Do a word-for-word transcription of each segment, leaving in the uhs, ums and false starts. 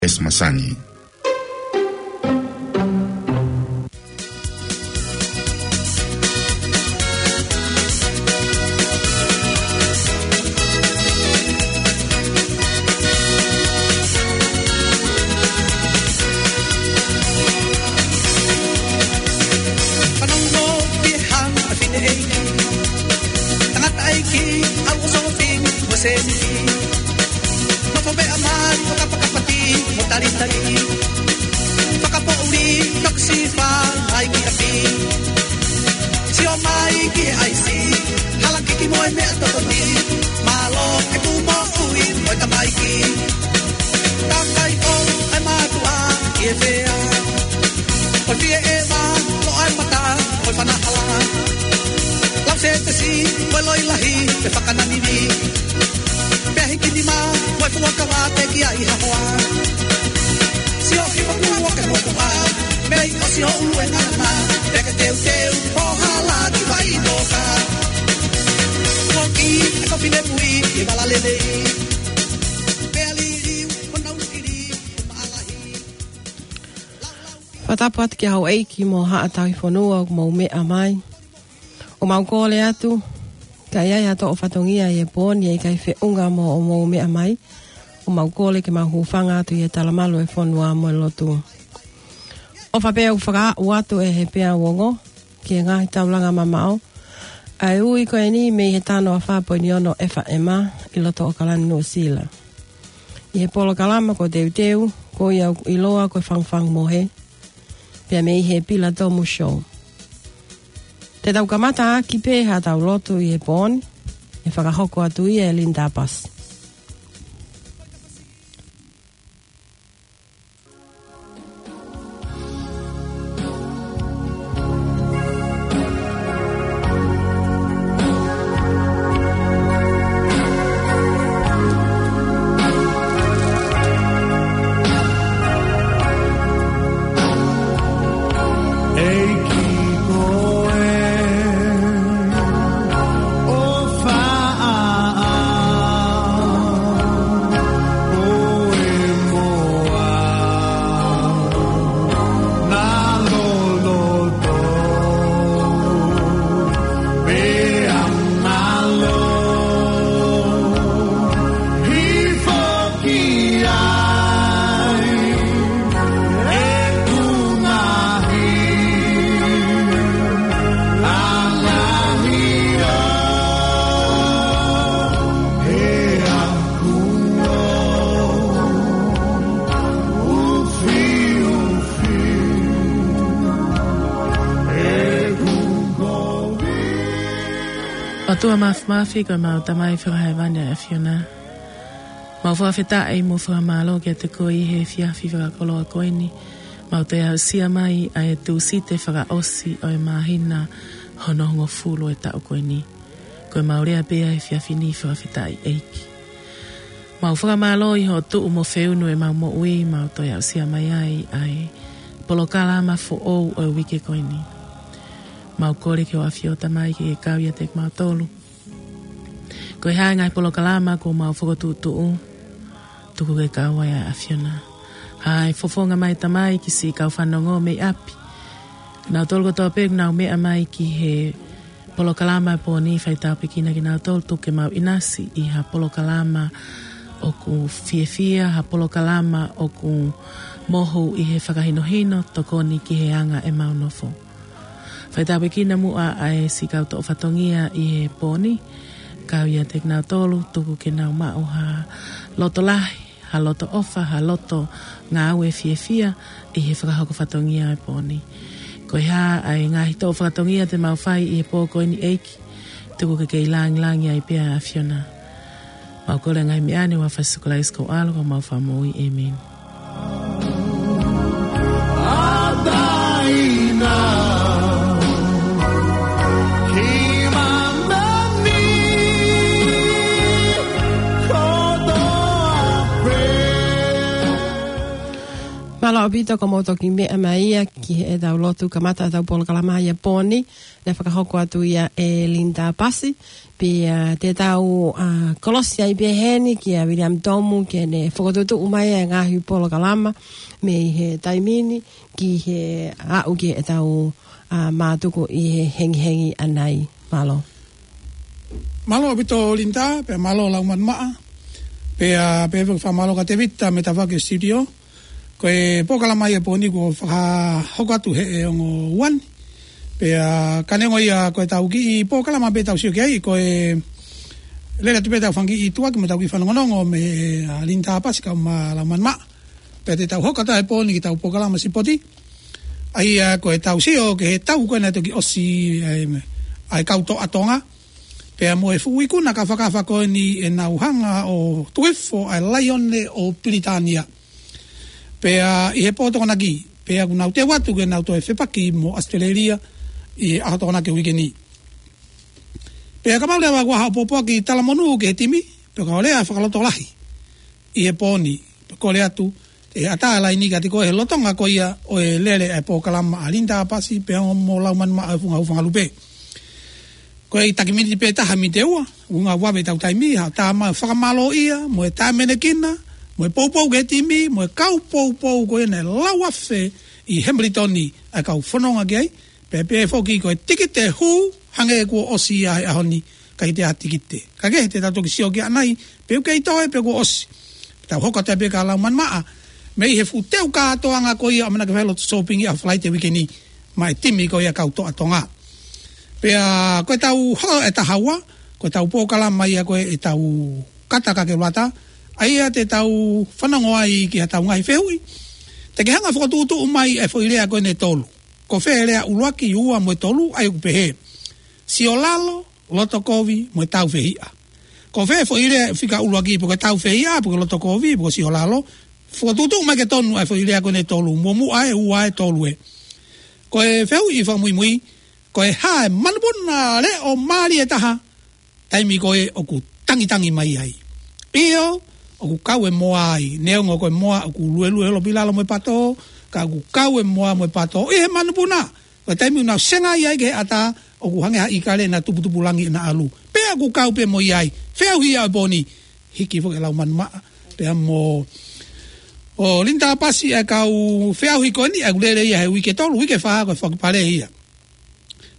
Esi Masani. Fanongo pē hanga ʻa e fineʻeiki, tangataʻeiki, ʻa e ʻofa ʻo e fefine mo e sēniti. Nofo pē ʻa mali ʻo kapakapati mo talitali. Fakapoʻuli, toki sifa mai ki ʻapi. Sio mai ki he ʻaisi, hala kiki mo e meʻa totoni. Mālō ʻeku moʻui mo e tamaiki. Takai ʻo e mātuʻa ʻi he fea. ʻO fie ʻeva, loʻa e mata, ʻo e fanahala. Lau sētesi, mo e loi lahi, pe fakananini. Pea hiki nima, mo e fuakava teʻeki ai ha hoa. Sio ʻi he mokuʻa ke mokuʻa, mei ʻosi ʻo ʻulu e ngana, pea ke teuteu, ʻo hala ki vai noka. Kuo ki e kopi lepui, ke vala lelei. Pea liliu, ʻo nau kili, ʻo maʻalahi. Fakatapu atu ki he houʻeiki mo haʻa tauhi fonua ʻoku mou meʻa mai. ʻOku mau kole atu, ka ʻi ai ha toʻo fatongia ʻi he pō ni ʻe ʻikai feʻunga mo ʻoku mou meʻa mai, ʻoku mau kole ke mau hūfanga atu ʻi he talamalu ʻo e fonua mo e lotu. ʻOfa pē ʻoku fakaaʻu atu ʻe he peau ongo ki he ngaahi taulanga mamaʻo ʻa e ui ko eni mei he tano ʻa fā poini ono F M ʻi loto ʻAokalani, Nuʻusila. ʻI he polokalama ko Teuteu, ko ia ʻoku ʻiloa ko e Fangufangu Mohe, pea mei he Pilatomu Show. Te tau kamata ʻaki pē haʻatau lotu ʻi he pō ni, ʻe fakahoko atu ia ʻe Linda Pasi. ʻOtua Māfimafi, ko ʻemau Tamai Fakahēvani ʻa e ʻAfiona. Mau fakafetaʻi mo fakamālō kiate koe ʻi he efiafi fakakoloa ko eni. Mau toe aʻusia mai ʻa e Tūsite fakaʻosi ʻo e māhina hono hongofulu ʻo e taʻu ko eni. Ko ʻemau lea pē ʻa e efiafi ni, fakafetaʻi ʻEiki. Mau fakamālō ʻi hoʻo tuʻu mo feunu ʻemau moʻui, mau toe aʻusia mai ai ʻa e polokalama foʻou ʻo e uike ko eni. Mau kole ki hoʻo ʻAfio Tamai ke ke kau ʻiate kimautolu. Ko e hā e ngaahi polokalama kuo mau fokotuʻutuʻu, tuku ke kau ai ʻa e ʻAfiona. Hā e fofonga mai Tamai ki siʻi kau fanongo mei ʻapi. Nautolu kotoa pē ʻoku nau meʻa mai ki he polokalama ʻo e pō ni, fai tāpuekina kinautolu, tuku ke mau ʻinasi ʻi ha polokalama ʻoku fiefia, ha polokalama ʻoku mohu ʻi he fakahinohino, tokoni ki he anga ʻemau nofo. Fai tāpuekina muʻa ʻa e siʻi kau toʻo fatongia ʻi he pō ni, kau ʻiate kinautolu, tuku ke nau maʻu ha loto lahi, ha loto ʻofa, ha loto ngāue fiefia ʻi he fakahoko fatongia ʻo e pō ni. Ko e hā ʻa e ngaahi toʻo fatongia te mau fai ʻi he pō ko eni ʻEiki, tuku ke kei lāngilangi ai pē ʻa e ʻAfiona. Mau kole ngaahi meʻa ni ʻi he huafa ʻo Sīsū Kalaisi ko ho ʻAlo ko homau Fakamoʻui. ʻĒmeni. Mālō ʻaupito, ko mou toki meʻa mai ia ki heʻetau lotu kamata ʻetau polokalama ʻi he pō ni, naʻe fakahoko atu ia ʻe Linda Pasi, pea te tau, ā, kolosi ai pē heni kia Viliami Tomu ke ne fokotuʻutuʻu mai e ngaahi polokalama mei he taimi ni ki he aʻu ki heʻetau, ā, mātuku ʻi he hengihengi ʻanai. Mālō. Mālō ʻaupito Linda, pea mālō Laumanu Maʻa, pea, pea fakamālō kia Tevita mei he tafaʻaki studio. Ko e polokalama ia ʻo e pō ni kuo fakahoko atu he ʻe ongo ua ni. Pea ka neongo ia ko ʻetau kiʻi polokalama pē ʻoku tau sio ki ai, ko e lele atu pē ʻetau fanga kiʻi tuʻuaki mo ʻetau kiʻi fanongonongo mei he, ā, Linda Pasi kae ʻumaʻā Laumanu Maʻa. Pea te tau hoko atu he pō ni ki heʻetau polokalama sipoti. ʻA ia ko ʻetau sio ki he tau ko ē naʻe toki ʻosi, ē, ʻa e kau toʻa Tonga. Pea mo e fuʻu ikuna kafakafa ko eni ʻenau hanga ʻo tuku hifo ʻa e laione ʻo Pilitānia. Pea ʻi he pō Tokonaki, pea kuo nau teu atu ke nau toe fepaki mo ʻAositelēlia ʻi he ʻaho Tokonaki uike ni. Pea kapau leva kuo ʻi ai haʻo pōpoaki talamonū ki he timi, pea ka ʻi ai ha fakalotolahi ʻi he pō ni, pea kole atu, ʻe ʻatā e laini kiate koe he lolotonga ko ia ʻo e lele ʻa e polokalama ʻa Linda Pasi pea mo Laumanu Maʻa ʻi he funga hūfanga lupe. Ko e taki miniti pē taha miniti ʻe ua, ʻuhinga ʻoku vave ʻetau taimi, haʻu ʻo tā mai e fakamālōʻia, mo e tāmenekina, mo e poupou ki he timi, mo e kau poupou ko ia naʻe lau afe ʻi Hamilton ʻa e kau fononga ki ai, pea pehē foki ko e tikite hū, hangē kuo ʻosi ia he ʻaho ni, ʻikai toe ʻi ai ha tikite. Ka ke he te tau toki sio ki ai ʻanai, pe ʻoku kei toe, pe kuo ʻosi. Tau hoko atu pē kia Laumanu Maʻa, mei he fuʻu teu kātoanga ko ia ʻo e ʻamanaki fai lotu sōpingi ʻaho Falaite uike ni, maʻa e timi ko ia kau toʻa Tonga. Pea ko ʻetau hoko ʻe taha ua, ko ʻetau polokalama ia ko ē ʻetau kata ka ke lata, ʻa ia te tau fanongo ai ki haʻatau ngaahi fehuʻi. Te ke hanga ʻo fokotuʻutuʻu mai e foʻi lea ko eni ʻe tolu. Ko fē e lea ʻuluaki, ua mo e tolu, ʻa ia ʻoku pehē: Siolalo, lotokovi, mo e tāufehiʻa. Ko fē e foʻi lea fika ʻuluaki, pe ko e tāufehiʻa, pe ko e lotokovi, pe ko e siolalo? Fokotuʻutuʻu mai ke tonu ʻa e foʻi lea ko eni ʻe tolu, muʻomuʻa ē, ua ē, tolu ē. Ko e fehuʻi fakamuimui, ko e hā e manupuna leʻo mālie taha taimi ko ē ʻoku tangitangi mai ai? ʻIo, ʻoku kau e moa ai, neongo ko e moa ʻoku luelue holo pē ʻi lalo mo e pato, ka ʻoku kau e moa mo e pato ʻi he manupuna. Ko e taimi ʻoku nau sengaʻi ai ki he ʻatā, ʻoku hangē ha ʻīkale naʻe tuputupulangi ʻena ʻalu. Pea ʻoku kau pē mo ia ai. Fehuʻi ia ʻo e pō ni, hiki foki ʻe Laumanu Maʻa pea mo Linda Pasi ʻa e kau fehuʻi ko eni, ʻa ia ʻoku lele ia he uike tolu, uike fā, ko e fakapale ia.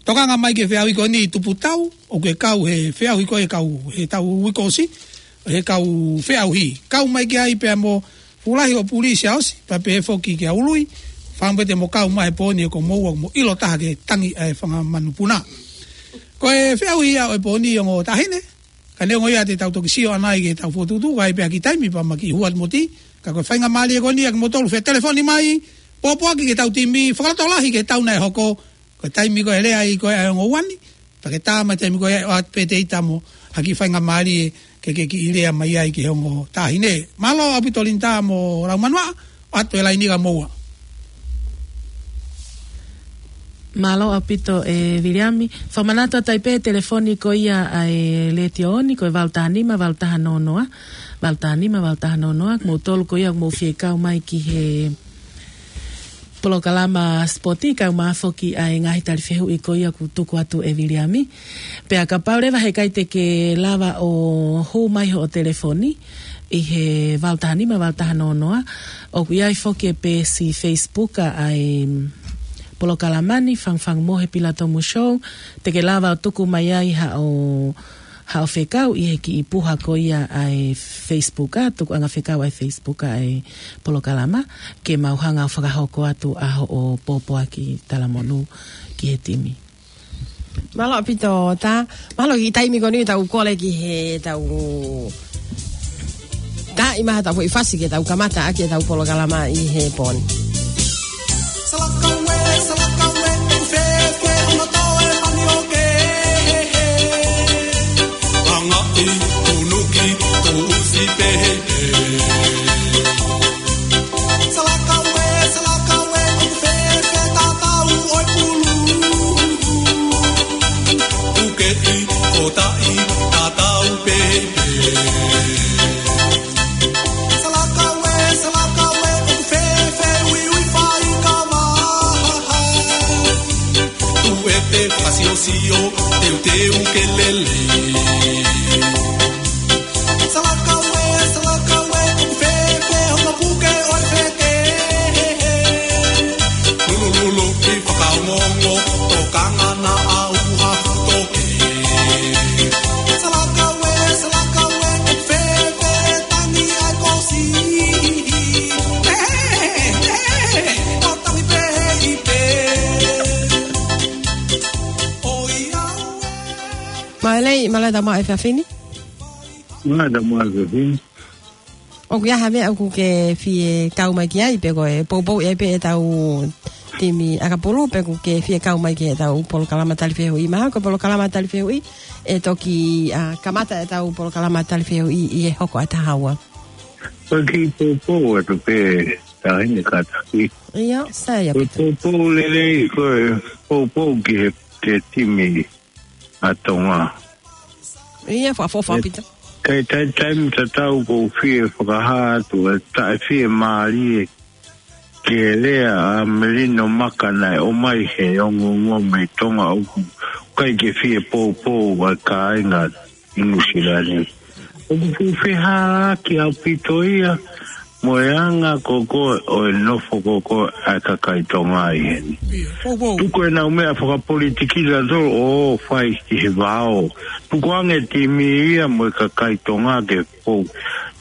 Tokanga mai ki he fehuʻi ko eni, tupu tau, ʻoku ke kau he fehuʻi ko ē kau he taʻu kuo ʻosi, he kau fehuʻi. Kau mai ki ai pea mo Fulahi ʻo Pulisi ʻa ʻosi, pea pehē foki kia Ului, fāmili te mo kau mai he pō ni ʻoku mou ʻoku mou ʻilo taha ki he tangi ʻa e fanga manupuna. Ko e fehuʻi ia ʻo e pō ni, ongo taʻahine, ka neongo ia te tau toki sio ʻanai ke tau fokotuʻutuʻu ai pē ha kiʻi taimi pea ma kiʻi hua atu mo tī, ka ko e faingamālie ko eni ʻa kimoutolu fie telefoni mai, pōpoaki ki heʻetau timi, fakalotolahi ki he tau naʻe hoko, ko e taimi ko ē ʻe lea ai ko ē ʻa e ongo ua ni, pea ke tā mai e taimi ko ē ʻoatu pē Tevita mo ha kiʻi faingamālie ke ke kiʻi lea mai ai ki he ongo taʻahine. Mālō ʻaupito Linda mo Laumanu Maʻa, ʻoatu e laini kia moua. Mālō ʻaupito ē Viliami. Fakamanatu atu ai pē e telefoni ko ia ʻa e Letiō ni, ko e valu taha nima, valu taha noa noa. Valu taha nima, valu taha noa noa. Kimoutolu ko ia ʻoku mou fie kau mai ki he polokalama sipoti, kae ʻumaʻā foki ʻa e ngaahi tali fehuʻi ko ia ʻoku tuku atu ʻe Viliami. Pea kapau leva he ʻikai te ke lava ʻo hū mai hoʻo telefoni ʻi he valu taha nima, valu taha noa noa, ʻoku ʻi ai foki e peesi Facebook ʻa e polokalama ni, Fangufangu Mohe Pila Tomu Show, te ke lava ʻo tuku mai ai haʻo, haʻo fekau ʻi he kiʻi puha ko ia ʻa e Facebook, ʻa e tukuʻanga fekau ʻa e Facebook ʻa e polokalama, ke mau hanga ʻo fakahoko atu ʻa hoʻo pōpoaki talamonū ki he timi. Mālō ʻaupito Tā. Mālō e kiʻi taimi ko eni tau kole ki heʻetau tā ʻi maha tau foʻi fasi ke tau kamata ʻaki ʻetau polokalama ʻi he pō ni. Salakaue, salakaue, ʻoku fēfē hono toe manioke? Langaʻi, tunuki, tuʻusi pehē. Salakaue, salakaue, ʻoku fēfē tatau ʻo e pulu? Ukeʻi, kotaʻi, tatau pehē. Salakaue, salakaue, ʻoku fēfē ui Mālō e tau maʻu e efiafi ni. Mālō e tau maʻu e efiafi ni. ʻOku ʻi ai ha meʻa ʻoku ke fie kau mai ki ai pe ko e poupou ʻe pē ʻetau timi ʻakapulu pe ʻoku ke fie kau mai ki heʻetau polokalama tali fehuʻi. Mahalo ko e polokalama tali fehuʻi ʻe toki, ʻa, kamata ʻetau polokalama tali fehuʻi ʻi he hoko ʻa e taha ua. Ko e kiʻi poupou atu pē, Taʻahine Kātaki. ʻIo, sai ʻaupito. Ko e poupou lelei, ko e poupou ki he, ki he timi ʻa Tonga. ʻIo, fakaʻofoʻofa ʻaupito. Kae taimi tatau ʻoku ou fie fakahā atu ʻa e taʻefiemālie ki he lea ʻa Melino Maka naʻe ʻomai he ongoongo mei Tonga ʻoku ʻikai ke fie poupou ʻa e kāinga ʻi Nuʻusila ni. ʻOku fuʻu fehālaaki ʻaupito ia mo e anga ko ē ʻo e nofo ko ē ʻa e kakai Tonga ʻi heni. Tuku ʻenau meʻa fakapolitikila tolo ʻo fai ki he vao. Tukuange timi ia mo e kakai Tonga ke pou,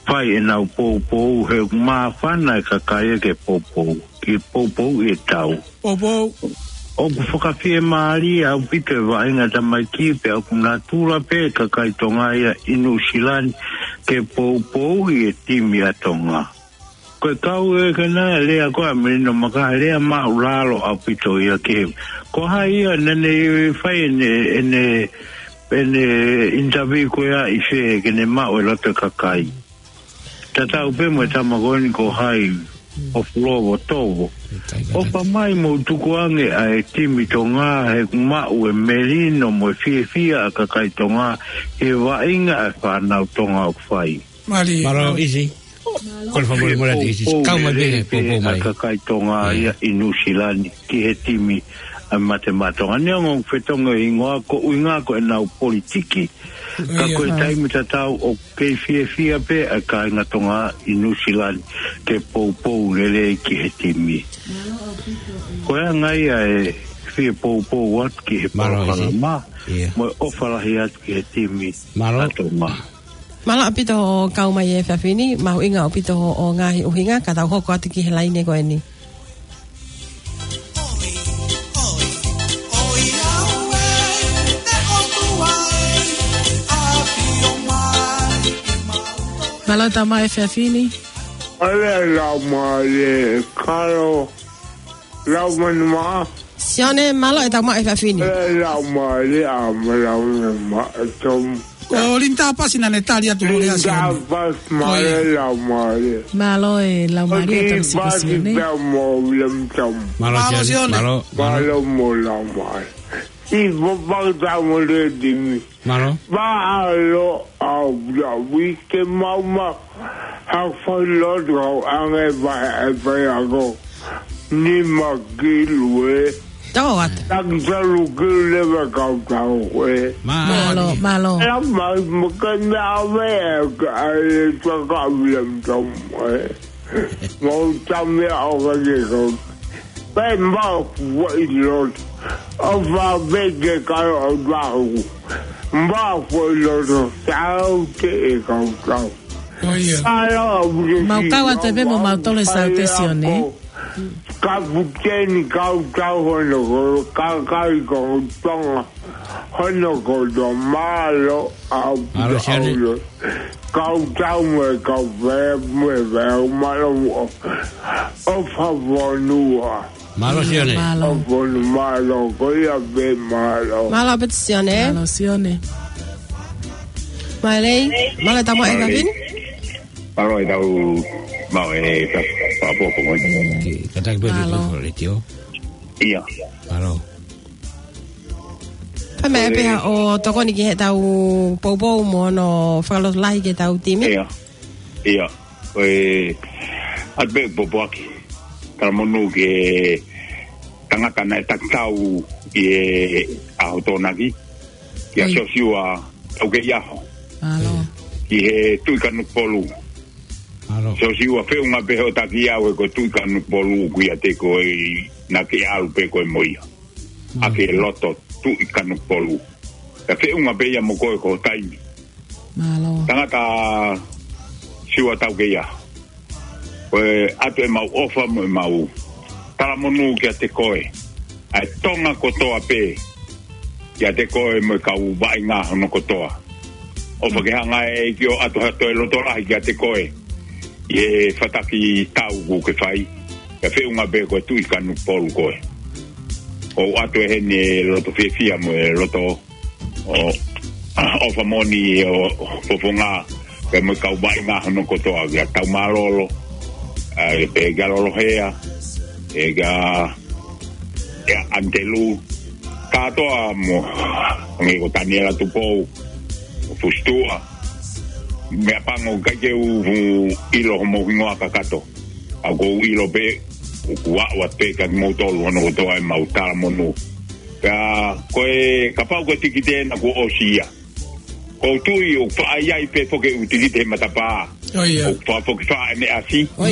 fai ʻenau poupou he māfana e kakai ke poupou. Ke poupou ʻi he tau. Poupou. ʻOku fakafiemālie ʻaupito e vaʻinga tamaiki pea ʻoku natula pē kakai Tonga ia ʻi Nuʻusila ni ke poupou ʻi he timi ʻa Tonga. Ko e kau ē ke na lea ko ē ʻa Melino Maka lea māʻulalo ʻaupito ia ke. Ko hai ia naʻa ne fai ʻene, ʻene, ʻene interview ko ia ʻi fē ke ne maʻu e loto e kakai. Tatau pē mo e tama ko eni ko hai ʻo Fuloa ʻo Tovo. ʻOfa mai mou tukuange ʻa e timi Tonga he ʻoku maʻu e melino mo e fiefia ʻa e kakai Tonga he vaʻinga ʻa e fānau Tonga ʻoku fai. Mālō, ʻIsi. Ko e fakamolemole atu ʻIsi. Kau mai pē, poupou mai. ʻA e kakai Tonga ia ʻi Nuʻusila ni ki he timi ʻa e Mate Maʻa Tonga. Neongo ʻoku fetongi e hingoa ko e ʻuhinga ko ʻenau politiki. Ka ko e taimi tatau ʻoku kei fiefia pē ʻa e kāinga Tonga ʻi Nuʻusila ni ke poupou lelei ki he timi. Ko e anga ia e fie poupou atu ki he polokalama mo e ʻofa lahi atu ki he timi ʻa Tonga. Mālō ʻaupito hoʻo kau mai he efiafi ni, mahuʻinga ʻaupito hoʻo ngaahi ʻuhinga, ka tau hoko atu ki he laine ko eni. Mālō e tau maʻu e efiafi ni. ʻAle lau mālie, Kalo, lau manu maʻa. Sione, mālō e tau maʻu e efiafi ni. ʻAle lau mālie, ʻa ma lau manu maʻa, Tom. Ko Linda Pasi naʻa ne tali atu hoʻo lea, Sione. Linda Pasi, mālō e lau mālie. Mālō e lau mālie, Tom Siko Sione. Pea mo William Tom. Mālō, Sione. Mālō, mālō mo lau mālie. ʻI Papau tau mo le timi. Mālō. Mālō, ʻa, ʻa, ʻa, uike mau ma, ha fai lotu au ange vai e fai ako. Ni ma kilu e. Tau atu. Taki talu kilu le va kau tau e. Mālō, mālō. La mai mo ke me ave e ka e tua ka William Tom e. Mau tame au ka ke kau. Pe mau kuo ʻi loto. ʻOfa pē ke kau au lau. Mau kuo ʻi loto. Tau te e kau tau. Mālō, Mau kau atu pē mo mau tole sau te Sione. Kapiteni kau tau hono ko kakai ko Tonga. Hono ko to mālō au. Mālō, Sione. Kau tau mo e kau pē mo e pē mālō mo ʻofa fonua. Mālō, Sione. Mālō. ʻOfa fonua mālō, ko ia pē mālō. Mālō ʻaupito Sione. Mālō, Sione. Mālō, mālō e tau maʻu e efiafi ni. Mālō e tau maʻu e efiafi ni. Kātaki pē Mālō. Letiō. ʻIa. Mālō. Pea meʻa pē haʻo tokoni ki heʻetau poupou mo hono fakalotolahi ki heʻetau timi. ʻIa. ʻIa. Ko e ʻatu pē pōpoaki. Talamonū ki he tangata naʻe takitau ʻi he ʻaho Tokonaki. Kia Siosiua Taukeiʻaho. Mālō. Ki he Tuʻi Kanokupolu. Mālō. Siosiua feʻunga pē hoʻo taki au he ko e Tuʻi Kanokupolu ʻoku ʻiate koe naʻa ke ʻalu pē koe mo ia. ʻA ke loto Tuʻi Kanokupolu. Ka feʻunga pē ia mo koe ko e taimi. Mālō. Tangata Siua Taukeiʻaho. Ko e ʻatu ʻemau ʻofa mo ʻemau talamonū kiate koe. ʻA e Tonga kotoa pē. kiate koe mo e kau vaʻinga hono kotoa. ʻOfa ke hanga ʻe he ʻEiki ʻo ʻoatu ha toe loto lahi kiate koe ʻi he fataki tau kuo ke fai, kae feʻunga pē ko e Tuʻi Kanokupolu koe. ʻOatu ʻe heni e loto fiefia mo e loto ʻo, ʻofa moʻoni ʻo fofonga pea mo e kau vaʻinga hono kotoa, kia Taumālolo, ʻa, pea kia Lolohea, pea kia, kia ʻAnitelū, kātoa mo, hangē ko Taniela Tupou, mo Fusituʻa, meʻapango ʻikai ke u ʻilo homou hingoa kakato. ʻA ʻoku ou ʻilo pē, ʻoku ou ʻoatu pē kia kimoutolu hono kotoa ʻemau talamonū. Ka ko e, kapau ko e tikite ena kuo ʻosi ia. ʻOku ou tui ʻoku faʻa ʻi ai pē foki ʻeku tikite he matapā. ʻOku faʻa foki faʻa ʻene ʻasi. ʻE,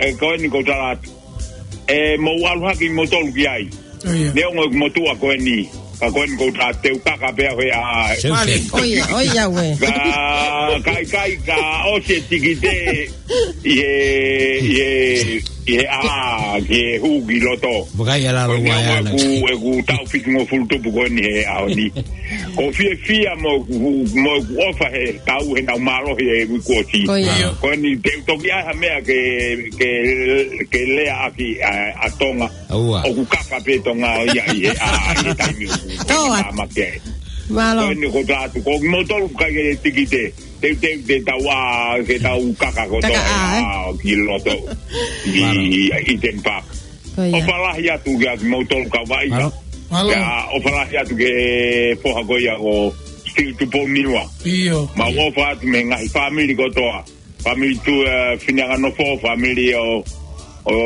ʻe ko eni ʻoku ou tala atu. ʻE mou ʻalu hake kimoutolu ki ai. Neongo ʻeku motuʻa ko eni. Ka ko eni ʻoku ou tala atu te u kaka pē au he ʻaʻā. Ka, ka ʻikai ka ʻosi e tikite ʻi he, ʻi he, ʻi he ʻaʻā, ki he hū ki loto. Ko e meʻa ʻoku, ʻeku taʻu fitungofulu tupu ko eni he ʻaho ni. ʻOku ou fiefia mo, mo ʻeku ʻofa he tau he nau mālohi he uike kuo ʻosi. Ko eni te u toki ʻai ha meʻa ke, ke, ke lea ʻaki ʻa, ʻa Tonga. ʻOku kaka pē Tonga ia ʻi he ʻaʻā ʻi he taimi ʻoku tāmaki ai. Ko eni ʻoku ou tala atu, ko kimoutolu ʻikai ke tikite. Teuteu te tau ʻā, ke tau kaka kotoa ʻa ki loto ʻi, ʻi Eden Park. ʻOfa lahi atu kia kimoutolu kau vaʻinga. Pea ʻofa lahi atu ki he foha ko ia ko Steel Tupou Niua. Mau ʻofa atu mei he ngaahi fāmili kotoa. Fāmili tu, ʻa, Fineanganofo, fāmili ʻo, ʻo,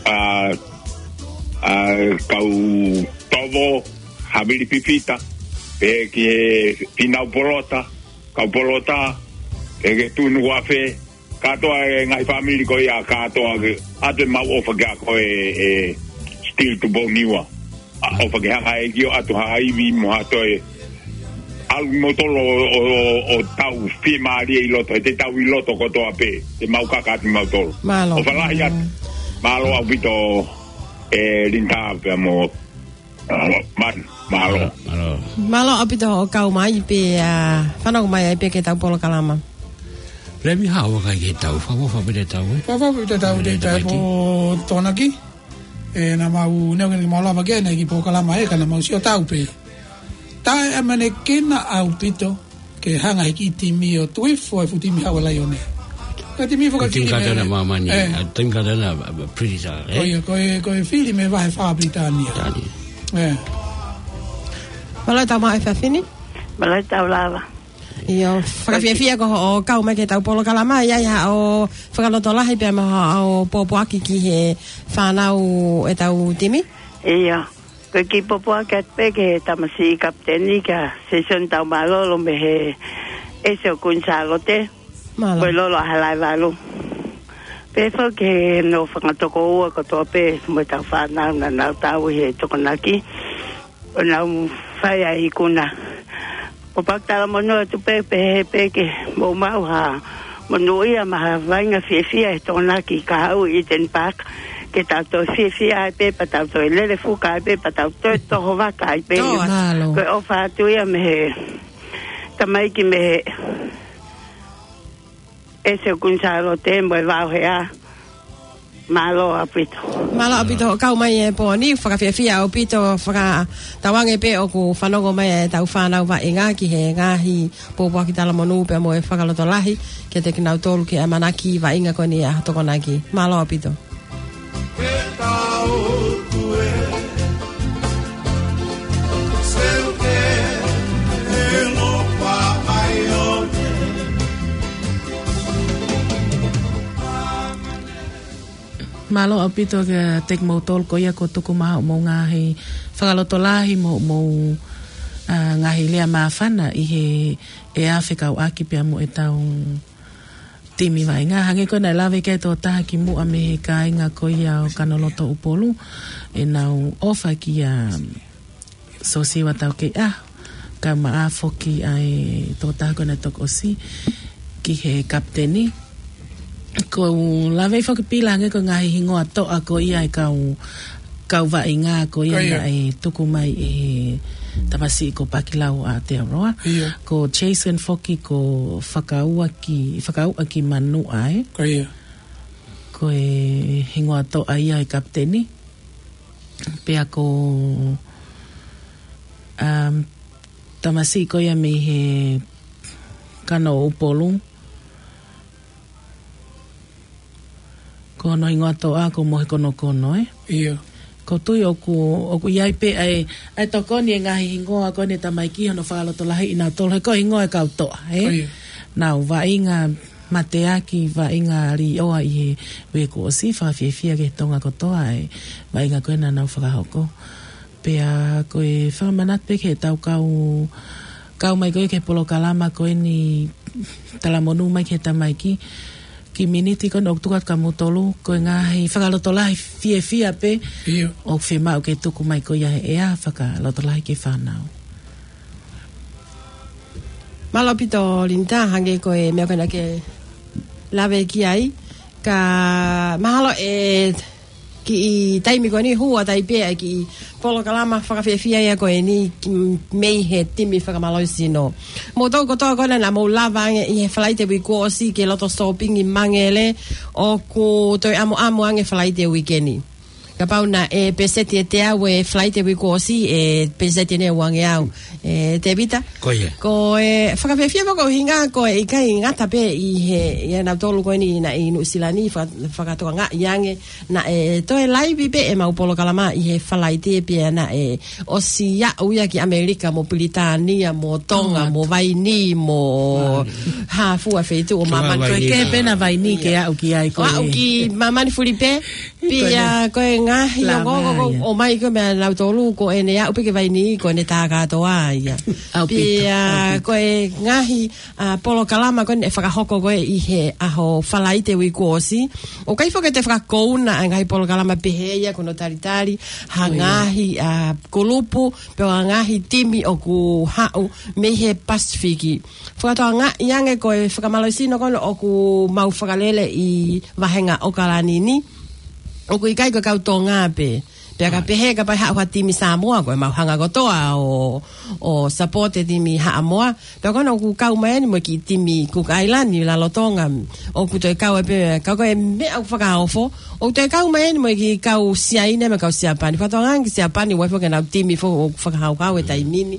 ʻa, ʻa, kau Tovo, Havili Pipita, pea ki he Finau Polota, kau Polota, pea ki he Tunuafe, kātoa e ngaahi fāmili ko ia kātoa ke, ʻoatu ʻemau ʻofa kia koe, ʻe Steel Tupou Niua. ʻOfa ke hanga ʻe he ʻEiki ʻo ʻoatu ha ivi mo ha toe ʻalu kimoutolu ʻo, ʻo, ʻo, ʻo tau fiemālie ʻi loto, he te tau ʻi loto kotoa pē, te mau kaka atu kimautolu. ʻOfa lahi atu. Mālō ʻaupito ʻe Linda pea mo, ʻa, Manu, mālō. Mālō ʻaupito hoʻo kau mai pea fanongo mai ai pē ki heʻetau polokalama. Lemi hao kai ke tau, fa, fa, fa, pita tau, ʻe? Fa, fa, pita tau, te tau po tonaki. ʻE, naʻa mau neongo ke mau lava ke ne ki polokalama ē, ka naʻa mau sio tau pē. Taʻeʻamanekina ʻaupito ke hanga ʻe he kiʻi timi ʻo tuifo e fuʻu timi Haʻu ʻa e Laione. Ka timi faka-, timi fili kātoa mei, ʻa māmani, ʻe, ʻa timi kātoa ʻa, ʻa, ʻa Pritisa, ē? Ko ia, ko e, ko e fili mei he vahe fā Pilitānia. Pilitānia. ʻE. Mālō e tau maʻu e efiafi ni. Mālō e tau lava. ʻIo, fakafiefia ko hoʻo kau mai ki heʻetau polokalama, ʻi ai haʻo fakalotolahi pea mo haʻo pōpoaki ki he fānau ʻetau timi? ʻIo, ko e kiʻi pōpoaki atu pē ki he tamasiʻi kapiteni kia Sesoni Taumālolo mei he ʻEsi ʻo Kuini Sālote, ko e lolo ʻa Halaevalu. Pea foki ki he nofo fanga tokoua kotoa pē mo ʻetau fānau naʻa nau tauhi e Tokonaki. ʻO nau fai ai ikuna. ʻOku ou talamonū atu pē, pehē pē ke mou maʻu ha monūʻia mo ha vaʻinga fiefia he Tokonaki kahaʻu ʻi Eden Park. Ke tau toe fiefia ai pē, pea tau toe lele fuka ai pē, pea tau toe toho vaka ai pē. Ko e ʻofa atu ia mei he tamaiki mei he ʻEsi ʻo Kuini Sālote mo e Vaohea. Mālō ʻaupito. Mālō ʻaupito hoʻo kau mai he pō ni, fakafiefia ʻaupito, fakatauange pē ʻoku fanongo mai ʻetau fānau vaʻinga ki he ngaahi pōpoaki talamonū pea mo e fakalotolahi kiate kinautolu ki he ʻamanaki vaʻinga ko eni ʻa Tokonaki. Mālō ʻaupito. Mālō ʻaupito kiate kimoutolu ko ia kuo tuku mai hoʻomou ngaahi fakalotolahi mo hoʻomou, ʻa, ngaahi lea māfana ʻi he, ʻe fekauʻaki pea mo ʻetau timi vaʻinga. Hangē ko ē naʻe lave ki ai e tokotaha kimuʻa mei he kāinga ko ia ʻo Kanoloto Upolu, ʻenau ʻofa kia Sosiua Taukeiʻaho, kae ʻumaʻā foki ʻa e tokotaha ko ē naʻe toki ʻosi ki he kapiteni. ʻOku ou lave foki Pila hangē ko e ngaahi hingoa toʻa ko ia e kau kau vaʻinga ko ia naʻe tuku mai ʻe he tamasiʻi ko Pakilau ʻAtearoa. Ko Jason foki ko Fakauʻaki, Fakauʻaki Manuʻa, ē? Ko e hingoa toʻa ia ʻo e kapiteni. Pea ko, um, tamasiʻi ko ia mei he Kano ʻUpolu. Ko hono hingoa toʻa ko Mohe Konokono, ē? Ko tui ʻoku, ʻoku ʻi ai pē ʻa e, ʻa e tokoni e ngaahi hingoa ko eni tamaiki hono fakalotolahi ʻi nautolu he ko e hingoa e kau toʻa, ē? Nau vaʻinga mateaki, vaʻinga liʻoa ʻi he uike kuo ʻosi, fakafiefia ki he Tonga kotoa e vaʻinga ko ena nau fakahoko. Pea ko e fakamanatu pē ke tau kau, kau mai ko ē ki he polokalama ko eni talamonū mai ki he tamaiki, ki he miniti ko eni ʻoku tuku atu kia moutolu, ko e ngaahi fakalotolahi fiefia pē ʻoku fiemaʻu ke tuku mai ko ia he ʻea, fakalotolahi ki he fānau. Mālō ʻaupito Linda, hangē ko e meʻa ko ena ke lave ki ai, ka mahalo ʻe kiʻi taimi ko eni hū atu ai pē ʻa e kiʻi polokalama fakafiefia ia ko eni ki, mei he timi fakamālohisino. Moutolu kotoa ko ena naʻa mou lava ange ʻi he Falaite uike kuo ʻosi ke loto sōpingi Mangele, ʻoku toe ʻamuʻamu ange Falaite uike ni. Kapau naʻe peseti ʻe teau e Falaite uike kuo ʻosi, ʻe peseti ʻe uangeau, ē Tevita? Ko ia. Ko e fakafiefia pē ko e ʻuhinga ko e ʻikai ngata pē ʻi he, ʻia nautolu ko eni naʻe ʻi Nuʻusila ni, faka-, fakatokangaʻi ange naʻe toe laivi pē ʻemau polokalama ʻi he Falaite pea naʻe ʻosi aʻu ia ki ʻAmelika mo Pilitānia mo Tonga mo Vainī mo ha fua feituʻu ʻo māmani. Ko e kehe pē ena Vainī ke aʻu ki ai ko ē. Aʻu ki māmani fulipē. Pea ko e ngaahi ongoongo ʻoku ʻomai ko ē meia nautolu ko ʻene aʻu pē ki Vainī ko ʻene tā kātoa ia. Pea ko e ngaahi, ā, polokalama ko eni ʻe fakahoko ko ē ʻi he ʻaho Falaite uike kuo ʻosi. ʻOku ʻikai foki ke toe fakakouna ʻa e ngaahi polokalama pehē ia ko hono talitali ha ngaahi, ā, kulupu, pe ko ha ngaahi timi ʻoku haʻu mei he Pasifiki. Fakatokangaʻi ange ko e fakamālohisino ko ena ʻoku mau fakalele ʻi vāhenga ʻAokalani ni, ʻoku ʻikai ko e kau Tonga pē. Pea ka pehē kapau ʻe haʻu ha timi Samoa, ko ʻemau hanga kotoa ʻo, ʻo support e timi Haʻamoa. Pea ko ena ʻoku kau mai eni mo e kiʻi timi Cook Island, Lalotonga, ʻoku toe kau ai pē, ka ko e meʻa ʻoku fakaofo, ʻoku toe kau mai eni mo e kiʻi kau Siaina mo e kau Siapani. Fakatokangaʻi ange ki Siapani, ʻoku ʻi ai foki ʻenau timi foki ʻoku fakahauhau he taimi ni.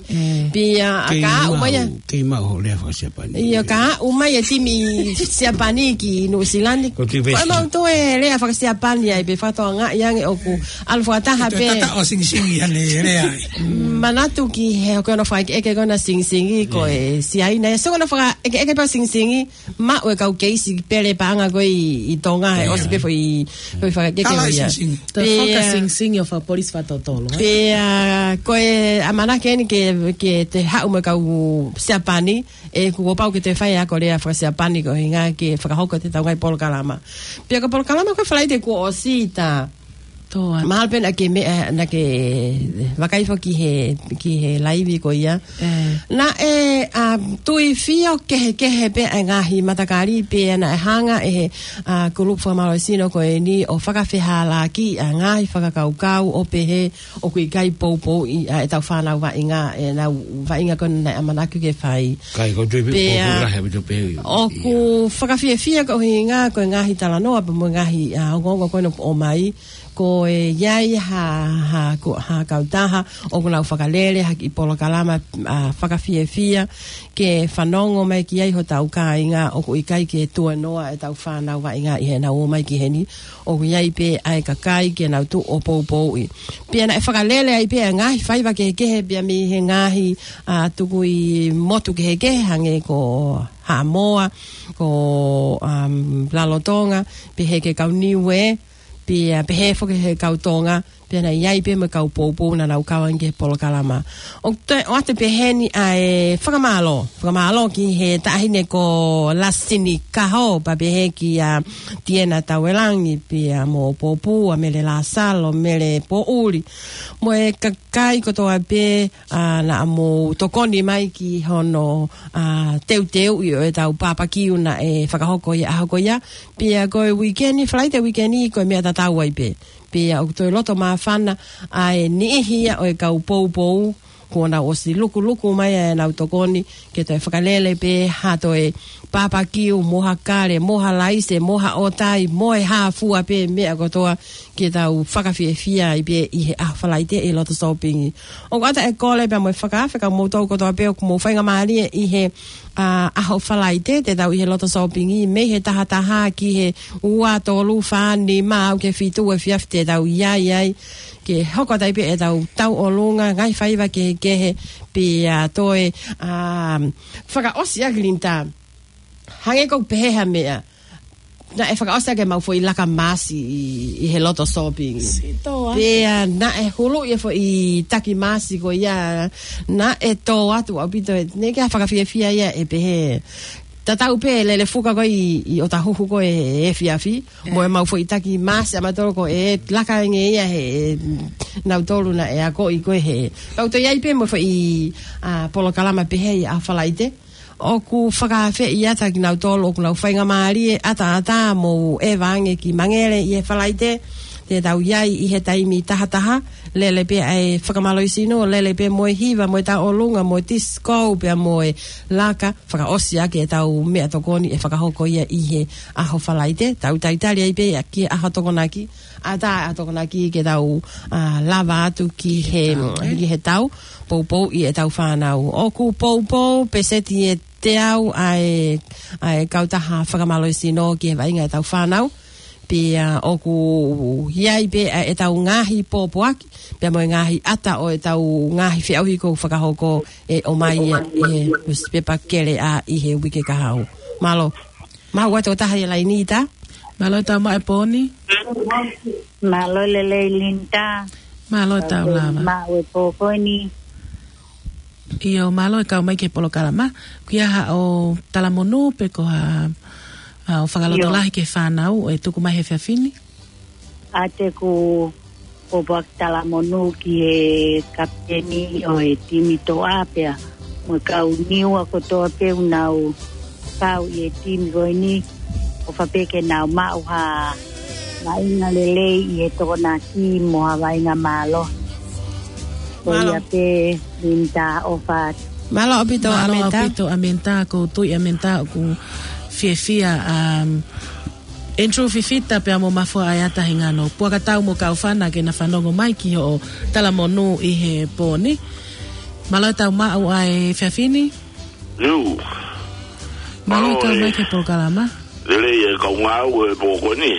Pea ka aʻu mai ʻa, kei maʻu hoʻo lea faka-Siapani. ʻIo, ka aʻu mai e timi Siapani ki Nuʻusila ni, ko ʻemau toe lea faka-Siapani ai pē, fakatokangaʻi ange ʻoku ʻalu fakataha pē. Tata ʻo Singisingi ʻene lea ai. Manatu ki he, ko hono fakaʻekeʻeke ko ena Singisingi ko e Siaina. ʻIo, so ko hono fakaʻekeʻeke pē ʻo Singisingi, maʻu e kau keisi pele paʻanga ko ē ʻi, ʻi Tonga, he ʻosi pē foʻi, foʻi fakaʻekeʻeke ia. Toe fakasingisingi ʻo fakapolisi fakatotolo, ē? Pea ko e ʻamanaki eni ke, ke toe haʻu mo e kau Siapani, ʻe kuo pau ke toe fai ako lea faka-Siapani ko e ʻuhinga ke fakahoko ʻetau ngaahi polokalama. Pea ko e polokalama ko e Falaite kuo ʻosi ta Mahalo pē naʻa ke meʻa, naʻa ke vakai foki he, ki he laivi ko ia. Naʻe, ā, tuifio kehekehe pē ʻa e ngaahi matakali pea naʻe hanga ʻe he, ā, kulupu fakamālohisino ko eni ʻo fakafehālaaki ʻa e ngaahi fakakaukau ʻo pehē ʻoku ʻikai poupouʻi ʻa ʻetau fānau vaʻinga, ʻenau vaʻinga ko ena naʻe ʻamanaki ke fai. Pea ʻoku fakafiefia ko e ʻuhinga ko e ngaahi talanoa pea mo e ngaahi, ā, ongoongo ko ena ʻoku ʻomai. Ko e ʻi ai ha, ha, ko, ha kautaha ʻoku nau fakalele ha kiʻi polokalama, ā, fakafiefia ke fanongo mai ki ai hotau kāinga ʻoku ʻikai ke tuenoa ʻetau fānau vaʻinga ʻi heʻenau ō mai ki heni. ʻOku ʻi ai pē ʻa e kakai ke nau tuʻu ʻo poupouʻi. Pea naʻe fakalele ai pē ʻa e ngaahi faiva kehekehe pea mei he ngaahi, ā, tukui motu kehekehe hangē ko Haʻamoa, ko, um, Lalotonga, pehē ki he kau Niuē, pea pehē foki ki he kau Tonga, pea naʻe ʻi ai pē mo e kau poupou naʻa nau kau ange ki he polokalama. ʻOku toe ʻoatu pē heni ʻa e fakamālō. Fakamālō ki he taʻahine ko Lasini Kaho, pea pehē kia Tiena Tauelangi, pea mo Poupou, ʻa Mele Lasalo, Mele Poʻuli. Mo e kakai kotoa pē, ā, naʻa mou tokoni mai ki hono, ā, teuteuʻi ʻo ʻetau papakiu naʻe fakahoko ʻi he ʻaho ko ia. Pea ko e uike ni, Falaite uike ni, ko e meʻa tatau ai pē. Pea ʻoku toe loto māfana ʻa e niʻihi ia ʻo e kau poupou, kuo nau ʻosi lukuluku mai ʻenau tokoni ke toe fakalele pē ha toe papakiu, mo ha kale, mo ha laise, mo ha ʻotai, mo e hā fua pē meʻa kotoa ke tau fakafiefia ai pē ʻi he ʻaho Falaite ʻi loto sōpingi. ʻOku ʻata e kole pea mo e fakaafe kia moutolu kotoa pē ʻoku mou faingamālie ʻi he, ʻa, ʻaho Falaite, te tau ʻi he loto sōpingi, mei he taha taha ki he ua, tolu, fā, nima, aʻu ki he fitu efiafi te tau ʻi ai ai, ke hoko atu ai pē ʻetau tauʻolunga, ngaahi faiva kehekehe, pea toe, ʻa, fakaʻosi ʻaki Linda. Hangē ko e pehē ha meʻa. Naʻe fakaʻosi ʻaki ʻemau foʻi laka maasi ʻi, ʻi he loto sōpingi. Sitoa. Pea naʻe huluʻi e foʻi taki maasi ko ia, naʻe tō atu ʻaupito e, naʻe ʻikai ke fakafiefia ia ʻe pehē. Tatau pē lele fuka ko ē ʻi, ʻi ʻOtahuhu ko ē he efiafi. Mo ʻemau foʻi taki maasi ʻa mautolu ko e laka ange ia he, nautolu naʻe akoʻi ko ē he. Pea ʻoku toe ʻi ai pē mo e foʻi, ʻa, polokalama pehē ʻi ʻaho Falaite. ʻOku fakaafeʻi atu kinautolu ʻoku nau faingamālie ʻataʻatā mo ʻeva ange ki Mangele ʻi he Falaite. Te tau ʻi ai ʻi he taimi taha taha, lele pē ʻa e fakamālohisino, lele pē mo e hiva, mo e tauʻolunga, mo e tisikō, pea mo e laka, fakaʻosi ʻaki ʻetau meʻatokoni ʻe fakahoko ia ʻi he ʻaho Falaite. Tau talitali ai pē ia ki he ʻaho Tokonaki, ʻatā ʻa Tokonaki ke tau, ʻa, lava atu ki he, ki he tau, poupouʻi ʻetau fānau. ʻOku poupou, peseti ʻe teau ʻa e, ʻa e kautaha fakamālohisino ki he vaʻinga ʻetau fānau. Pea ʻoku ʻi ai pē ʻa ʻetau ngaahi pōpoaki, pea mo e ngaahi ʻata ʻo ʻetau ngaahi feʻauhi kuo fakahoko ʻe ʻomai ia ʻi he nusipepa Keleʻa ʻi he uike kahaʻu. Mālō. Maʻu atu ʻe taha ia laini ta. Mālō e tau maʻu e pōni. Mālō e lelei Linda. Mālō e tau lava. Maʻu e pō ko eni. ʻIo, mālō e kau mai ki he polokalama. Kuo ʻi ai haʻo talamonū pe ko ha, ʻa, ʻo fakalotolahi ki he fānau ʻe tuku mai he efiafi ni? ʻA, te u pōpoaki talamonū ki he kapiteni ʻo e timi Toʻa pea mo e kau Niua kotoa pē ʻoku nau kau ʻi he timi ko eni, ʻofa pē ke nau maʻu ha vaʻinga lelei ʻi he Tokonaki mo ha vaʻinga mālohi. Ko ia pē Linda, ʻofa atu. Mālō ʻaupito. Mālō ʻaupito Amenta, ko e tui Amenta ʻoku fiefia, um, Andrew Fifita pea mo Mafua ʻa e ʻata he ngano. Puaka tau mo Kaufana ke na fanongo mai ki hoʻo talamonū ʻi he pōni. Mālō e tau maʻu ʻa e efiafi ni. Mālō e kau mai ki he polokalama. Lelei e kau ngāue he pō ko eni.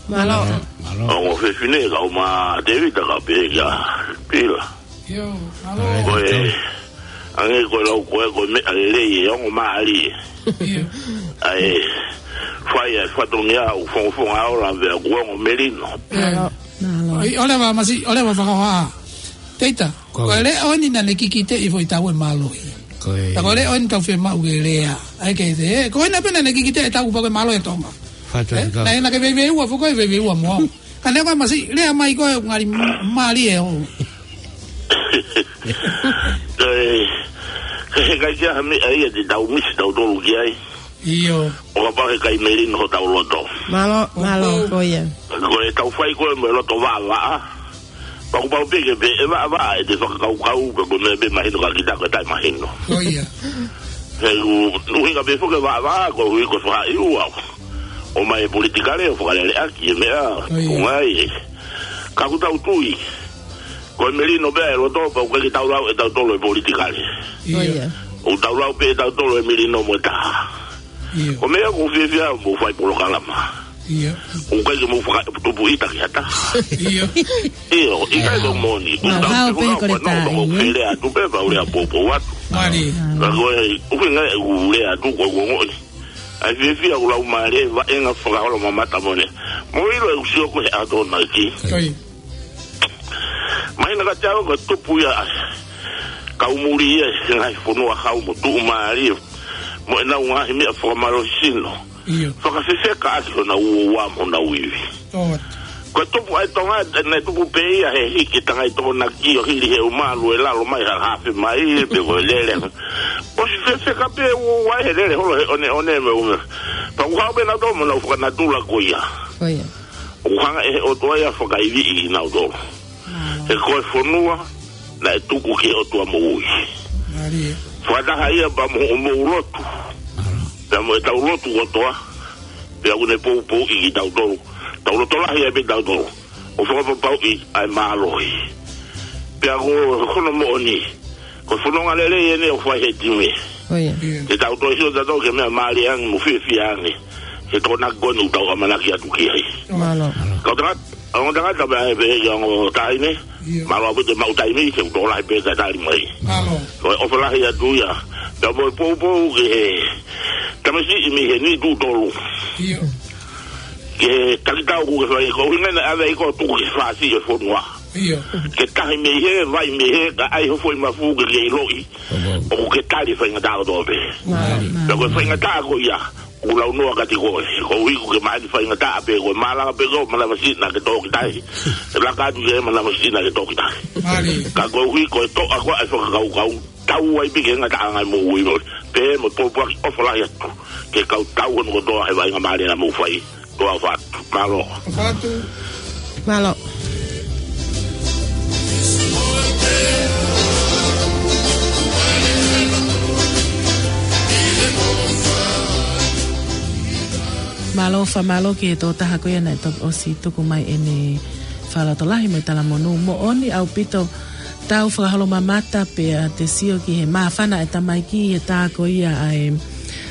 Mālō. Mālō. Ongo fefine kau mā Tevita ka pehē kia Pila. ʻIo, mālō. Ko e, ange ko e lau ko e, ko e meʻa lelei e ongo mālie. ʻIo. ʻA e, fai e fatongia ʻo fongofonga ola vea kuo ongo melino. Mālō. ʻAi, ʻoua leva masi, ʻoua leva fakahoha. Teita, ko e leʻo eni naʻa ne kikiteʻi foʻi tau e mālohi. Ko e. Ta ko e leʻo eni tau fiemaʻu ke lea. ʻAi ke te, ko ena pē naʻa ne kikiteʻi tau pau ke mālohi e Tonga. Naʻe na ke veiveiua, foko e veiveiua mo au. Ka ne ko e masi, lea mai ko e ngali mālie ʻo. Ko e, he kai kia ha meʻa ia te tau misi tautolu ki ai. ʻIo. ʻO kapau he kai melino hotau loto. Mālō, mālō, ko ia. Ko e tau fai ko e mo e loto vaʻavaʻa. Pau pau pē ke pē, ʻe vaʻavaʻa ʻete fakakaukau, ka ko e meʻa pē mahino ka kita ko e taʻemahino. Ko ia. He ʻuhinga pē foki e vaʻavaʻa, ko e ʻuhi ko e faʻahi ua. ʻOmai e politikale, ʻo fakalele ʻaki e meʻa, ko ngai e. Ka ʻoku tau tui. Ko e melino pē e loto, pau ke tau lau ʻe tautolu e politikale. ʻIo. ʻOku tau lau pē ʻe tautolu e melino mo e taha. Ko e meʻa ʻoku ou fiefia mo fai polokalama. ʻOku ʻikai ke mou fakatupu ʻita ki ha taha. ʻIo, ʻikai ko e moʻoni. ʻOku tau pehē ko e lea atu pē, pau lea poupou atu. Ka ko e, ʻuhinga e ʻū lea atu, ko e ongoʻi. ʻAi fiefia ʻoku lau mālie, vaʻinga fakaholo mamata mo ne. Mo ʻilo e usio ko he ato naki. Mahina ka te alo ka tupu ia ai. Kau muli ia he ngaahi fonua hau mo tuʻumālie. Mo ʻenau ngaahi meʻa fakamālohisino. Fakafefeka ʻaki honau uoua mo honau ivi. Ko e tupu ai Tonga, ne tupu pē ia he hiki tangai Tokonaki ʻo hili he umalu e lalo mai ha hafe mai, pe ko e lele. ʻOsi fefeka pē uoua he lele holo he ʻoneʻone mo e ume. Pau hau pē nau tō mo nau fakanatula ko ia. ʻOku hanga ʻe he ʻOtua ia ʻo fakaivia kinautolu. He ko e fonua naʻe tuku ki he ʻOtua moʻui. Mālie. Fakataha ia pea mo hoʻomou lotu. Pea mo ʻetau lotu kotoa. Pea ʻoku ne poupouʻi kitautolu. Tau loto lahi ai pē kitautolu ʻo fakapapauʻi ʻa e mālohi. Pea ko hono moʻoni, ko e fononga lelei eni ʻoku fai he timi. ʻIo. Te tau toe sio tautolu ki he meʻa mālie ange mo fiefia ange he Tokonaki ko eni ʻoku tau ʻamanaki atu ki ai. Mālō. Kau tangata, ongo tangata pea pehē ki he ongo taʻahine. ʻIo. Mālō ʻaupito e maʻu taimi, te u tokolahi pē ke tali mai. Mālō. Ko e ʻofa lahi atu ia. Pea mo e poupou ki he tamasiʻi mei he niʻihi tuʻu tolu. ʻIo. Ke taki tau ʻoku ke fai, ko e ʻuhinga naʻe ʻave ai koe ʻo tuku ki he fasi e fonua. ʻIo. Ke tahi mei hē, vai mei hē, kae ʻai ho foʻi mafu ke ke ʻiloʻi ʻoku ke tali e faingataʻa kotoa pē. Mālō. Pea ko e faingataʻa ko ia, ʻoku launoa kiate koe. Koeʻuhi ʻoku ke maheni faingataʻa pē, ko e malanga pē ko e manavasiʻi naʻa ke tō ki tahi. Laka atu ki he manavasiʻi naʻa ke tō ki tahi. Mālie. Ka koeʻuhi ko e toʻa ko ē ʻa e fakakaukau, tau ai pē ki he ngataʻanga ʻo e moʻui. Pea mo e pōpoaki ʻofa lahi atu ki he kau tau hono kotoa he vaʻinga mālie naʻa mou fai. Tau ʻofa atu. Mālō. ʻOfa atu. Mālō. Mālō, fakamālō ki he tokotaha ko ia naʻe toki ʻosi tuku mai ʻene fakalotolahi mo e talamonū. Moʻoni ʻaupito, tau fakaholomamata pea te sio ki he māfana e tamaiki he tā ko ia ʻa e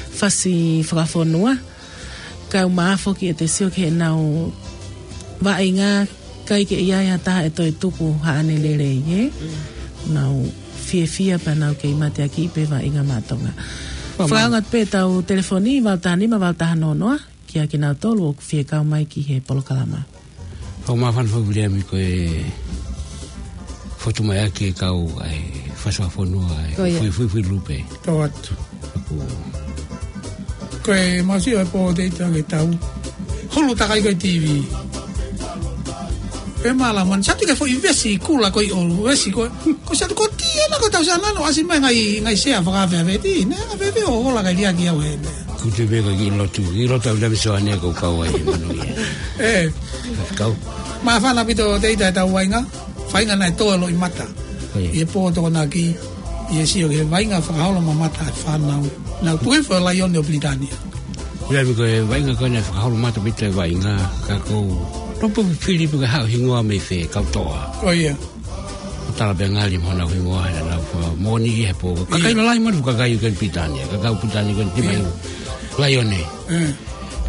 fasi fakafonua. Kae ʻumaʻā foki ʻete sio ki heʻenau vaʻinga, ʻikai ke ʻi ai ha taha ʻe toe tuku haʻane lelei, ē? Nau fiefia pea nau kei mateakiʻi pē vaʻinga maʻa Tonga. Fakaʻaonga pē ʻetau telefoni, valu taha nima, valu taha noa noa, kia kinautolu ʻoku fie kau mai ki he polokalama. Kau māfana foki Viliami ko e fotu mai ʻaki e kau ʻa e fasi fakafonua ʻa e Ko ia. Fuifuifui Lupe. Tau atu. Aku. Ko e masi ʻo e pō te ita ke tau. Hulu takai ko e T V. Pe mala man, satu ke foʻi vesi kula ko i olu, vesi ko, ko satu ko tia na ko tau sana no asi mai ngai, ngai sea fakafe a veti, ne, a veti o hola kai lia ki au he. Kutu veka ki lotu, ki lotu au dami soane ko kau ai, manu ia. E. Kau. Māfana ʻaupito te ita e tau vaʻinga, vaʻinga naʻe tō e loʻimata. Ko ia. ʻI he pō Tokonaki, ʻi he sio ki he vaʻinga fakaholomamata e fānau. Nau tuhi fo laione ʻo Pilitānia. Ia mi ko e vaʻinga ko ena fakaholomata ʻaupito e vaʻinga, ka kou. Topo fili pē ka haʻu hingoa mei fē, kau toa. Ko ia. Tala pē ngali mo nau hingoa he nau fa moʻoni ʻi he pō. Kakai Ia. Lalahi manu kakai ko eni Pilitānia, kakai Pilitānia ko eni tima Ia. Laione. Mm.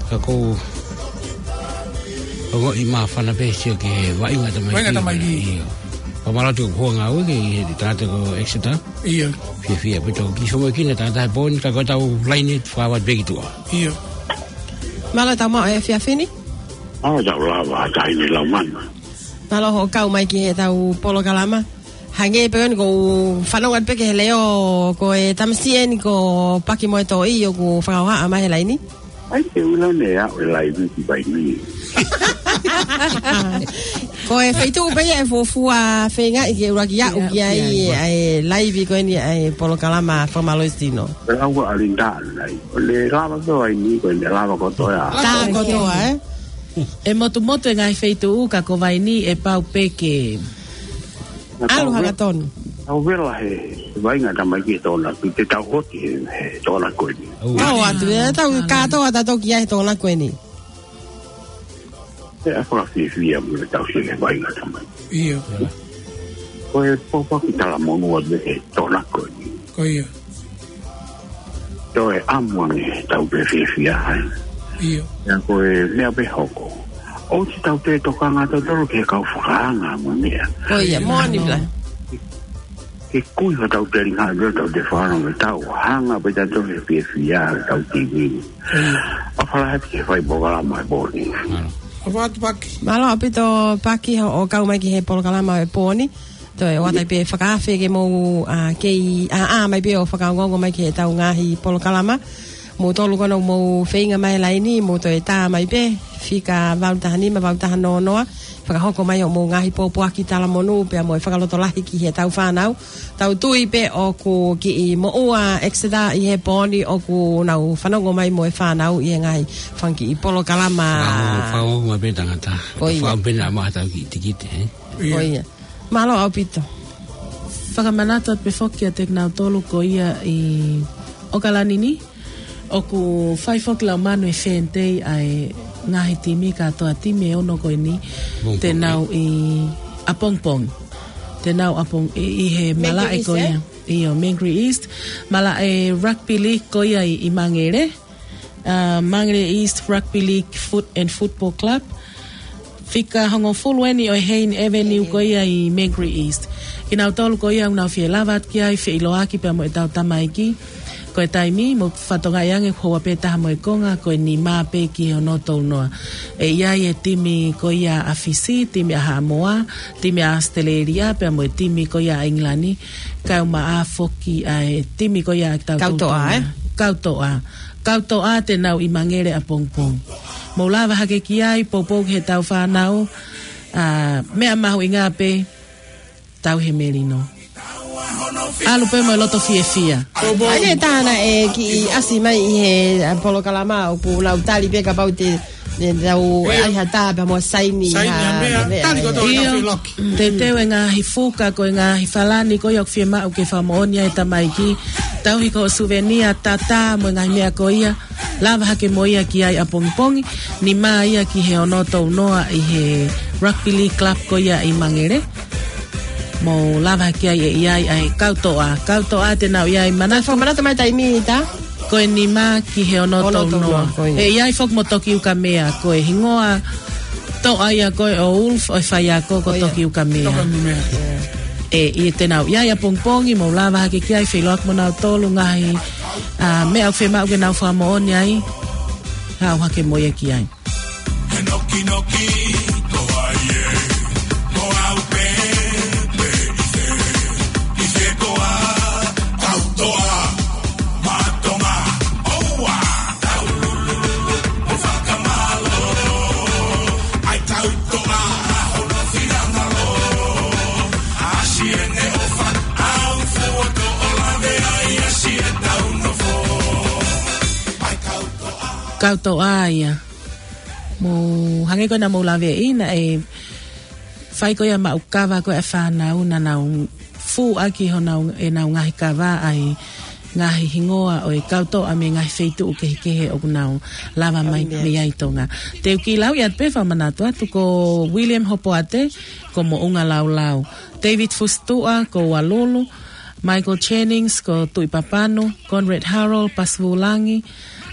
Ka kou ongoʻi māfana pē sio ki he vaʻinga tamaiki. Vaʻinga tamaiki. Ia. Ka malatu ko ngā uike ʻi he tangata ko Exeter. Ia. Fiefia ʻaupito ki somo ki he tangata he pō ni ka ko tau laine fakavat pē ki tuʻa. Ia. Mālō tau maʻu e efiafi ni. Mālō tau lava, taʻahine Laumana. Mālō hoʻo kau mai ki he tau polokalama. Hangē pē eni kou fanongo atu pē ki he leʻo ko e tamasiʻi eni ko Paki Moetoʻi ʻoku fakahohaʻa mai he laini. Ai, te u lau ne a o e laivi ki Vaini. Ko e feituʻu pē ia ʻe fuofua feingaʻi ke ʻuluaki aʻu Ia, ki ai ia, ia. ʻA e laivi ko eni ʻa e polokalama fakamālohisino. Lau a Linda nai. Ko le lava ko Vaini, ko le lava kotoa. Tā kotoa, ē? ʻE motumotu e ngaahi feituʻu ka ko Vaini ʻe pau pē ke ʻalu hangatonu. Tau vela he vaʻinga tamaiki he Tokonaki, te tau hoti he, he Tokonaki ko eni. Tau atu, ʻe tau kātoa tautolu ki ai he Tokonaki ko eni. ʻE a fakafiefia mo e tau sio he vaʻinga tamaiki. Ia. Ko e pōpoaki talamonū ʻa e Tokonaki ko eni. Ko ia. Toe ʻamu ange tau pē fiefia ai. Ia. Ia ko e meʻa pē hoko. ʻOsi tau te tokanga tautolu ki he kau fakaanga mo e meʻa. Ko ia, moʻoni pē. Ke kui ka tau te ringa atu tau te fano me tau. Hanga pē tautolu he fiefia tau T V. Ia. ʻOfa lahi atu ki he fai polokalama he pō ni. ʻOfa atu Paki. Mālō ʻaupito Paki hoʻo kau mai ki he polokalama he pō ni. Toe ʻoatu ai pē fakaafe ke mou, ʻa, kei, ʻa, ʻa, mai pē ʻo fakaongoongo mai ki he tau ngaahi polokalama. Mou tolu ko ena ʻoku mou feinga mai laini, mou toe tā mai pē, fika valu taha nima, valu taha noa noa, fakahoko mai hoʻomou ngaahi pōpoaki talamonū pea mo e fakalotolahi ki heʻetau fānau. Tau tui pē ʻoku kiʻi moʻua Exeter ʻi he pō ni ʻoku nau fanongo mai mo e fānau ʻi he ngaahi fanga kiʻi polokalama. Fakaongo, fakaongo mai pē tangata. ʻIo. Fakaongo pē naʻa maʻu haʻatau kiʻi tikite, ē? ʻIo. ʻIo. Mālō ʻaupito. Fakamanatu atu pē foki kiate kinautolu ko ia ʻi ʻOkalani ni, ʻoku fai foki lau manu e fēnitei ʻa e ngaahi timi kātoa, timi ʻe ono ko eni. Pongipongi. Te nau ʻi ʻapongipongi. Te nau ʻapong-, ʻi, ʻi he Mangere malaʻe East, ko ia, ē? ʻIo, Mangere East. Malaʻe rugby league ko ia ʻi, ʻi Mangere. Uh, Mangere East Rugby League Foot and Football Club. Fika hongofulu eni ʻo e Hayne Avenue ko ia ʻi Mangere East. Kinautolu ko ia ʻoku nau fie lava atu ki ai, feʻiloaki pea mo ʻetau tamaiki. Ko e taimi, mou fakatokangaʻi ange ʻoku houa pē taha mo e konga, ko e nima pē ki he ono tolu noa. ʻE ʻi ai e timi ko ia ʻa Fisi, timi ʻa Haʻamoa, timi ʻa ʻAositelēlia, pea mo e timi ko ia ʻa ʻIngilani, kae ʻumaʻā foki ʻa e timi ko ia ʻa kitautolu Kautoʻa, ē? Kautoʻa. Kautoʻa te nau ʻi Mangere ʻapongipongi. Mou lava hake ki ai, poupou ki heʻetau fānau, ʻa, meʻa mahuʻinga pē, tauhi e melino. ʻAlu pē mo e loto fiefia. ʻA ia ʻe taha naʻe kiʻi ʻasi mai ʻi he, ʻa, polokalama ʻoku nau tali pē kapau te, te nau ʻai ha tā pea mo saini ha meʻa. Saini ha meʻa, tali kotoa. ʻIo, nau fie loki. Teuteu e ngaahi fuka, ko e ngaahi falani ko ia ʻoku fiemaʻu ke fakamoʻoni ai e tamaiki. Tauhi ko e suvenia, tatā mo e ngaahi meʻa ko ia. Lava hake mo ia ki ai ʻapongipongi, nima ia ki he ono tolu noa ʻi he rugby league club ko ia ʻi Mangere. Mou lava hake ai ʻe ʻi ai ʻa e Kautoʻa. Kautoʻa te nau ʻi ai, manatu. Fakamanatu mai taimi, tā? Ko e nima ki he ono tolu noa. Ono tolu noa, ko ia. ʻE ʻi ai foki mo Toki Ukamea, ko e hingoa toʻa ia ko ē ʻo Ulf, ʻo e faiako ko Toki Ukamea. Toki Ukamea. ʻE, ʻi te nau ʻi ai ʻapongipongi, mou lava hake ki ai, feʻiloaki mo nautolu, ngaahi, ʻa, meʻa ʻoku fiemaʻu ke nau fakamoʻoni ai, haʻu hake mo ia ki ai. He nokinoki ko ai ē, mo au pē, pē ʻi se, ʻi se koa, Kautoʻa, Matonga, ʻoua, taululu, mo fakamālō, ʻai Kautoʻa, hono finangalo, ʻasi ʻene ʻofa, au fuoto ʻo lave ai, ʻasi ʻetau nofo, ʻai Kautoʻa. Kautoʻa ia. Mou hangē ko ena mou laveʻi, naʻe fai ko ia maʻu kava ko ē ʻa e fānau, naʻa nau fūʻaki honau, ʻenau ngaahi kava ʻa e ngaahi hingoa ʻo e Kautoʻa mei he ngaahi feituʻu kehekehe ʻoku nau lava mai mei ai ʻi Tonga. Te u kiʻi lau ia pē fakamanatu atu, ko William Hopoate, ko Moʻunga Laulau. David Fusituʻa, ko Ualulu. Michael Jennings, ko Tuʻi Papanu. Conrad Harold, Pasivulangi.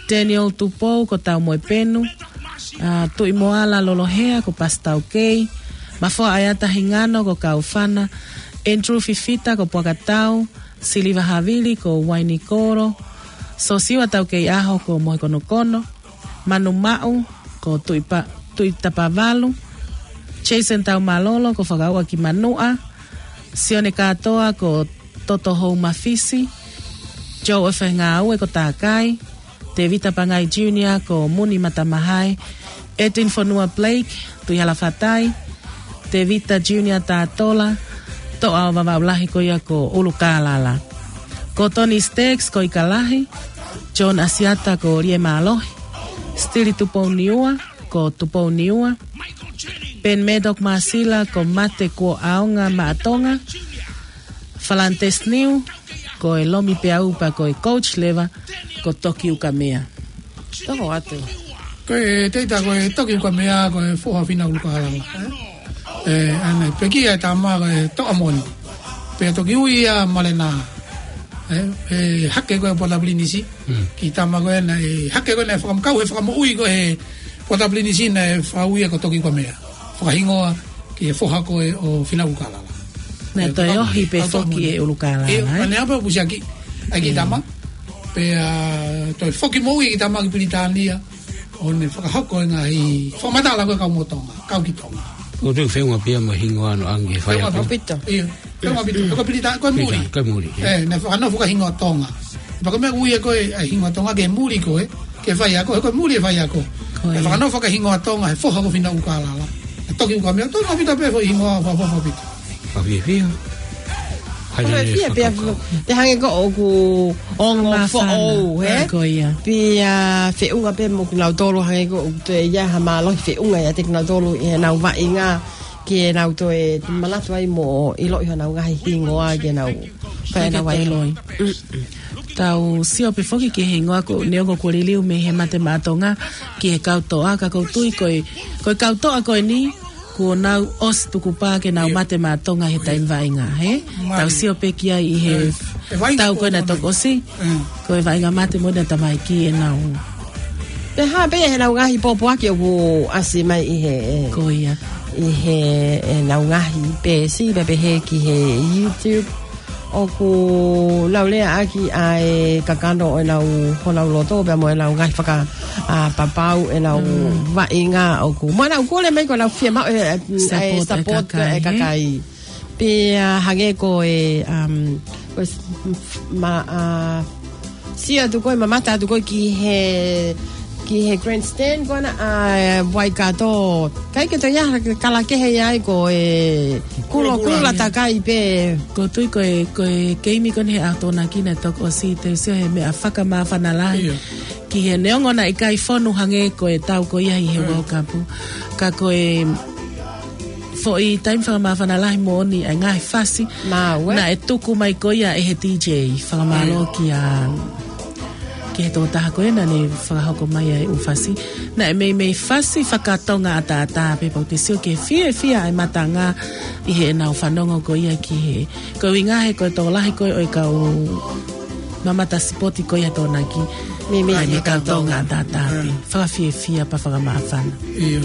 Daniel Tupou, ko Taumoepenu. ʻA, Tuʻimoala Lolohea, ko Pasitaukei. Mafoa ʻAeata Hingano, ko Kaufana. Andrew Fifita, ko Puakatau. Siliva Havili, ko Uainikolo. Sosiua Taukeiʻaho, ko Mohekonokono. Manu Maʻu, ko Tuʻi Pa-, Tuʻi Tapavalu. Jason Taumalolo, ko Fakaua ki Manuʻa. Sione Kātoa, ko Toto Houmafisi. Joe ʻOfengāue, ko Takai. Tevita Pangai Junior, ko Muni Matamahae. Edwin Fonua Blake, Tuʻihalafatai. Tevita Junior Tatola, Toʻa ʻo Vavaʻu Lahi ko ia ko ʻUlukālala. Ko Tony Staggs, ko Ikalahi. John Asiata, ko Liemālohi. Stili Tupouniua, ko Tupouniua. Ben Murdoch Masila, ko Mate Kuo ʻAonga Maʻatonga. Falantes Niu, ko e Lomi Peaupa, ko e coach leva, ko Toki Ukamea. Toko atu. Ko e teita ko e Toki Ukamea, ko e foha fina ʻUlukālala. ʻE, ʻa ena, pekia e tama ko e Toʻa Moni. Pea toki ui ʻa Malena. ʻE, ʻe hake ko e Pota Pilinisi. Mm. Kiʻi tama ko ena, ʻe hake ko ena, ʻe fakamkau, ʻe fakamoʻui ko e Pota Pilinisi naʻe fakaui ia ko Toki Ukamea. Fakahingoa ki he foha ko ē ʻo fina ʻUlukālala. Naʻe toe ohi pē foki ʻe ʻUlukālala, ʻe? ʻIo, ʻa ena pē ʻoku pusiaki ʻa e kiʻi tama. Pea toe foki moʻui e kiʻi tama ki Pilitānia. ʻO ne fakahoko e ngaahi fakamatala ko ē kau mo Tonga, kau ki Tonga. ʻOku ou feʻunga pē ia mo e hingoa ʻoange ʻe he faiako. Feʻunga pē. ʻIo, feʻunga pē ia. Ko Pilita-, ko e muli. Pilita-, ko e muli, ʻio. ʻE, naʻe fakanofo ko e hingoa Tonga. Pea ko e meʻa ʻoku ui ʻe koe ʻa e hingoa Tonga ke muli koe, ke faiako, he ko e muli e faiako. Ko ia. ʻE fakanofo ki he hingoa Tonga, he foha ko Fina ʻUkālala. ʻE toki uka meʻa, toe maʻu pē foʻi hingoa, foha, foha, foha pita. Ka fiefia. Ko e fie pea, pea hangē ko ʻoku ongo foʻou, he? Ko ia. Pea feʻunga pē mo kinautolu hangē ko ʻoku toe ʻi ai ha mālohi feʻunga ʻiate kinautolu ʻi heʻenau vaʻinga ke nau toe manatu ai mo ʻiloʻi honau ngaahi hingoa ke nau, pea nau ai. Fakatoi. Tau sio pē foki ki he hingoa ko ē neongo kuo liliu mei he Mate Maʻa Tonga ki he kau toʻa, ka ʻoku ou tui ko e, ko e kau toʻa ko eni, kuo nau ʻosi tukupā ke nau mate maʻa Tonga he taimi vaʻinga, he? Tau sio pē ki ai ʻi he tau ko ē naʻe toki ʻosi. Ko e vaʻinga mate mo ʻena tamaiki ʻenau. Pea hā pē ʻenau ngaahi pōpoaki ʻoku ʻasi mai ʻi he, ko ia, ʻi he, ʻenau ngaahi peesi, pea pehē ki he YouTube. ʻOku nau leaʻaki ʻa e kakano ʻo ʻenau, honau loto, pea mo ʻenau ngaahi faka, ʻa, papau ʻenau vaʻinga ʻoku. Mo ʻenau kole mai ko ʻenau fiemaʻu e, e, e support ʻa e kakai, he? Pea hangē ko e, um, ko e s-, m-, ma, ʻa, sio atu ko ē, mamata atu ko ē ki he, ki he grandstand ko ena ʻa e Waikato. ʻIkai ke toe ʻi ai ha kala kehe ia ai ko e kulokula takai pē. ʻOku ou tui ko e, ko e keimi ko eni he ʻaho Tokonaki naʻe toki ʻosi, te u sio he meʻa fakamāfana lahi. Ki he neongo naʻe ʻikai fonu hangē ko e tau ko ia ʻi he World Cup. Ka ko e foʻi taimi fakamāfana lahi moʻoni ʻa e ngaahi fasi. Naʻe tuku mai ko ia ʻe he D J. Fakamālō kia, ki he tokotaha ko ē naʻa ne fakahoko mai ʻa e ʻū fasi. Naʻe meimei fasi fakatonga ʻataʻatā pē, pea ʻoku te sio ki he fiefia ʻa e matanga ʻi heʻenau fanongo ko ia ki he. Ko e ʻuhinga he ko e tokolahi ko ē ʻo e kau mamata sipoti ko ia Tokonaki. Meimei fakatonga ʻataʻatā pē. Fakafiefia pea fakamāfana. ʻIo.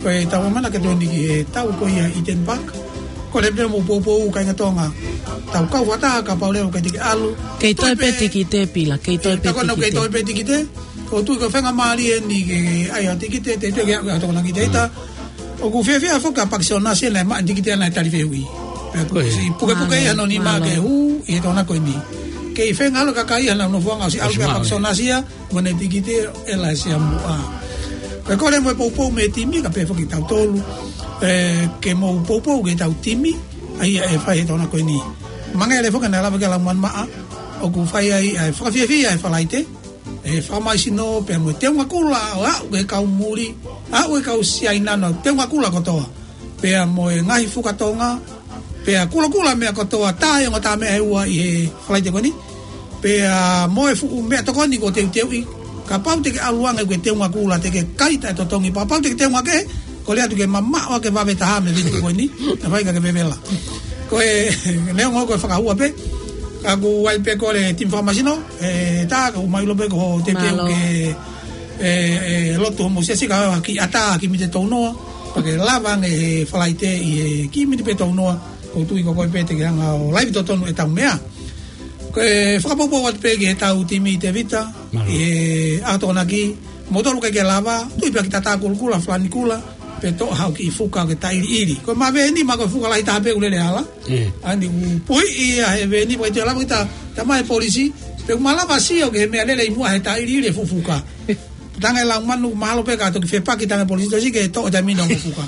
Ko e tau mamana ke toni ki he tau ko ia ʻi Eden Park. Ko e lele mo poupou kāinga Tonga. Tau kau fakataha kapau leva ʻoku ʻikai te ke ʻalu. Kei toe pē tikite, Pila, kei toe pē tikite. Kei toe pē tikite. ʻOku ou tui ko e faingamālie eni ke ʻai ʻa e tikite, te tue ke ʻalu ʻa Tokonaki te ita. ʻOku fiefia foki ʻa Paki Sionasi naʻe maʻu e tikite ʻana ʻi he tali fehuʻi. Pea ko e si pukepuke ia hono nima ke hū ʻi he Tokonaki ko eni. Kei fengalo kakai ia naʻa nau nofoʻanga ʻosi ʻalu pē ʻa Paki Sionasi ia. Mo ʻene tikite ʻe lahi sia muʻa. Ko e kole mo e poupou mei he timi, ka pehē foki kitautolu. ʻE, ke mou poupou ki heʻetau timi, ʻa ia ʻe fai he Tokonaki ko eni. Mangele foki naʻe lava ke lau manu maʻa, ʻoku fai ai ʻa e fakafiefia ʻa e Falaite, ʻe fakamaisino pea mo e teunga kula ʻo aʻu ki he kau muli, aʻu ki he kau Siaina, teunga kula kotoa. Pea mo e ngaahi fuka Tonga, pea kulokula meʻa kotoa, tā e ongo tā meʻa ʻe ua ʻi he Falaite ko eni. Pea mo e fuʻu meʻatokoni ko e teuteuʻi, kapau te ke ʻalu ange ʻoku ke teunga kula, te ke kai taʻetotongi, kapau te ke teunga kehe, kole atu ke mamaʻo ʻa e vave taha mei he vitu ko eni, naʻe fai ka ke vevela. Ko e neongo ko e fakahua pē, ka ʻoku ʻi ai pē kole timi fakamasino, ʻe tā, ka ʻoku mau ʻilo pē ko e teuteu ke ʻe, ʻe lotu homou siasi ka ʻoua ke ʻatā ki he miniti ʻe tolunoa, pea ke lava ange he Falaite ʻi he kiʻi miniti pē ʻe tolunoa, ʻoku ou tui ko koe pē te ke hanga ʻo laivi totonu ʻetau meʻa. Ko e fakapoupou atu pē ki heʻetau timi Tevita, ʻi he ʻaho Tokonaki, moutolu ʻikai ke lava, tui pē ki he tatā kulokula, falani kula, pe toʻo haʻo kiʻi fuka ke taʻiliʻili. Ko e maveni, ma ko e fuka lahi taha pē ʻoku lele hala. ʻAni ʻoku puhiʻi ia he veni, pea ʻikai toe lava kita, tama e polisi, pe ʻoku malava sio ki he meʻalele ʻi muʻa he taʻiliʻili e fuʻu fuka. Tanga e lau manu, mahalo pē ka toki fepaki tanga e polisi, tosi ke toʻo e taimi ni ʻo fuka.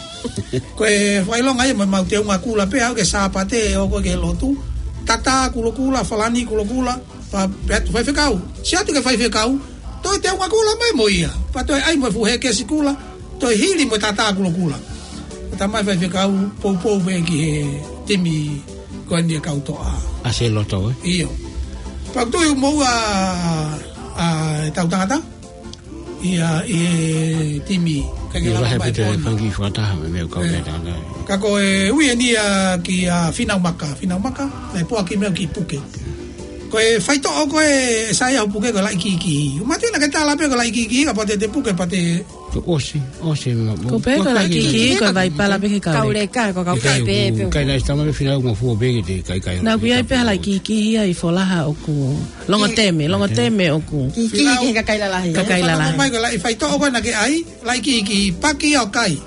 Ko e fakaʻilonga ia mo ʻemau teunga kula pē, aʻu ki he Sāpate, ʻo ko ē ki he lotu. Tatā kulokula, falani kulokula, pea, pea atu faifekau. Sio atu ki he faifekau, toe teunga kula mai mo ia. Pea toe ʻai mo e fuʻu hekesi kula, toe hili mo e tatā kulokula. Tama e faifekau, poupou pē ki he timi ko eni ʻa e kau toʻa. ʻAsi e loto, ē? ʻIo. Pea ʻoku tui ʻoku moʻua ʻa e tau tangata ia ʻi he timi. ʻIkai ke lava mai pē ʻo fanga kiʻi fakataha mei he meʻa ʻoku kau pē tangata. Ka ko e ui eni ia kia Fina Umaka. Fina Umaka, naʻe poaki meʻa ki puke. Ko e faitoʻo ko ē ʻe sai ʻa e puke ko e laʻi kikihi. ʻOku mātuʻaki ke tala pē ko e laʻi kikihi, kapau te te puke pea te Ko ʻosi, ʻosi ma, ko pē ko e laʻi kikihi, ko e vaipala pē ki he kauleka. Kauleka, ko e kaukau pē, pē. ʻIkai naʻe ʻasi tama pē Fina Umaka mo fua pē ki he kaikai. Naʻa ku ʻi ai pē ha laʻi kikihi ia ʻi Folaha ʻoku. Longoteme, Longoteme ʻoku. Kikihi ki he kakai lalahi. Kakai lalahi. Mai ko e laʻi faitoʻo ko ē naʻa ke ʻai, laʻi kikihi, paki ia ʻo kai.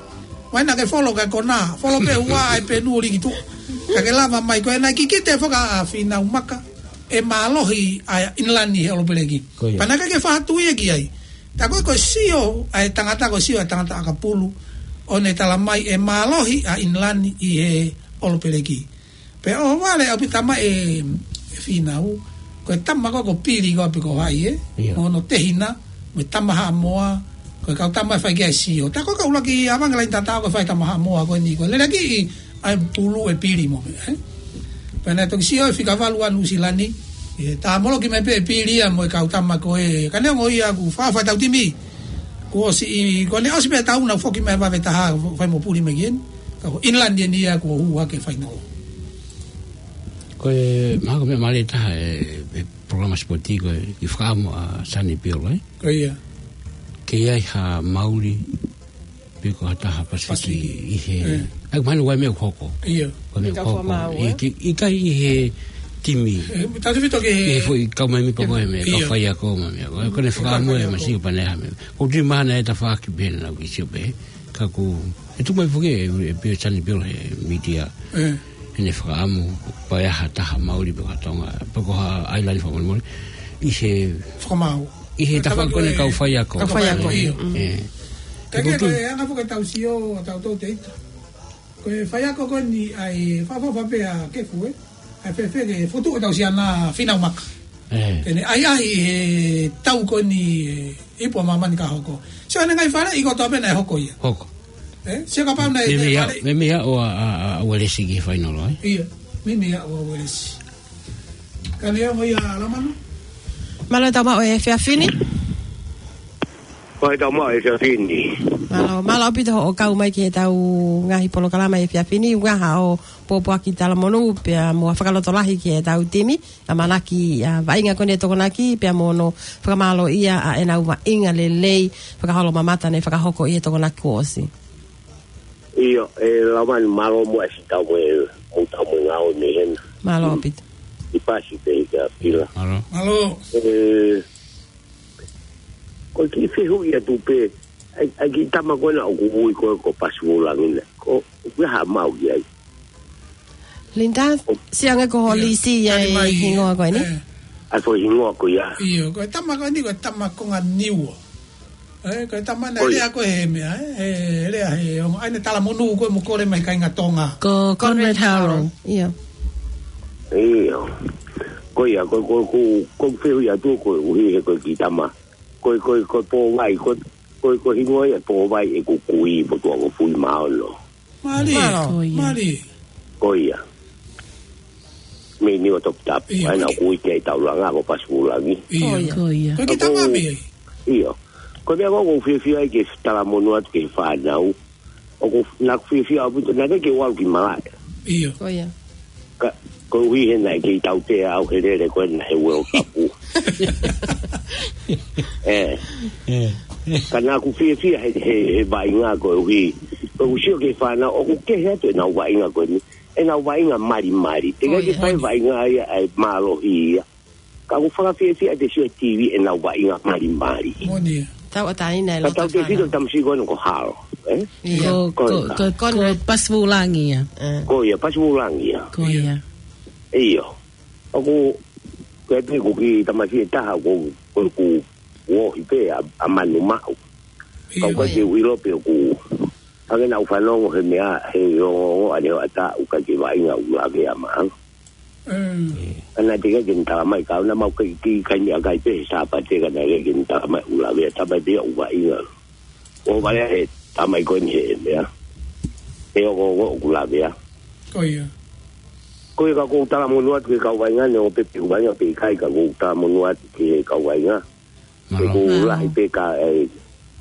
Mai naʻa ke folo ki he kona, folo pē ua ai pē nuli ki tuʻa. Ka ke lava mai ko ē naʻe kikite foki ʻa Fina Umaka. ʻe mālohi ʻa ʻInilani he ʻOlopeleki. Ko ia. Pea naʻe ʻikai ke fakatū ia ki ai. Tā ko e, ko e sio ʻa e tangata, ko e sio ʻa e tangata ʻakapulu, ʻo ne tala mai ʻe mālohi ʻa ʻInilani ʻi he ʻOlopeleki. Pea ʻohovale ʻaupito mai ʻe, ʻe Fīnau, ko e tama ko ē ko Pili ko ē pe ko hai ē, Ia. mo hono tehina, mo e tama Haʻamoa, ko e kau tama ʻe fai ki ai e sio. Tā ko e kau laki ʻavange laini tatau ko e fai tama Haʻamoa ko eni ko e lelekiʻi ʻa e pulu ʻe Pili mo meʻa, ē? Pea naʻe toki sio e fika valu ʻa Nuʻusila ni, ʻe tā moloki mai pē ʻe Pili ia mo e kau tama ko ē, ka neongo ia kuo fāfā ʻetau timi. Kuo ʻosi ʻi, kuo ne ʻosi pē ʻetau na foki mai vave taha, fai mo Puli mai ki heni. Ka ko ʻInilani eni ia kuo hū hake fainolo. Ko e, mahalo ko e meʻa mālie taha e, e polokalama sipoti ko e, ʻi he fakaʻamu ʻa Sani Pio, ē? Ko ia. Ke ʻi ai ha mauli pe ko ha taha Pasifiki Pasifiki. ʻI he, ʻE. ʻai mahalo ko e meʻa ʻoku hoko. Ia. Ko e meʻa ʻoku Ka hoko. fakaʻamu, ʻI ē? ke, ʻikai ʻi he timi. ʻE, tautefito ke ʻI he foʻi kau mai mi pako e meʻa, kau Ia. faiako mai meʻa. Ko e, ko e Ia, fakaʻamu faiako. e masi o pane ha meʻa. Ko e tui mahana e tafaʻaki pē naʻa ku sio pē. Ka ko e tuku mai foki ʻe, ʻe Pio, Sani Pio he mītia. ʻE. ʻEne fakaʻamu, pe ʻi ai ha taha mauli pe ko ha Tonga, pe ko ha ʻailani fakamolemole. ʻI he Fakamaau. ʻI he Ka tafaʻaki ko ē ʻe kau faiako. Kau faiako, Ia. ia. Mm. ʻE. Ka Ko e ke tu- ko e anga foki ʻetau sio, ʻa tautolu te ita. Ko e faiako ko eni ʻa e fakaʻofoʻofa pē ʻa Kefu, ē? ʻA e fēfē ke fotu ʻetau sio ʻa Fīnau Maka. ʻE. Ke ne ʻahiʻahi he tau ko eni, ē, ipu ʻa māmani ka hoko. Sio ʻene ngaahi faleʻi kotoa pē naʻe hoko ia. Hoko. Ē? Sio kapau naʻe, Meimei naʻe ʻa, fale- meimei ʻa ʻo ʻa, ʻa, ʻa Uelesi ki he fainolo, ē? Ia, meimei ʻa ʻo ʻa Uelesi. Ka neongo ia Lamanu? Mālō e tau maʻu e efiafi ni. Ko e tau maʻu e efiafi ni. Mālō, mālō ʻaupito hoʻo kau mai ki heʻetau ngaahi polokalama he efiafi ni, ʻuhinga hoʻo pōpoaki talamonū, pea mo ha fakalotolahi ki heʻetau timi, ʻamanaki, ʻa, vaʻinga ko eni ʻa e Tokonaki, pea mo hono fakamālōʻia ʻa ʻenau vaʻinga lelei, fakaholomamata naʻe fakahoko ʻi he Tokonaki kuo ʻosi. ʻIo, ʻe Lamanu, mālō muʻa siʻi tau mo e, mo tau mo e ngāue mei hena. Mālō ʻaupito. ʻI Pasi pē ʻi ka pila. Mālō. Mālō. ʻE, ko e kiʻi fehuʻi atu pē, ʻa e, ʻa e kiʻi tama ko ena ʻoku ui ko ē ko Pasifiki Langi na. Ko, ʻoku ʻi ai ha maʻu ki ai. Linda, ʻo, siʻange ko ho ʻIo. lisi ia Tali e mai. hingoa ko eni. ʻE. ʻA e foʻi hingoa ko ia. ʻIo, ko e tama ko eni, ko e tama konga Niua. ʻE, ko e tama naʻe Ko ia. lea ko ē he meʻa, ē, he lea he ongo, ʻa ʻene talamonū ko ē mo kole mai kāinga Tonga. Ko Conrad Conrad Haro. Haro. ʻIo. ʻIo. Ko ia, ko, ko, ko, ko e fehuʻi atu koeʻuhi he ko e kiʻi tama. Ko, ko, ko Pōvai, ko, ko, ko hingoa ia Pōvai ʻeku kui, Motuʻa ko Fuimaono. Mālie, Mālō. Ko ia. mālie. Ko ia. Mei Niua Toputapu. ʻIo, ʻA ena ko ʻoku ui ki ai Taulanga, ko Pasifiki Langi. ʻIo. Ko ia. Ko ia. Ko e kiʻi tama Ko mei ai. ʻIo. Ko e meʻa ko ē ʻoku ou fiefia ai ke talamonū atu ki he fānau. ʻOku, naʻa ku fiefia ʻaupito, naʻe ʻikai ke u ʻalu ki malaʻe. ʻIo. Ko ia. Ka, koeʻuhi he naʻe kei tautea au he lele ko ena he World Cup. ʻE. ʻE. Ka naʻa ku fiefia he, he, he vaʻinga koeʻuhi. Ko ʻeku sio ki he fānau, ʻoku kehe atu ʻenau vaʻinga ko eni. ʻEnau vaʻinga malimali. Teʻeki Ko ia. ke fai vaʻinga ia ʻa e mālohi ia. Ka ʻoku fakafiefia te sio he T V ʻenau vaʻinga malimali. Moʻoni ia. Tauʻatāina e Ka loto tautefito fānau. tamasiʻi ko ena ko Haro, ē? ʻIo. Ko, Ko ko, ia. ko, ko Conrad. Pasifiki Langi ia. ʻE. Ko ia, Pasifiki Langi ia. Ko ʻIo. ia. ʻIo. ʻOku, ko e pē ko e kiʻi tamasiʻi ʻe taha, ko, ko, ko, ʻoku ohi pē ʻa, ʻa Manumaʻu. ʻIo. Ka ʻoku ʻikai ke u ʻilo pe ʻoku, hangē naʻa ku fanongo he meʻa, he ongoongo ʻaneuaʻata ʻoku ʻikai ke vaʻinga ʻoku lavea maʻanga. Mm. ʻA naʻe teʻeki ke ne tala mai ka ʻoku na mau kai ki kai ni a kai pē he Sāpate ka naʻe ʻikai ke ne tala mai ʻoku lavea, tala mai pē ia ʻoku vaʻinga. ʻO vale he tala mai ko eni he meʻa. He ongoongo ʻoku lavea. Ko ia. Ko ia ka ʻoku ou talamonū atu ki he kau vaʻinga neongo pe ʻoku vaʻinga pe ʻikai ka ʻoku ou talamonū atu ki he kau vaʻinga. Mālō. ʻOku Mālō. lahi pē ka e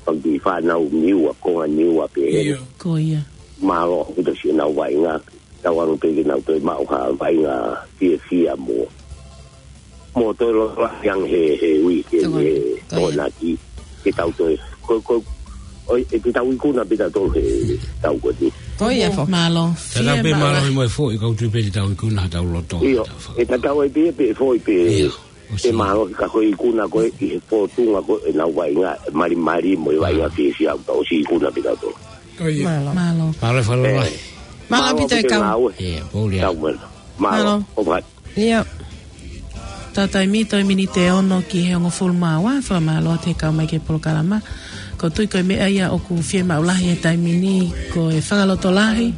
pagi fānau Niua, konga Niua pē he. ʻIo. Ko ia. Mālō, ʻoku tau siʻi ʻenau vaʻinga, tau ʻalu pē ke nau toe maʻu ha vaʻinga fiefia mo. Mo toe loloa ange he, he uike, Tau he ko ia. Tokonaki, ke tau toe. Ko, ko, ʻo, ʻe te tau ikuna pē tautolu he tau ko eni. Ko ia foki. Mālō. Tatau Fie pē mālō. mālō mo e foʻi kau tui pē te tau ikuna ha tau loto. ʻIo, Tau fa- ʻe tatau ai pē, pē foʻi pē. ʻIo. Te mālō ka ko e ikuna ko ē ʻi he fōtunga ko ē ʻenau vaʻinga, malimali mo e vaʻinga Mālō. fiefia, ka ʻosi ikuna pē tautolu. Ko ia. Mālō. Mālō. Mālō e fakalotolahi. ʻE, Mālō mālō ʻaupito e kau. ʻE, pōlia. Tau mena. Mālō. Mālō. ʻOfa atu. ʻIo. Taimi toe miniti ʻe ono ki he hongofulu mā ua, fakamālō atu he kau mai ki he polokalama. Ko e tui ko e meʻa ia ʻoku fiemaʻu lahi he taimi ni, ko e fakalotolahi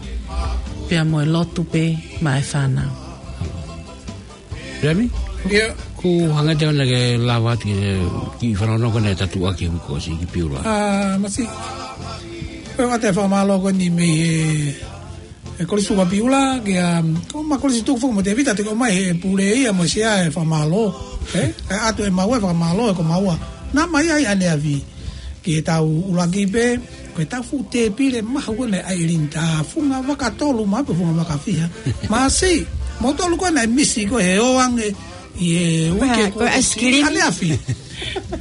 pea mo e lotu pē maʻa e fānau. Remi? Ia. Ko e hā e meʻa te ke lava atu ki he, ki he fanongo ko ena ʻe taha atu ki he uike kuo ʻosi ki Piula. ʻA, Masi. Ko e ʻoatu e fakamālō ko eni mei he, he Kolisi Tuku ʻa Piula, ke, um, ko ʻema Kolisi Tuku foki mo Tēvita, te ke ʻomai he pule ia mo e sea e fakamālō. Eh? ʻE ʻoatu ʻe maua e fakamālō ʻe ko maua. Naʻa mai ai ʻaneafi. Ki he taʻu ʻuluaki pē, ko e taʻu fuʻu tēpile mahu ko ena ʻa ʻAilini, tā funga vaka tolu maʻu pē funga vaka fiha. Masi, moutolu ko ena ʻe misi ko e ō ange ʻi he uike ko e ice cream. ʻAneafi.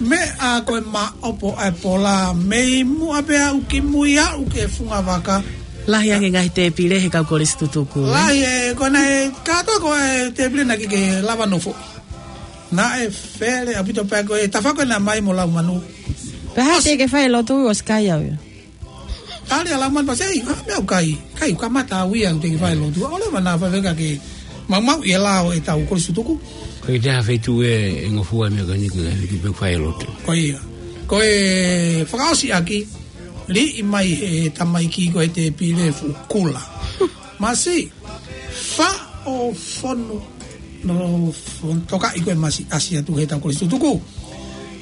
Meʻa ko e maʻopo ʻa e pola, mei muʻa pē aʻu ki mui aʻu ki he funga vaka. Lahi ange ngaahi tēpile he kau Kolisi Tutuku, eh? Lahi e, ko ena e, kātoa ko e tēpile naʻe ʻikai ke lava nofoʻi. Naʻe fele ʻaupito pē ko e tafa ko ena mai mo Laumanu. Pea hā te ke fai lotu ʻosi kai au ia. Tali ʻa Laumanu pea sio, ʻa, meʻa ʻoku kai, kai, ʻoku kamata au ia ʻoku teʻeki fai lotu. ʻOleva naʻa faifekau ke maumauʻi e lao ʻetau Kolisi Tutuku. Ko e taha feituʻu ʻe, ʻe ngofua e meʻa ko eni ko e feituʻu pē ʻoku fai lotu. Ko ia. Ko e fakaʻosi ʻaki, liʻi mai he tamaiki ko e tēpile fuʻu kula. Masi, faʻo fonu, no fon-, tokaʻi ko e masi ʻasi atu he taʻu Kolisi Tutuku.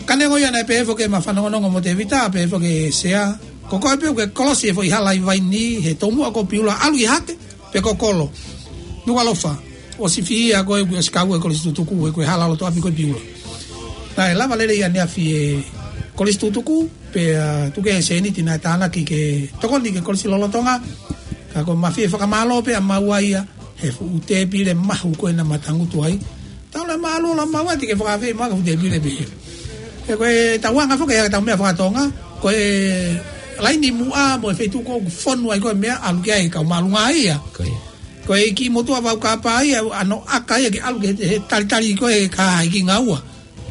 Ka neongo ia naʻe pehē foki ʻema fanongonongo mo Tēvita, pehē foki ʻe he sea. Ko koe pē ʻoku ke kolosi e foʻi hala ʻi Vaini, he tomuʻa ko Piula, ʻalu ʻi Hake, pe ko Kolo. Nukuʻalofa, ʻosi fihi ia ko e, ʻosi kau e Kolisi Tutuku, he ko e hala loto ʻapi ko e Piula. Naʻe lava lelei ʻaneafi e Kolisi Tutuku, pea, ā, tuku e sēniti naʻe tānaki ke tokoni ki he kolisi lolotonga, ka ko e mafie fakamālō pē ʻa maua ia, he fuʻu tēpile mahu ko ena ma tangutu ai. Tau le mālō la maua te ke fakaafeʻi mai ha fuʻu tēpile pē. He ko e tauʻanga foki ʻetau meʻa faka-Tonga, ko e laini muʻa mo e feituʻu ko ē ʻoku fonu ai ko e meʻa ʻalu ki ai kau māʻolunga ia. Ko ia. Ko e kiʻi motuʻa vaukapa ia, ʻa ʻene ʻaka ia ke ʻalu ki he, he talitali ko e kahaʻi ki ngaua.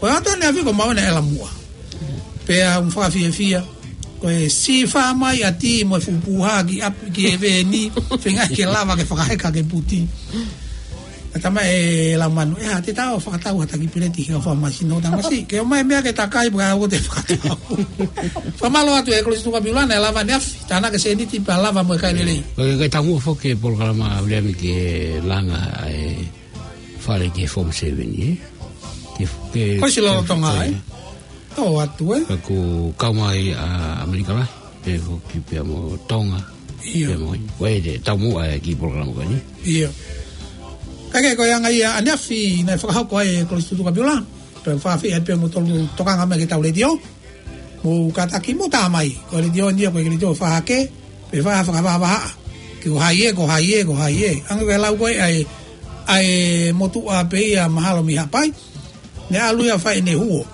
Ko e ʻoatu ʻaneafi ko maua naʻe ʻalu muʻa. Pea ʻoku fakafiefia. Ko e sifā mai ʻa Ti mo e fuʻu puha ki ʻapi ki he veni, feinga ke lava ke fakaheka ke puti. ʻA tama e Laumanu, ʻe hā te tau fakatau ha taki peleti ke u fakamasi no tamasi. Ke ʻomai meʻa ke takai pea u te fakatau. Fakamālō atu e Kolisi Tuku ʻa Piula naʻe lava ʻaneafi, tānaki e sēniti pea lava mo e kai lelei. Ko e, ko e taumuʻa foki e polokalama ʻa Viliami ke langa e fale ki he Form Seven, ē? Ke, ke, Kolisi lolotonga, ko, ē? Tō atu, ē? Ka kuo kau mai ʻa ʻAmelika Lahi, pea foki pea mo Tonga, ʻIo. pea mo, ko e te taumuʻa e kiʻi polokalama ko eni. ʻIo. Ka ke ko e anga ia ʻaneafi naʻe fakahoko ai e Kolisi Tutuku ʻa Piula, pea fakaafeʻi ai pē moutolu tokanga mai ki heʻetau letiō. Mou kātaki mou tā mai, ko e letiō ni ia ko e letiō fakahake, pea fai ha fakavahavahaʻa. Ke ko hai ē, ko hai ē, ko hai ē. Hangē ko e lau ko ē ʻa e, ʻa e motuʻa pē ia mahalo mei Haʻapai. Naʻe ʻalu ia ʻo fai ʻene huo.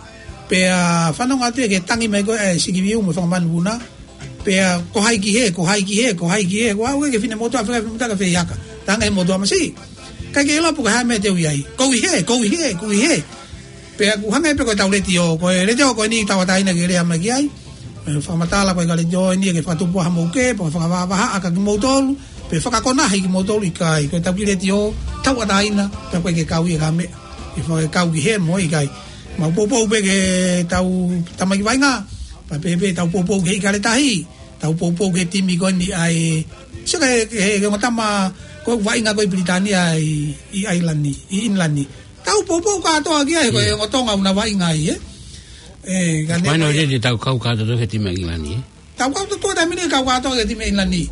Pea fanongo atu ia ki he tangi mai ko ē ʻa e Sikiviu mo e Fanga Manupuna. Pea ko hai ki hē, ko hai ki hē, ko hai ki hē. Ko au ke finemotuʻa, fika finemotuʻa ka fehihaka. Tanga he motuʻa masi. ʻIkai ke ʻilo pe ko e hā e meʻa te u ʻi ai. Ko ʻi hē, ko ʻi hē, ko ʻi hē. Pea ʻoku hangē pē ko ʻetau letiō, ko e letiō ko eni tauʻatāina ke lea mai ki ai. ʻE fakamatala ko e ka letiō eni ke fakatupu ʻa mou ke, pea fakavahavahaʻa kia kimoutolu, pea fakakonahi kimoutolu ʻikai. Ko ʻetau kiʻi letiō, tauʻatāina, pea ko e ke kau ia ka meʻa. ʻE fakakau ki hē mo ʻikai. Mau poupou pē ki heʻetau tamaiki vaʻinga, pea pē pē tau poupou ki he ʻIkale Tahi, tau poupou ki he timi ko eni ʻa e, sio ki he, ki he, ki he ongo tama ko e vaʻinga ko ē ʻi Pilitānia ʻi, ʻi ʻAilani, ʻi ʻInilani. Tau poupou kātoa ki ai, ko e ongo Tonga ʻoku na vaʻinga ai, ē? ʻE, ka ne Mai no ko e te tau kau kātoa ki he timi ʻa ʻIngilani, ē? Tau kau kātoa taimi ni kau kātoa ki he timi ʻa ʻIngilani.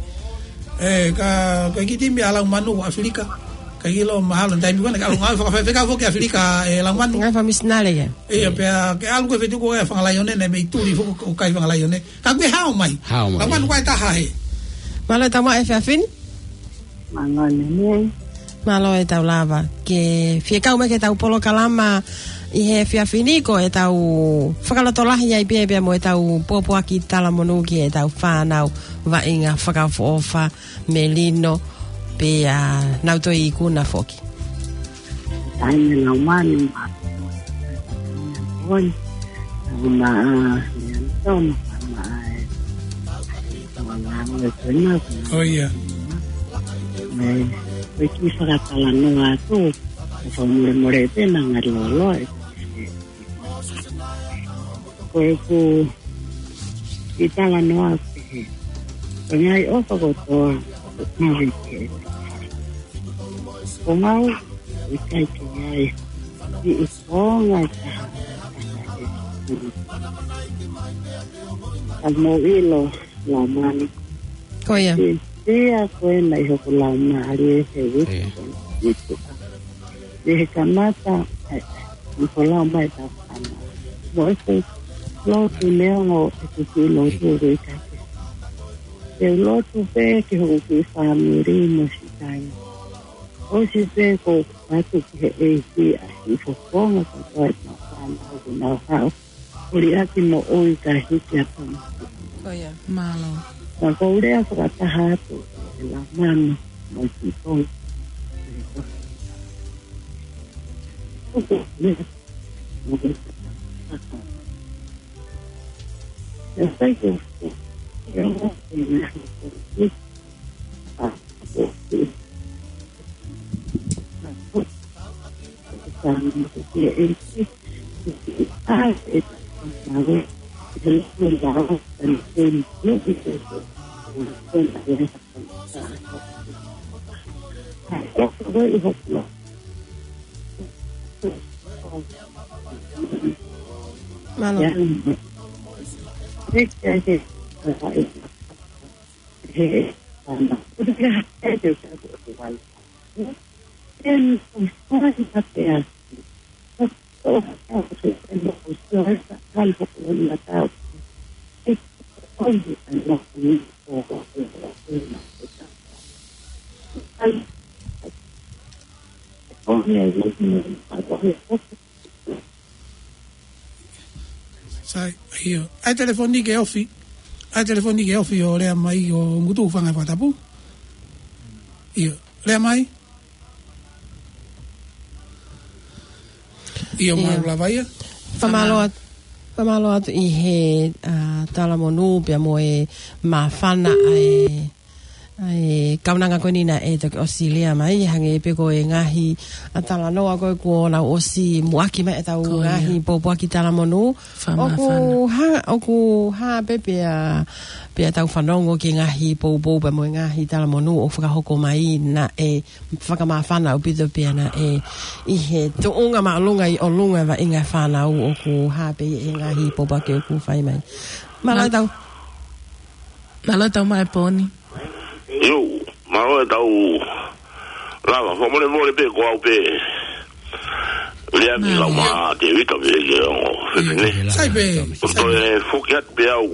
ʻE, ka, ko e kiʻi timi ʻa Laumanu ʻAfilika. ʻIkai ke ʻilo mahalo taimi ko ena, ke ʻalu ngāue fakafaifekau foki ʻAfilika, ē, Laumanu. Ngāue fakamisinale ia. ʻIo, pea ke ʻalu ko e feituʻu ko ē ʻa Fanga Laione, naʻe mei tuli foki ʻo kai Fanga Laione. Ka kuo hao mai. Hao mai. Laumanu ko e taha hē. Mālō e tau maʻu e efiafi ni. Mālō e nei. Mālō e tau lava ke fie kau mai ki heʻetau polokalama ʻi he efiafi ni, ko ʻetau fakalotolahi ai pē pea mo ʻetau pōpoaki talamonū ki heʻetau fānau vaʻinga fakaʻofoʻofa, Melino, pea nau toe ikuna foki. Taimi Laumanu, ma, Oni, ma, a, Leanitona, ma, a, e, ma, ma, e, ko ena, ko ena. ʻO ia. ʻE, ko e kiʻi fakatalanoa atu. Ko e fakamolemole pē naʻa ngali loloa e. Ko ʻeku kiʻi talanoa pehē. Ko e ngaahi ʻofa kotoa, ʻoku mavi ke. Ko ngau, ʻikai ke ai. Kiʻi konga taha. Ka mou ʻilo, Laumālie. Ko ia. Ke sia ko ena ʻi hoku laumālie he wiki. Ia. Itu. Ia he kamata, ʻe, ʻi ko lau mai ta pana. Mo ʻeku lotu neongo ʻeku kiʻi lotu ʻeku ʻikai ke. Ke lotu pē ki hoku kiʻi fāmili mo siʻi kāinga. ʻOsi pē ko atu ki he ʻEiki ʻa siʻi fofonga kotoa ʻi he māfana ʻoku nau haʻu. Uli ʻaki mo ʻoi ka hiki atu. Ko ia. Mālō. Ka ko u lea fakataha atu, e la mama, mo i ki tong. Uku, lea. Mo i ki tong. Ya sai ko, ya mo, ya mo, Mālō. Sai, ʻio. ʻAi telefoni ke ofi. ʻAi telefoni ke ofi ʻo lea mai ʻo ngutu fanga fakatapu. ʻIo. Lea mai. ʻIo, ʻio. Mālō lava ia. Fakamālō atu, fakamālō atu ʻi he, ʻa, talamonū pea mo e māfana ʻa e ʻa e kaunanga ko eni naʻe toki ʻosi lea mai, hangē pē ko e ngaahi ʻa talanoa ko ē kuo nau ʻosi muʻaki mai ʻetau Ko ia. ngaahi pōpoaki talamonū. Fakamāfana. ʻOku hā, ʻoku hā pē pea, pea tau fanongo ki he ngaahi poupou pea mo e ngaahi talamonū ʻoku fakahoko mai naʻe fakamāfana ʻaupito pea naʻe ʻi he tuʻunga māʻolunga ʻi ʻolunga vaʻinga fānau ʻoku hā pē ʻi he ngaahi pōpoaki ʻoku fai mai. Mālō Mal- tau. Mālō tau mai poni. ʻIo, mālō e tau lava, fakamolemole pē ko au pē. Lea mi Mālō. lau mā te vita pē ke ongo. Fefine. Sai pē. Ko toe foki atu pē au.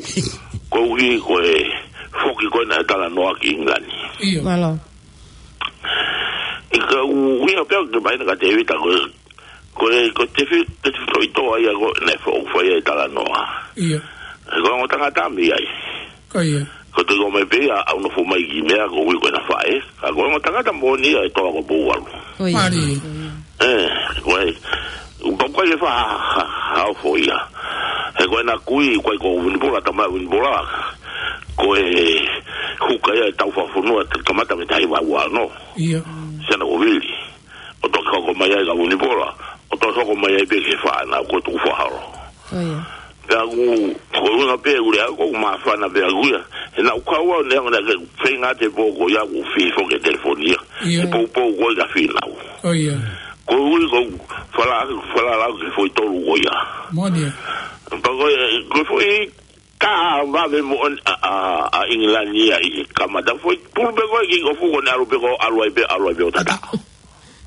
Ko ui ko e foki ko ena e talanoa ki Ingilani. ʻIo. Mālō. ʻI ka u ui a pē au ke mai na ka te vita ko e Ko e, ko e te fi-, te fi-, toʻitoʻa ia ko ē naʻe foʻou fai ai e talanoa. ʻIo. Ko e ongo tangata mei ai. Ko ia. Ko e te ko mai pē ia ʻa e nofo mai ki meʻa ko ui ko ena faʻē. Ka ko e ongo tangata moʻoni ia ʻe toa ko Pouvalu. Ko ia. Mālie. ʻE, ko e, u pau kai e fa ha, ha, ha ofo ia. He ko ena kui, ko e ko Vunipola, tama Vunipola. Ko e huka ia e tau fafunua, te kamata mei he taha hiva ua ono. ʻIo. Sena ko Vili. ʻO toki hoko mai ai ka Vunipola, ʻo toki hoko mai ai pē ki he fānau ko Tukufaholo. Ko ia. Pea ʻoku, ko e ʻuhinga pē ʻuli au, ko e māfana pē ʻaku ia. He naʻa ku kau au neongo naʻa ke feinga te pō ko ia ʻoku fifo ke telefoni ia. ʻIo. He poupou ko ia ka finau. Ko ia. Ko e ui ko fala, fala lau ke foʻi tolu ko ia. Moʻoni ia. Pea ko e, ko e foʻi Ka vave moʻoni ʻa, ʻa, ʻa Ingilani ia ʻi he kamata foʻi pulu pē ko ē ki ko fuko ne ʻalu pē ko ʻalu ai pē, ʻalu ai pē ʻo tata.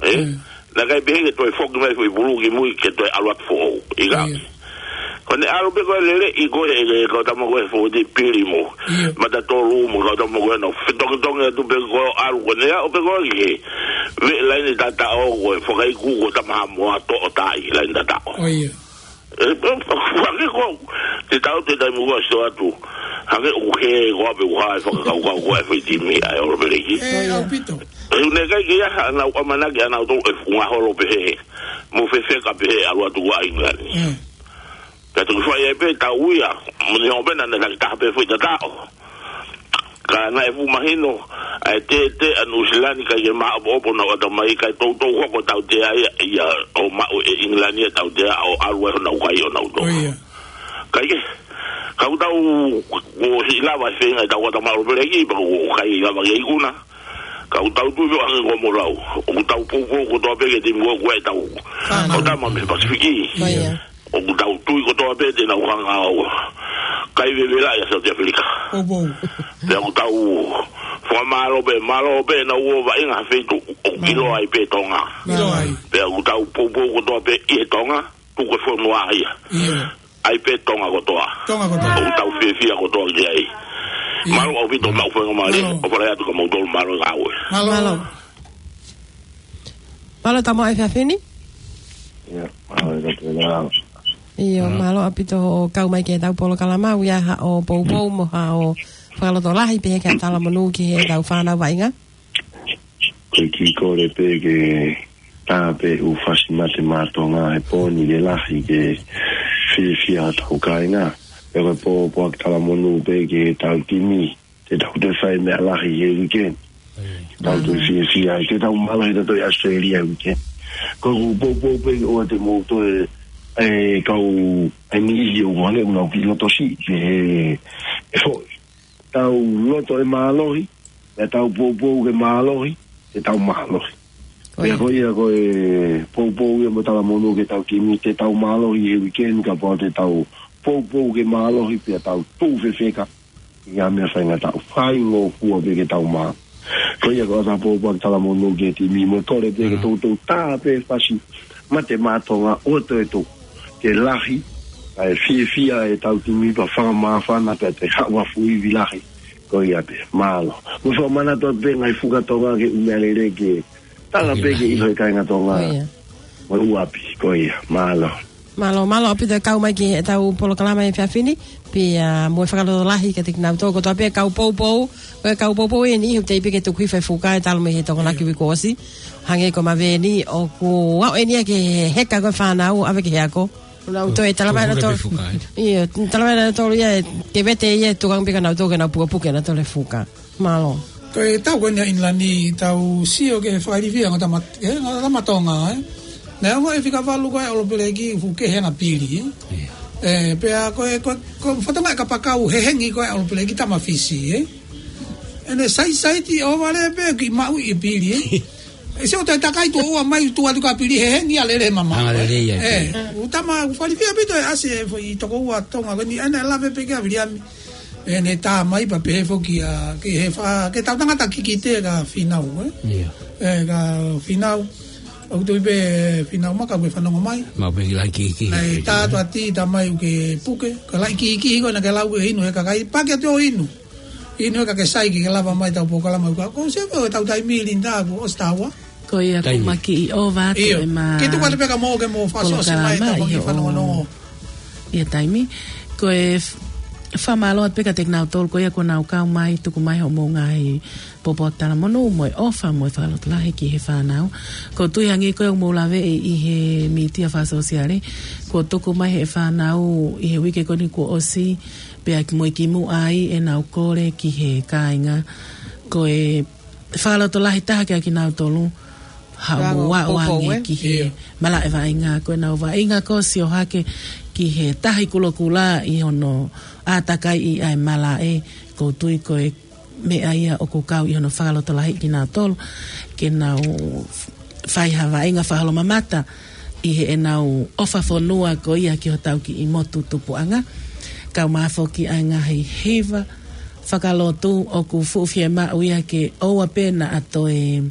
ʻE? Mm. Naʻe ʻikai pehē ke toe foki mai foʻi pulu ki mui ke toe ʻalu atu foʻou. ʻIkai. Mm. Ko ne ʻalu pē ko e lele ʻi ko e, e, e, kau tama ko e foʻi te pili mo. Mm. Mata tolu mo kau tama ko e no. Fetongitongi atu pē ko ʻalu ko ne ʻalu pē ko e ki he. Veʻe laine tata ʻo ko e fakaiku ko tama mo ato o tai laine tata ʻo. ʻO ia. E, e, hangē ko, te tau te tai mua sio atu. Hangē ʻoku hē ko ape ua e fakakaukau ko e foʻi timi ʻa e All Blacks. E, ʻaupito. E, ʻoku ne ʻikai ke ʻi ai haʻanau ʻamanaki ʻanautolu e funga holo pehē. Mo fefeka pehē ʻalu atu ko ʻAingilani. Mm. Ka tuku fai ai pē tau ia. Mo ne hopena na taki taha pē foʻi tata ʻo. Ka naʻe fuʻu mahino ʻa e tētē ʻa Nuʻusila ni, ʻikai ke māʻopoʻopo honau ʻatamai, kae toutou hoko e tautea ia, ia ʻo maʻu ʻe ʻIngilani e tautea ʻo ʻalu ai honau kai ʻonautolu. ʻIkai ke, ka ʻoku tau, ʻoku ʻikai lava e feinga ʻetau ʻatamai ʻo Peleki, pea ʻoku ʻikai lava ke ikuna. Ka ʻoku tau tui pē ʻo hangē ko hoʻomou lau, ʻoku tau poupou kotoa pē ki he timi ko ē ʻoku ʻi ai ʻetau kau tama mei he Pasifiki. ʻOku tau tui kotoa pē te nau hanga ʻo kai vevela ʻia South Africa. Pea ʻoku tau fakamālō pē, mālō pē ʻenau ō vaʻinga ha feituʻu ʻoku ʻiloa ai pē Tonga. Pea ʻoku tau poupou kotoa pē ʻi he Tonga, tuku e fonua ia. ʻAi pē Tonga kotoa. ʻOku tau fiefia kotoa ki ai. Mālō ʻaupito maʻu faingamālie, ʻo fale atu ka mautolu mālō e ngāue. Mālō. Mālō Tamoʻa e fiafini. ʻIo, mālō ʻaupito hoʻo kau mai ki heʻetau polokalama, ʻoku ʻi ai haʻo poupou mo haʻo fakalotolahi pehē ki he talamonū ki heʻetau fānau vaʻinga. Ko e kiʻi kole pē ke tā pē ʻū fasi mate mā Tonga he pō ni ke lahi ke fiefia hotau kāinga. Pea ko e pōpoaki talamonū pē ki heʻetau timi, te tau toe fai meʻa lahi he weekend. Tau toe fiefia ai, te tau mālō he tau toe Australia he weekend. Ko ʻeku poupou pē ʻoua te mou toe, e, kau e niʻihi ʻoku hangē ʻoku nau kiʻi loto siʻi pē he, e foʻi. Tau loto e mālohi, pea tau poupou ke mālohi, te tau mālohi. Pea ko ia ko e poupou ia mo talamonū ki heʻetau timi, te tau mālohi he weekend, kapau te tau poupou ke mālohi, pea tau tuʻu fefeka ʻi ha meʻa faingataʻa, faingofua pē ke tau mā. Ko ia ko ʻeta poupou talamonū ki he timi, mo e kole pē ke toutou tā pē fasi mate mā Tonga ʻo toe tuʻu ke lahi, kae fiefia ʻetau timi pea fakamāfana pea toe haʻu ha fuʻu ivi lahi. Ko ia pē, mālō. Mo fakamanatu atu pē ngaahi fuka Tonga ke ʻumealele ke tala pē ke ʻilo e kāinga Tonga. Mo e ʻū ʻapi, ko ia, mālō. Mālō, mālō ʻaupito e kau mai ki heʻetau polokalama he efiafi ni, pea mo e fakalotolahi kiate kinautolu kotoa pē kau poupou, ko e kau poupou eni, ʻoku teʻeki pē ke tuku hifo e fuka ʻe talu mei he Tokonaki uike kuo ʻosi. Hangē ko Maveni, ʻoku aʻu eni ia ki he heka ko e fānau, ʻave ki he ako. Nau toe talamai ʻenautolu. ʻIo, talamai ʻenautolu ia, ke vete ia, tuku ange pē kia nautolu ke nau pukepuke ʻenautolu e fuka. Mālō. Ko e tau ko eni ʻa ʻIngilani, tau sio ki he fakailifia ʻa e ongo tama, e ongo tama Tonga, ē. Naʻe ongoʻi e fika valu ko ē ʻa e ʻOlopeleki, fuʻu kehe ʻa e pili, ē. ʻIo. Ē, pea ko e, ko e, ko e fatongia e kapakau hehengi ko ē ʻa e ʻOlopeleki tama Fisi, ē. ʻEne saisaiti ʻo vale pē kiʻi maʻu e pili, ē. ʻE sio toe takai tuʻo ua mai tuʻu atu ka pili hehengi ʻa e lele mamaʻo. Anga lele ia, ē. Ē, ʻoku tama, ʻoku fakailifia ʻaupito e ʻasi e foʻi tokoua Tonga ko eni, ʻa ena ʻe lave pē ki ai ʻa Viliami. ʻEne tā mai pea pehē foki ʻa, ki he fa-, ki heʻetau tangata kikite kia Fīnau, ē? ʻIo. Ē, kia Fīnau. ʻOku tui pē Fīnau Maka ʻoku ke fanongo mai. Mau pē ki lahi kiki. Naʻe tā atu ʻa Tī, tā mai ʻoku ke puke. Ka lahi kiki ko ena ke lau ke inu he kakai. Paki atu ʻo inu. Inu he kakai sai ke lava mai ʻetau polokalama ʻoku. Ko se ko ʻetau taimi Linda ʻoku ʻosi taua. Ko ia ko Taimi. Maki ʻi ova atu ʻIo. ʻEma Ke tuku atu pē ka mo ke mo fakaʻosiʻosi mai polokalama ʻetau ʻi he kiʻi fanongonongo. ʻI he taimi. Ko e f-, fakamālō atu pē kiate kinautolu, ko ia kuo nau kau mai, tuku mai hoʻomou ngaahi poupou talamonū, mo e ʻofa, mo e fakalotolahi ki he fānau. ʻOku ou tui hangē ko ia ʻoku mou laveʻi ʻi he mītia fakasōsiale, kuo tuku mai ʻe he fānau ʻi he uike ko eni kuo ʻosi, pea ki mui ki muʻa ai ʻenau kole ki he kāinga. Ko e fakalotolahi taha kia kinautolu, haʻamou ʻaʻau ange ki he malaʻe vaʻinga, ko ʻenau vaʻinga ko ē ʻo sio hake ki he Tahi Kulokula ʻi hono ʻātakaiʻi ʻa e malaʻe, ʻoku ou tui ko e meʻa ia ʻoku kau ʻi hono fakalotolahi kinautolu, ke nau fai ha vaʻinga fakaholomamata ʻi heʻenau ʻofa fonua ko ia ki hotau kiʻi motu tupuʻanga. Kau mai foki ʻa e ngaahi hiva fakalotu ʻoku fuʻu fiemaʻu ia ke ʻoua pē naʻa toe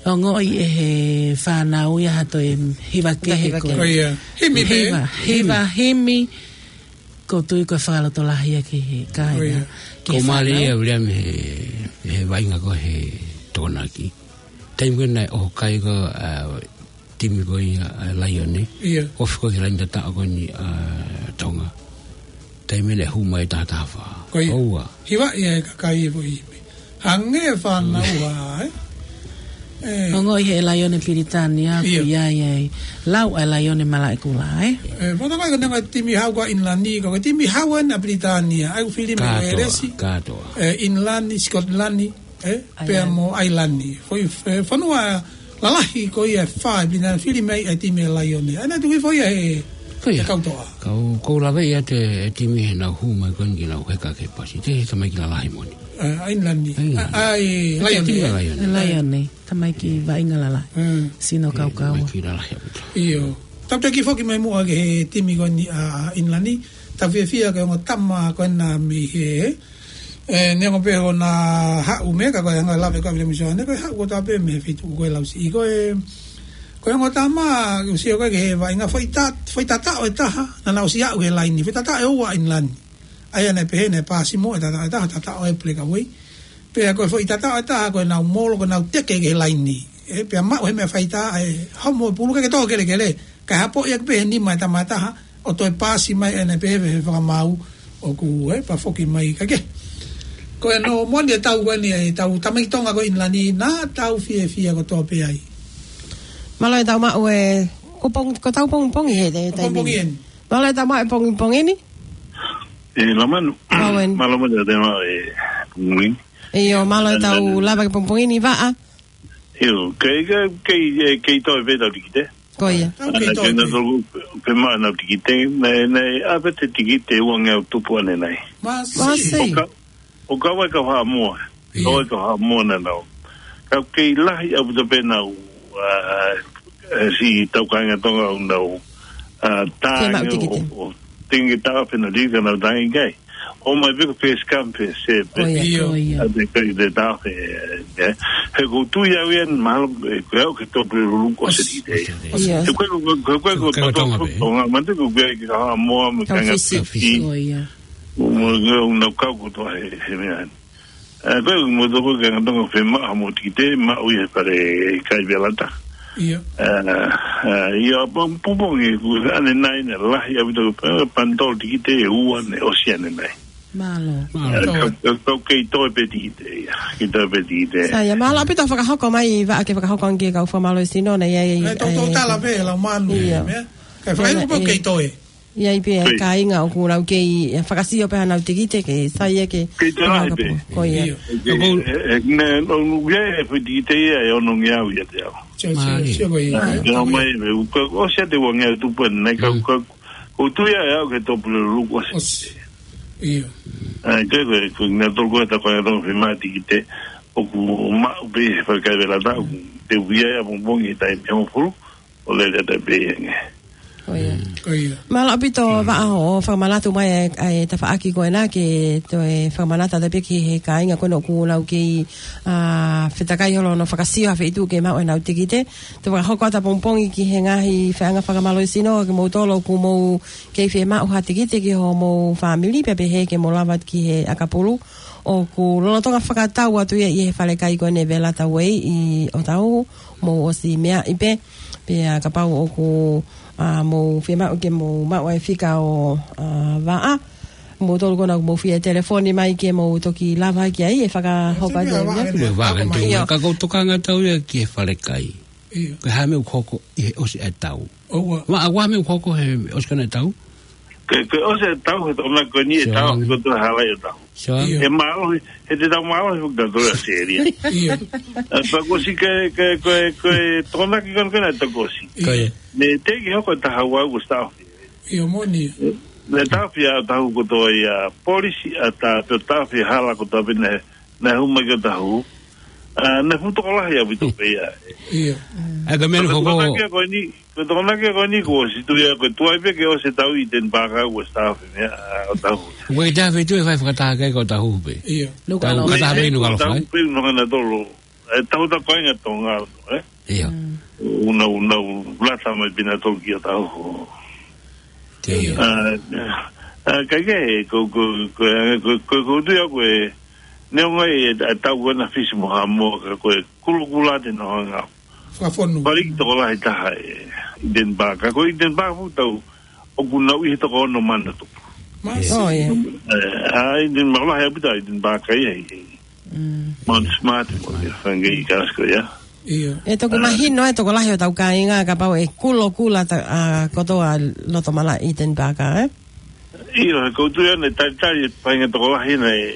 ongoʻi ʻe he fānau ia ha toe hiva kehe. Ko ia. Himi pē. Hiva, hiva, himi. ʻOku ou tui ko e fakalotolahi ia ki he kāinga. Ko ia. Ki he fānau. Ko Malia Viliami he, he vaʻinga ko ē he Tokonaki. Taimi ko ē naʻe ʻoho kai ko ē, ʻa, timi ko ia, ʻa, Laione. ʻIo. Ofi ko ē ki he laine tataʻo ko eni, ʻa, Tonga. Taimi naʻe hū mai taha taha fā. Ko ia. ʻOua. Hiva ia e kakai e foʻi himi. Hangē fānau ʻa, ē? Ongoʻi he laione Pilitānia, ʻio, ʻoku ʻi ai e lau ʻa e laione malaʻekula, ē? Ē, fakatātā ko e neongo e timi hau ko ʻInilani, ko e timi hau ʻa Pilitānia, ʻa ia ʻoku fili mei Kātoa, Uēlesi, kātoa. Ē, ʻInilani, Sikotilani, ē, pea mo ʻAilani. Foʻi, ē, fonua lalahi ko ia ʻe fā ʻi Pilitānia, fili mei ai e timi laione. ʻA ia naʻe tuku hifo ia he, ko ia, he kau toʻa. Kau, kau lave ia te, e timi he nau hū mai ko eni ke nau heka ki he pasi. Te, tamaiki lalahi moʻoni. Ē, ʻAilani. ʻAilani. ʻA, ʻa e, ʻa e laione. Timi laione. Laione. Tamaiki vaʻinga lalahi. Mm. Sino kaukaua. Tamaiki lalahi ʻaupito. ʻIo. Tau taki foki mai muʻa ki he timi ko eni ʻa ʻInilani. Tau fiefia ko e ongo tama ko ena mei he, ē, neongo pē hono haʻu mei he, ka ko e anga lave ko ē ʻa Viliami Sione, ko e haʻu kotoa pē mei he feituʻu ko ē Lausiʻi. Ko e, ko e ongo tama, ʻoku sio ko ē ki he vaʻinga foʻi ta-, foʻi tataʻo ʻe taha, naʻa nau ʻosi aʻu he laini. Foʻi tataʻo ʻe ua ʻa ʻInilani. ʻA ia naʻe pehē naʻe pasi muʻa e tataʻo ʻe taha, tataʻo e breakaway. Pea ko e foʻi tataʻo ʻe taha ko ʻenau molo, ko ʻenau teke ki he laini. Ē, pea maʻu he meʻa faitā, ʻe homo e pulu ke ke tō kelekele. Kae hapoʻi ʻaki pē he nima e tama ʻe taha, ʻo toe pasi mai ʻene pehē he fakamaau ʻoku, ē, pea foki mai ka ke. Ko e no moni e tau ko eni e tau tamaiki Tonga ko ʻInilani naʻa tau fiefia kotoa pē ai. Mālō e tau maʻu e, ko pong-, ko tau pongipongi he, he taimi. Pongipongi eni. Mālō e tau maʻu e pongipongi ni. Ē, Lamanu. Owen. Mālō mo te tau maʻu e pongipongi. ʻIo, mālō e tau lava ki he pongipongi ni, Vaʻa. ʻIo, kei, kei, kei, ē, kei toe pē ʻetau tikite. Ko ia. Tau kei toe pē. Ana ke na tolu pē maʻu ʻenau tikite, naʻe, naʻe ʻave ʻete tikite ʻe uangeau tupu ʻanenai. Mā sei. Mā sei. ʻO ka, ʻo ka wai ka Haʻamoa. ʻIo. ʻO ka Haʻamoa naʻa nau. Ka kei lahi ʻaupito pē ʻenau, ā, ē, siʻi tau kāinga Tonga ʻoku nau, ā, tānge ʻo, ʻo, ʻo tenge tāfe na lika nau tānge kai. ʻO mai pē ko e first come, first serve pē. Ko ia, ʻio, ko ia. ʻA te kai te tāfe, ē. He ʻoku ou tui au ia mahalo, ē, ko e au ke tō pule lulu ko se tikite. ʻIo. He ko e, ko e, ko e, ko e, ko e Tonga pē. Tonga, mate ko e, ko e Haʻamoa, mo e kāinga Fisi. Fisi. Ko ia. Mo, mo, mo, nau kau kotoa he, he meʻa. Ē, ko e mo toko ke ngā Tonga fe ma mo tikite, maʻu ia pare kai velata. ʻIo. Ē, ē, ʻio, pong-, pongipongi, ʻoku ʻanenai naʻe lahi ʻaupito, ē, panitolo tikite ʻe ua naʻe ʻosi ʻanenai. Mālō. Mālō. Ē, kau, kau, kau kei toe pē tikite ia, kei toe pē tikite. Sai ia, mālō ʻaupito fakahoko mai, Vaʻa, ke fakahoko ange ki he kau fakamālō sino, naʻe ʻi ai, ē, tau, tau ē, tala pē, lau manu, ʻio, meʻa. Kae fakaʻilo pē ē, kei toe. ʻI ai pē ʻa e kāinga ʻoku nau kei, ē, fakaʻosi pē ʻenau tikite ke sai ia ke. Kei te lahi pē. Ko ia. ʻIo. Ke, ē, ē, ne, no, no, ia e foʻi tikite ia ʻe onongeau ia te au. Sio, sio, sio ko ia. Ā, ke ʻomai, ē, ʻoku, ʻosi ʻa e uangeau tupu ʻanenai ka, ka, ʻoku ou tui au ke tō pule lulu ko se. ʻIo. Ā, ke, ke, ko e ngaahi tolu ko e ta ko e tolu fe ma tikite, ʻoku maʻu pē he fale kai velata, ʻoku te uia ia pongipongi he taimi hongofulu. ʻO lele atu pē ia ange. Ko ia. Ko ia. Mālō ʻaupito Vaʻa hoʻo fakamanatu mai ʻa e, ʻa e tafaʻaki ko ena ke toe fakamanatu atu pē ki he kāinga ko ena ʻoku nau kei, ā, fetakai holo hono fakasio ha feituʻu ke maʻu ʻenau tikite. Te u fakahoko atu ʻapongipongi ki he ngaahi feʻanga fakamālō sino kimoutolu ʻoku mou kei fiemaʻu ha tikite ki homou fāmili pea pehē ke mou lava ki he ʻakapulu. ʻOku lolotonga fakatau atu ia ʻi he fale kai ko eni Velata Way ʻi ʻŌtāhuhu, mou ʻosi meaʻi pē. Pea kapau ʻoku, ā, mou fiemaʻu ke mou maʻu ʻa e fika ʻo, ā, Vaʻa, moutolu ko ena ʻoku mou fie telefoni mai ke mou toki lava ki ai ʻe fakahoko atu e meʻa. Ko e Vaʻa, ʻio. Ka ʻoku ou tokanga atu ia ki he fale kai. ʻIo. Ko e hā e meʻa ʻoku hoko ʻi he ʻosi ʻa e tau? ʻOua. Vaʻa, ko e hā e meʻa ʻoku hoko he ʻosi ko ena e tau? Ke, ke ʻosi e tau he tokonaki ko eni e tau, ko e tau hala e tau. Sure. ʻIo. He mālohi, he te tau mālohi fuka tau e seria. ʻIo. Ā, pea ko si ke, ke, ko e, ko e tokonaki ko ena ko ena e tau ko si. ʻIo. Ko ia. Ne te ki hoko e taha ua ko staff. ʻIo, moni. Ne tafi ʻa tahu kotoa ia polisi ʻa ta, pe tafi hala kotoa pē ne, ne hū mai ki ʻŌtāhuhu. Ā, ne fuʻu tokolahi ʻaupito pē ia. ʻIo. ʻA ia ko e meʻa ko, ko e tokonaki ko eni, ko e tokonaki ko eni ko si tu ia ko e tuai pē ke ʻosi e tau ʻi Denver ka ko staff meʻa, ā, ʻo tahu. Ko e tafe tu e fai fakataha kai ko ʻŌtāhuhu pē. ʻIo. Nukuʻalofa. Tau fakataha pē ʻi Nukuʻalofa, ʻo tahu pē ʻi Nukuʻalofa. Tolu. ʻE tau ta ko inga Tonga, ē? ʻIo. Mm. ʻUna, ʻuna, ʻu lata mai pē ʻa tautolu ki ʻŌtāhuhu. Ko ia. Ā, ā, ka ke, ko, ko, ko, ko, ko, ko tu ia ko e, neongo e, ʻa tau ko ena Fisi mo Haʻamoa ka ko e kulokula te nau hanga. Fakafonu. Pali ki tokolahi taha ē, ʻi Denver. Ka ko ʻi Denver fuʻu tau, ʻoku nau ʻi he toko ono mano tupu. Masi. ʻIo. ʻOi. Ē, ʻa ʻi Denver, lahi ʻaupito ʻi Denver ka ia ʻi. Mm. Mount Smart, mo e fanga ʻi Glasgow ia. ʻIo. ʻE toki mahino ʻe tokolahi ʻo tau kāinga kapau ʻe kulo kula ta, ʻa, kotoa loto malaʻe Eden Park, ē? ʻIo, he ʻoku ou tui ʻoku ne talitali e faʻahinga tokolahi naʻe,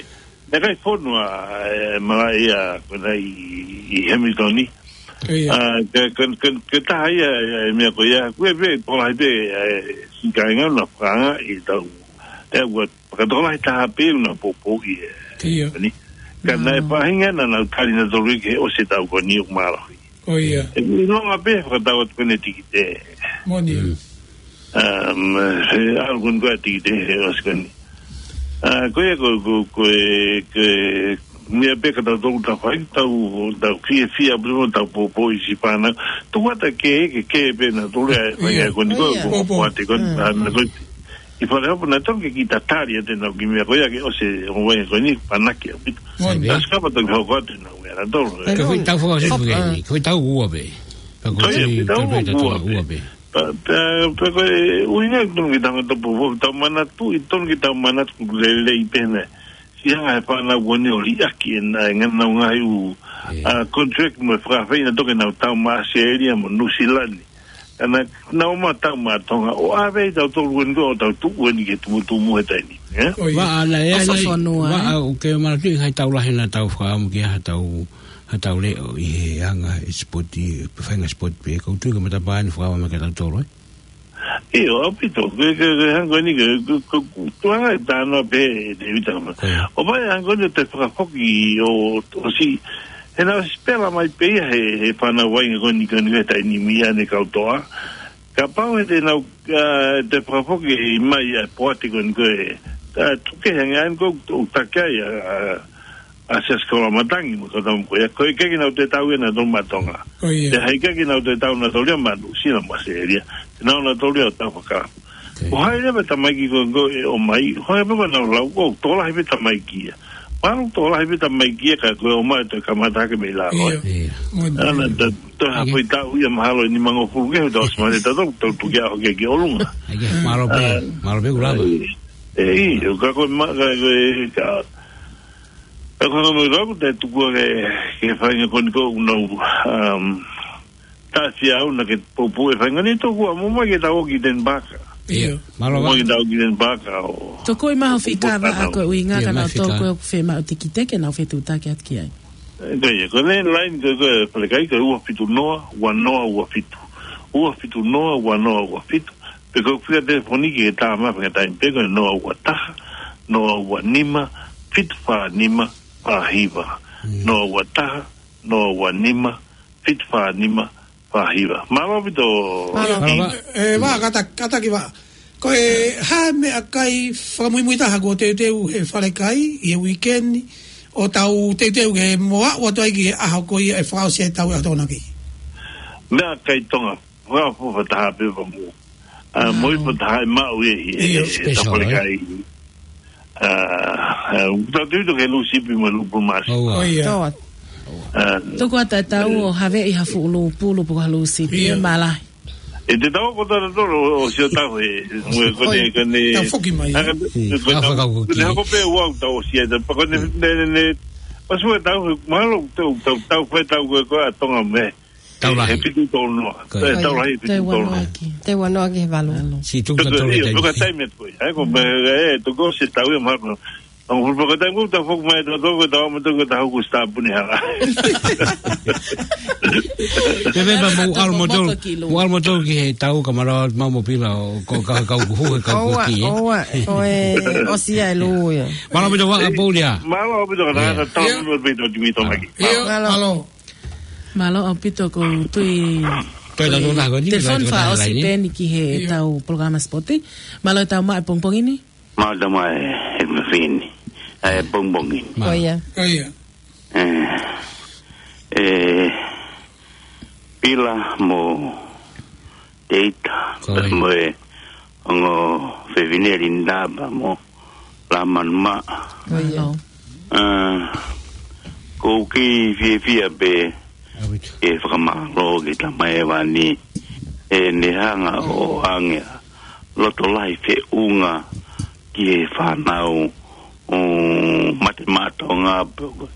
naʻe ʻikai fonu ʻa e malaʻe ia ko ena ʻi, ʻi Hamilton ni. ʻIo. ʻA, ke, ke, ke, ke taha ia, e meʻa ko ia, ko e pē, tokolahi pē, e, siʻi kāinga naʻa nau fakaanga ʻi tau, e, ua, fakatokolahi taha pē naʻa nau poupouʻi e. ʻIo. Ni. Ka naʻe faʻahinga naʻa nau tali nautolu ke ʻosi e taʻu ko eni ʻoku mālohi. ʻIo. ʻE, ʻilonga pē fakatau atu ko eni e tikite. Moʻoni. Mm. Um, he ʻalu ko eni ko e tikite he ʻosi ko eni. ʻA, ko ia ko, ko, ko e, ko e, meʻa pē ka tau tau tau fai, tau, tau fiefia, pē mo tau poupouʻi siʻi fānau. Tau ʻatā ke, ke, ke pē nautolu e fai ʻIo. ko eni ko, ʻIo. ko, Poupou. ko ate ko eni, Mm. ʻa, na ko eni. ʻI Falehopo naʻe tonu ke kiʻi tatali atu ʻenau kiʻi meʻa ko ia ke ʻosi e ongo vaʻinga ko eni, panaki ʻaupito. Moʻoni. Sai pē. Taha kapau tau hoko atu ʻenau meʻa nautolu, ē. Ka ko e tau fua Falehopo, ē. Ko e tau ua pē. Ka ko Ko ia, e ko e tau tau pē, tau ua pē. ua pē. Pea, pea, pea ko e ʻuhinga ʻoku tonu ke tau ngata poupou, tau manatuʻi, tonu ke tau manatu lelei pē ʻena. Siʻi anga e fānau ko eni ʻo liʻaki ʻenau, ʻenau ngaahi ʻū, Ē. ʻa, contract mo e fakafeʻiloaki naʻa nau tau maʻa ʻAositelēlia mo Nuʻusila ni. Ka naʻa nau ō mai ʻo tau maʻa Tonga ʻo ʻave ʻe tautolu ko eni ko ʻo tau tuʻu eni ke tumutumu he taimi ni, ē? ʻIo. Vaʻa, naʻe, ʻOfa naʻe, fonua, vaʻa, ē? ʻOku ke manatuʻi ha taʻu lahi naʻa tau fakaʻamu ki ha taʻu, ha taʻu leʻo ʻi he anga e sipoti, faʻahinga sipoti pē, ʻoku ou tui ko e matapā eni fakaʻamu mai kia tautolu, ē? ʻIo, ʻaupito, ke, ke, ke hangē ko eni ke, ke, ke, ke tuʻunga e tānaki pē, Tēvita, ma. ʻIo. ʻO pehē hangē ko eni ʻo te fakafoki ʻo, ʻosi, he naʻe ʻosi pela mai pē ia he, he fānau vaʻinga ko eni, ko eni he taimi ni ʻa e kau toʻa. Kapau he te nau, ʻa, te fakafoki mai ʻa e poate ko eni ko e, ʻa, tuku hangē ʻa eni ko ʻoku takai ʻa, ʻa, ʻa Siaosi Koloamatangi mo e kau tama ko ia. Ko e ʻikai ke nau toe tau ia nautolu maʻa Tonga. ʻIo. Pea he ʻikai ke nau toe tau nautolu ia maʻa Nuʻusila mo ʻAositelēlia. Te nau ō nautolu ia ʻo tau fakakalapu. ʻOku ʻi ai leva e tamaiki ko ē ʻoku ʻomai, ʻoku ʻi ai pē ko ʻenau lau, ʻoku tokolahi pē tamaiki ia. Mahalo tokolahi pē tamaiki ia ka ko e ʻomai ʻo toe kamata hake mei lalo. ʻIo. ʻIo. Moʻoni. ʻAna, ta, ta, ha foʻi taʻu ia mahalo ʻe nimangofulu ke, tau ʻosi male tautolu, tau tuku ia ʻo hake ki ʻolunga. ʻAi ke, mālō pē, ʻA, mālō pē ʻoku lava. ʻE, ʻio, ka ko e ma-, ka ko e, ka, ka ko e hanga mai ʻoku te tuku ke, ke faʻahinga ko eni ko ʻenau, um, taʻefiauna ke poupou e faʻahinga ni tokua mo mai ke tau ō ki Eden Park. ʻIo. Mālō Mo mai ke tau ō ki Eden Park ʻo. Tokua mai ho fika vaʻa ko e ʻuhinga ʻIo, ka mai nau fika. tokua ʻoku fiemaʻu tikite ke nau fetuʻutaki atu ki ai. Ko ia, ko e line ko, ko e Falekai ko e ua fitu noa, ua noa, ua fitu. Ua fitu noa, ua noa, ua fitu. Pe ko e fika telefoni ke tā mai he taimi pē ko e noa ua taha, noa ua nima, fitu fā nima, fā hiva. Mm. Noa ua taha, noa ua nima, fitu fā nima, fā hiva. Mālō ʻaupito. Mālō. Mālō, Vā. ʻE, ʻe, Vā, kātaki, kātaki Vā. Ko e hā e meʻakai fakamuimui taha kuo teuteu he Falekai ʻi he uike ni, ʻo tau teuteu ke mo aʻu atu ai ki he ʻaho ko ia ʻe fakaʻosi ai e tau ʻa e Tokonaki? Meʻakai Tonga, fakaʻofoʻofa taha pē pea mo. ʻA, Wow. mo e foʻi taha ʻe maʻu ʻe he, ʻIo. he, he Special, Falekai. ʻA, ʻa, ʻoku tau tui toke lūsipi mo e lūpulu māsi. ʻOua. ʻOia. Tō atu. ʻA. Tuku atu e tau ʻo haveʻi ha fuʻu lūpulu pe ko ha lūsipi. ʻIo. ʻE malahi. ʻE te tau ko tara toro ʻo sio tau he, mo e kone, ʻOi. kone. Tau foki mai, ʻA, ē? kone, ʻIo, kone, tau fakakau ko kone ki. hako pē ua tau ʻosi ai, tau pa kone, Mm. ne, ne, ne. Pasu e tau, mahalo, tau, tau, tau, fai tau ko, ko ʻa Tonga mei. Tau lahi. He fitu tolu noa. Ko ia. Tau lahi, Tau fitu tolu noa. ua noa ki. Tau ua noa ki he valu. Valu. Siʻi tuku Tau, tolu ʻio, taimi. tuku taimi atu ko ia. ʻAi ko me, e, tuku ʻosi tau ia mahalo. Ang full pagkatang ko, tau foki mai, tau, tau, tau, tau, tau, tau, ko stop ni hala. Pe, pe, pa, mo Tau ʻalu mo tau, moto ki lua. mo ʻalu mo tau ki he tau ka mālō, mau mo pila, ʻo, ko, ka, ka, kuhu, ka, ʻOua, kuki, ē. ʻoua, ko e, ʻosi ia e lū ia. Mālō ʻaupito Vā, ʻa Paulia. Mālō ʻaupito ka Yeah. tau, tau, Yeah. tau, tau, tau, tau, tau, tau, Yeah. Mālō. Mālō. Mālō ʻaupito ʻoku ou tui Toe tau tau ko eni, telefoni tau tau fakaʻosi laine. pē eni ki he Ia. tau polokalama sipoti. Mālō e tau mai pongipongi ni. Mālō e tau mai he mafini. ʻAi pongipongi ni. Mālō. ʻOia. ʻOia. ʻE, ʻe, Pila mo Teita, Ko ia. mo e ongo fefine Linda pea mo Lāmanu Maʻa. Ko ia. ʻA, ʻoku ou kei fiefia pē ʻAupito. ke fakamālō ki he tamaiki ʻe ua ni ʻene hanga ʻo ʻoange loto lahi feʻunga ki he fānau ʻo mate maʻa Tonga pe ko e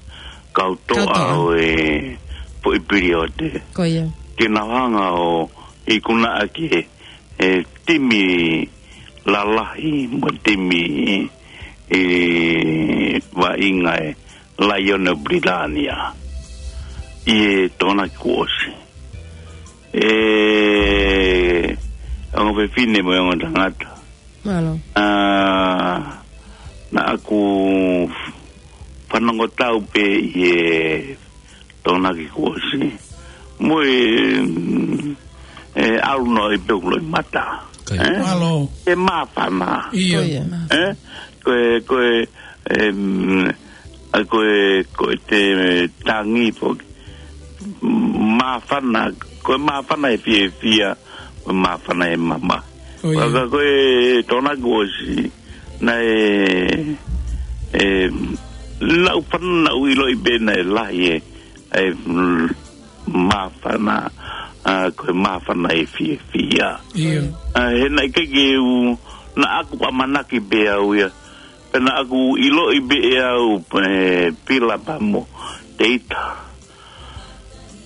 kau toʻa Kau toʻa. ʻo e foʻi piliote. Ko ia. Ke nau hanga ʻo ikunaʻaki e timi lalahi mo e timi ʻe vaʻinga e Laione ʻo Pilitānia ʻi he Tokonaki kuo ʻosi. ʻE, ongo fefine mo e ongo tangata. Mālō. ʻA, naʻa ku fanongo tau pē ʻi he Tokonaki kuo ʻosi. Mo e, mm, e ʻalu noa ʻi pē ʻoku loʻimata. Ko ia. Ē? Mālō. E māfana. ʻIo. Ko ia. Ē? Ko e, ko e, em, ʻa ko e, ko e te tangi foki. Māfana, ko e māfana e fiefia, ko e māfana e mamahi. Ko ia. Ka ko e Tokonaki kuo ʻosi, naʻe, e, naʻa ku fan-, naʻa ku ʻiloʻi pē naʻe lahi e, e, mm, māfana, ʻa, ko e māfana e fiefia. ʻIo. ʻA, he naʻe ʻikai ke u, naʻa ku ʻamanaki pē au ia. Pea naʻa ku ʻiloʻi pē ʻe au, e, Pila pea mo Teita.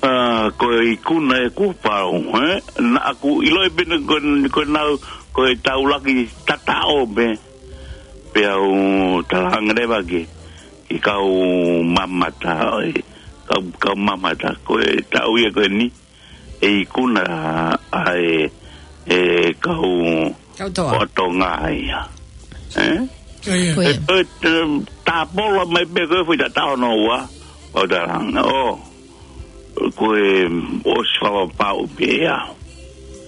ʻA, ko e ikuna ʻe kuo pau, ē? Naʻa ku ʻiloʻi pē ko, ko nau, ko e taulaki tataʻo pē. Pea u talaange leva ki, ki kau mamata, ē, kau, kau mamata, ko e taʻu ia ko eni, e ikuna ʻa e, e kau Kau toa. Ko Tonga ia. Ē? Ko ia. Ko ia. E, e, e, tāpolo mai pē ko e fuʻu tataʻo hono ua. ʻO talaange, ʻo, ko e ʻosi fakapapau pē ia.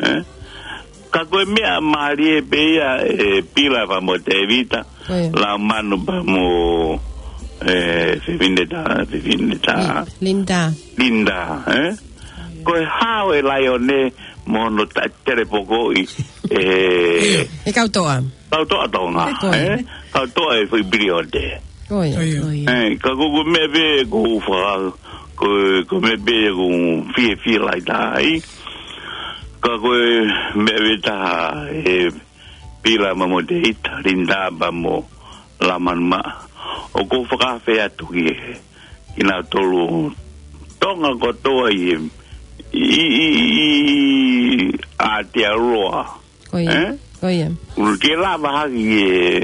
Ē? Ka ko e meʻa mālie pē ia e Pila pea mo Tēvita. Ko ia. Laumanu pea mo, e, Fefine Tā, Fefine Tā. Li-, Linda. Linda, ē? Ko e hao e Laione mo hono ta-, telepokoʻi, e, ʻIo. E kau toa. Kau toa Tonga, Ko ia. ē? Kau toa e fuʻu piliote. Ko ia. Ko ia. Ko ia. Ē, ka ko, ko e meʻa pē ʻoku ou faka-, ko, ko e meʻa pē ʻoku ou fiefia lahi taha ai. Ka ko e meʻa pē taha e Pila pea mo Teita, Linda pea mo Lamanuma. ʻOku ou fakaafeʻi atu ki he, kinautolu Tonga kotoa ʻi, ʻi, ʻi, ʻi Aotearoa. Ko ia. Ē? Ko ia. ʻOku ke lava hake ʻi he,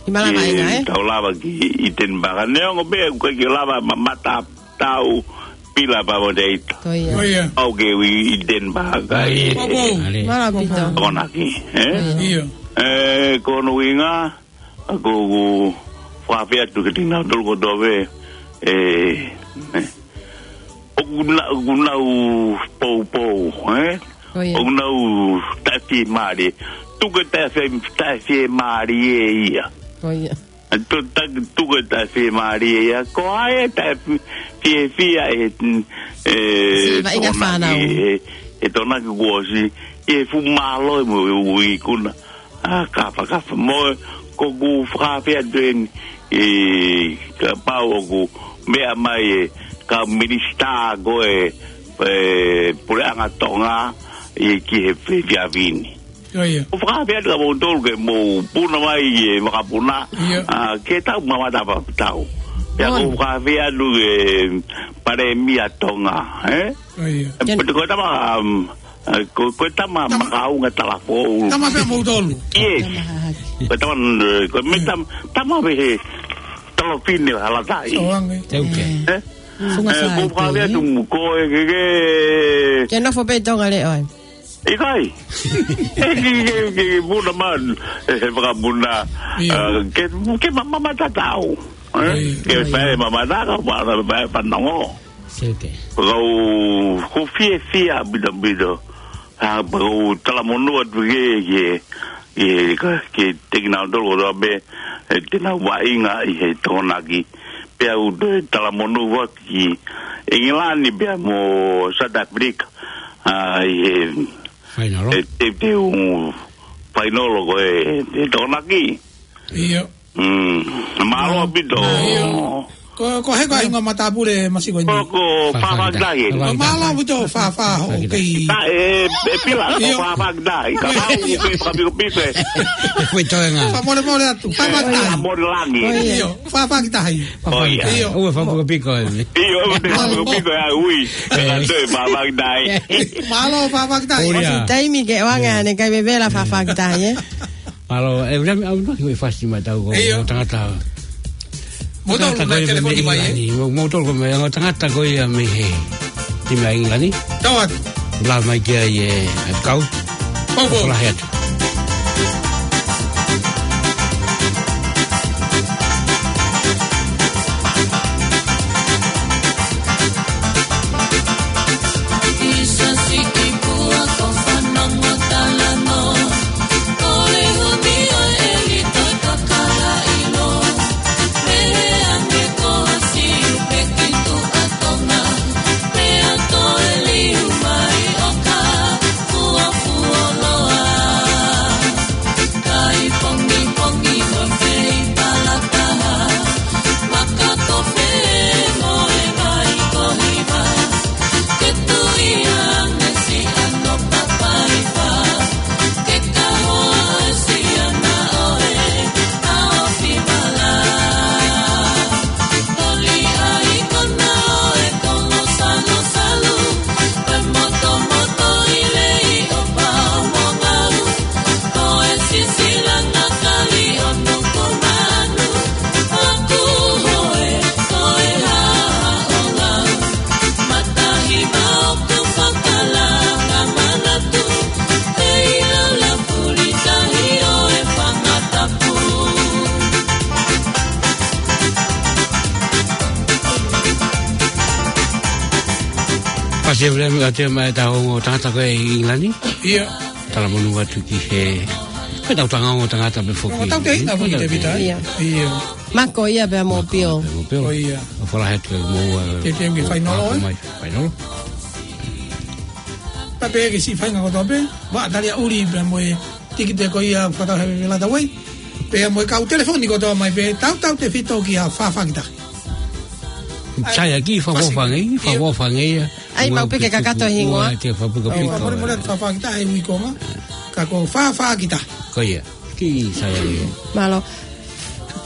ʻI malanga ʻi he ʻi ai, ē? Tau lava ki ʻi Denver. Neongo pē ʻoku ʻikai ke lava mamata tau Pila pea mo Teita. Ko ia. Ko ia. ʻOku ke ui ʻi Denver, ʻi he Ko ia. Mālō ʻaupito. Tokonaki, ē? Ko ia. ʻIo. Ē, ko hono ʻuhinga, ʻoku ou fakaafeʻi atu kiate kinautolu kotoa pē, ē, ē. ʻOku na-, ʻoku nau poupou, ē? Ko ia. ʻOku nau taʻefiemālie. Tuku e taʻefie-, taʻefiemālie ia. Ko ia. ʻA tu-, ta-, tuku e taʻefiemālie ia. Ko hai e taʻefi-, fiefia e, e, Siva ʻi he Tokonaki, fānau. e, e Tokonaki kuo ʻosi, e fuʻu mālohi mo e ui ikuna. ʻA, kafakafa mo, ʻoku ou fakaafeʻi atu eni, ē, kapau ʻoku meʻa mai e kau minisitā ko e, e, puleʻanga Tonga, ē, ki he fe-, fefiafi ni. Ko ia. ʻOku ou fakaafeʻi atu kia moutolu ke mou puna mai e vakapuna, ʻIo. ʻa, ke tau mamata pea tau. Pea ʻOi. ʻOku ou fakaafeʻi atu e palēmia Tonga, ē? Ko ia. Ē, Ken- ko e tama, um, ē, ko, ko e tama Tama. makaunga talafoʻou. Tama pē moutolu. Yes. Tama hahake. Ko e tama, ē, ko e meʻa Ē. tam-, tama pē he tolofine hala tai. Soange. Teuke. Ē? Ē? Funga Ē, sai ko e fale atu ē. Mo ko e ke, ke Ke nofo pē Tonga le ʻoe. ʻIkai. Ē, ke, ke, ke, ke puna man, ē, he vakapuna. ʻIo. Ē, ke, ke ma-, ma-, mamata tau. Ē? ʻIo. Ke ʻIo. fai mamata ka, ma-, ma-, ma-, fanongo. Siuke. Kau, ʻoku ou fiefia ʻaupito ʻaupito. ʻA, ʻoku ou talamonū atu ki he, ki he, ki he, ka, kiate kinautolu kotoa pē, ē, te nau vaʻinga ʻi he Tokonaki. Pea ʻoku ou toe talamonū atu ki ʻIngilani pea mo South Africa. ʻA, ʻi he, Fainolo. ē, teuteu fainolo ko e, e Tokonaki. ʻIo. Mm, mālō ʻaupito. ʻIo. Ko, ko e hā e hingoa matāpule masiva ko eni? Ko, ko Fafakitahi. Fafakitahi. Ko e mālō ʻaupito Fafa hoʻo kei. Fafakitahi. Ē, ē, Pila, ko ʻIo. Fafakitahi. Kapau ʻoku ke fakapikopiko ē. Ko e toenga. Fakamolemole atu. Fafakitahi. Fakamolemole langi. ʻIo, Fafakitahi. ʻIo. ʻOku fakapikopiko ē. ʻIo, ʻoku fakapikopiko ē, ui. Ē. Ē, toe Fafakitahi. Mālō Fafakitahi. Ko ia. Taimi ke ʻoange ʻa e kai vevela Fafakitahi, ē? Mālō, ē, ʻoku ou ʻamanaki ʻoku fasi mai ʻetau ongo tangata. Mou tau tangata ko ia mei ʻIngilani. Mou, mou tau ko e ongo tangata ko ia mei he timi ʻa ʻIngilani. Tau atu. Lava mai ki ai ē, ʻa e kau. Pau, pau. Kolahi atu. Fasi ʻa Viliami ʻa e tau ongo tangata ko ē ʻi ʻIngilani. ʻIo. Talamonū atu ki he, ko ʻetau ongo tangata pē foki. Ko ʻetau teʻeki ʻi ai foki, Tēvita. ʻIo. ʻIo. Mako ia pea mo Pio. Mako ia pea mo Pio. Ko ia. ʻOku fakahā atu ē mou, ē, ke temi fainolo, ē? Mai fainolo. Pea pehē ki he siʻi faʻahinga kotoa pē, vaʻa tali ʻuli pea mo e tikite ko ia fakatau he vevela tau ai. Pea mo e kau telefoni kotoa mai pē, tautautefito kia Fafakitahi. Sai ʻaki, fakaʻofoʻofa ange, ʻio, fakaʻofoʻofa ange ia. ʻAi, mau pē ke kakato e hingoa. Ua, te fakapuka pika. Fakamolemole atu Fafakitahi he ui konga. Ka ko Fafakitahi. Ko ia. Kiʻi sai ange. Mālō.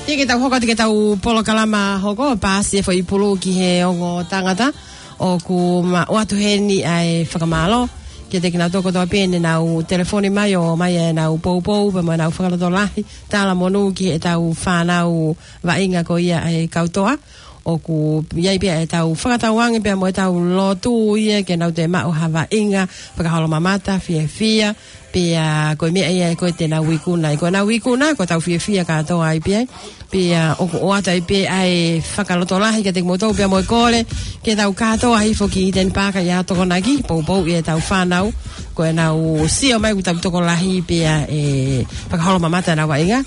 Tiki tau hoko, tiki tau polokalama hoko, paasi e foʻi pulu ki he ongo tangata. ʻOku ma ʻoatu heni ʻa e fakamālō kiate kinautolu kotoa pē ne nau telefoni mai ʻo ʻomai ʻenau poupou pea mo ʻenau fakalotolahi, talamonū ki heʻetau fānau vaʻinga ko ia ʻa e kau toʻa. ʻOku ʻi ai pē ʻetau fakatauange pea mo ʻetau lotu ia ke nau toe maʻu ha vaʻinga fakaholomamata, fiefia, pea ko e meʻa ia ē ko ē te nau ikuna. Ko ʻenau ikuna, ko ʻetau fiefia kātoa ai pē ai. Pea ʻoku ʻoatu ai pē ʻa e fakalotolahi kiate kimoutolu pea mo e kole ke tau kātoa hifo ki Eden Park ʻi he Tokonaki, poupou ʻetau fānau, ko ʻenau sio mai ʻoku tau tokolahi pea ʻe fakaholomamata ʻenau vaʻinga,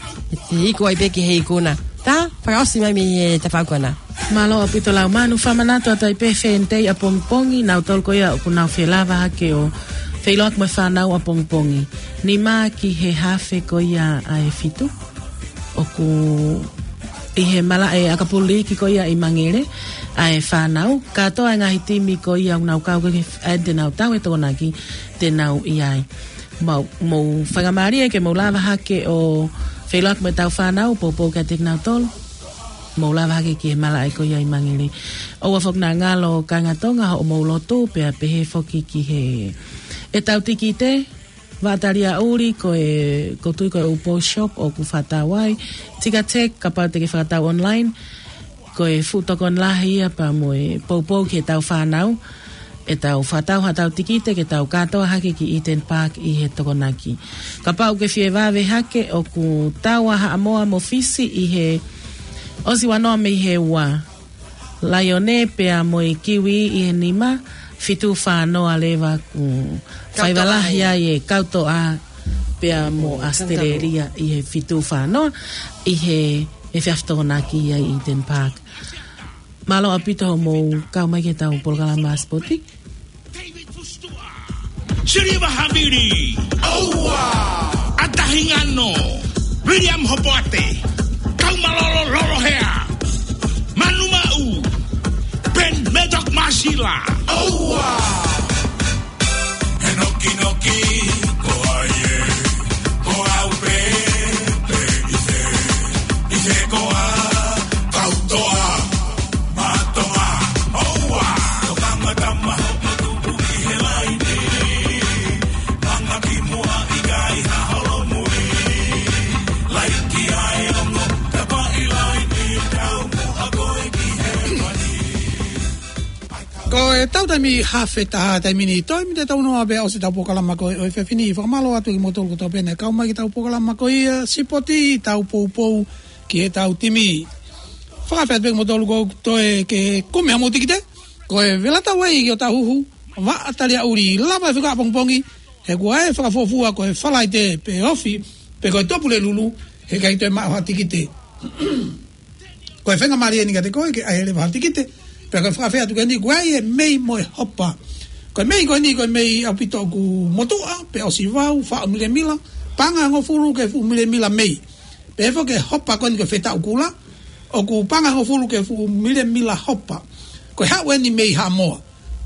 ʻe iku ai pē ki he ikuna. Tā, fakaʻosi mai mei he tafaʻaki ko ena. Mālō ʻaupito Laumanu, fakamanatu atu ai pē Fenitei ʻapongipongi, nautolu ko ia ʻoku nau felava hake ʻo feʻiloaki mo e fānau ʻapongipongi. Nima ki he hafe ko ia ʻa e fitu. ʻOku ʻi he malaʻe ʻakapulu liiki ko ia ʻi Mangere ʻa e fānau. Kātoa e ngaahi timi ko ia ʻoku nau kau ki he f-, ʻa ē te nau tau he Tokonaki te nau ʻi ai. Mau, mou faingamālie ke mou lava hake ʻo feʻiloaki mo ʻetau fānau, poupou kiate kinautolu. Mou lava hake ki he malaʻe ko ia ʻi Mangere. ʻOua foki naʻa ngalo kāinga Tonga hoʻomou lotu, pea pehē foki ki he, ʻetau tikite, vaʻa tali ʻuli ko e, ʻoku ou tui ko e Upo Shop ʻoku fakatau ai. Ticketek, kapau te ke fakatau online. Ko e fuʻu tokoni lahi ia pea mo e poupou ki heʻetau fānau. ʻEtau fakatau haʻatau tikite ke tau kātoa hake ki Eden Park ʻi he Tokonaki. Kapau ʻoku ke fie vave hake, ʻoku tau ʻa Haʻamoa mo Fisi ʻi he ʻosi ua noa mei he ua. Laione pea mo e Kiwi ʻi he nima, fitu fā noa leva ʻoku faiva lahi ai e kau toʻa pea mo ʻAositelēlia ʻi he fitu fā noa ʻi he efiafi Tokonaki ʻi Eden Park. Mālō ʻaupito hoʻomou kau mai ki heʻetau polokalama sipoti. Siliva Havili. ʻOua. ʻAtahi Ngano. Viliami Hopoate. Kaumalolo Lolohea. Manu Maʻu. ʻOua! He nokinoki ko ai ē, ko au pē, pē ʻi he, ʻi he koa, kau toa, mātoa, ʻoua! Ko kama tama hopo tupu ʻi he laini, manga ki muʻa ʻikai ha holomui, laiki ai ongo, tapa ʻi laini, kau muʻa koe ki he mani. Ko e tau taimi hafe taha taimi ni, toe miniti tau noa pē ʻosi ʻetau polokalama ko ē ʻo e efiafi ni. Fakamālō atu kimoutolu kotoa pē naʻe kau mai ki heʻetau polokalama ko ia, Sipoti, tau poupou ki heʻetau timi. Fakafeʻao pē kimoutolu ʻoku toe ke kumi hamou tikite, ko e Velatā Way ki ʻOtahuhu, Vaʻa Taliaʻuli, lava e fika ʻapongipongi, he kuo ʻi ai e fakafuofua ko e Falaite pe ofi, pe ko e Tuʻapulelulu, he ʻikai toe maʻu ha tikite. Ko e faingamālie eni kiate koe ke ʻai leva ha tikite, pea ko e fakafeʻao atu ko eni, ko e mei mo e hopa. Ko e mei ko eni, ko e mei ʻaupito ʻoku motuʻa, pe ʻosi vau, faʻo milemila, paʻanga ʻe hongofulu ki he fuʻu milemila mei. Pea foki e hopa ko eni ko e fetaʻu kula, ʻoku paʻanga ʻe hongofulu ki he fuʻu milemila hopa. Ko e haʻu eni mei Haʻamoa.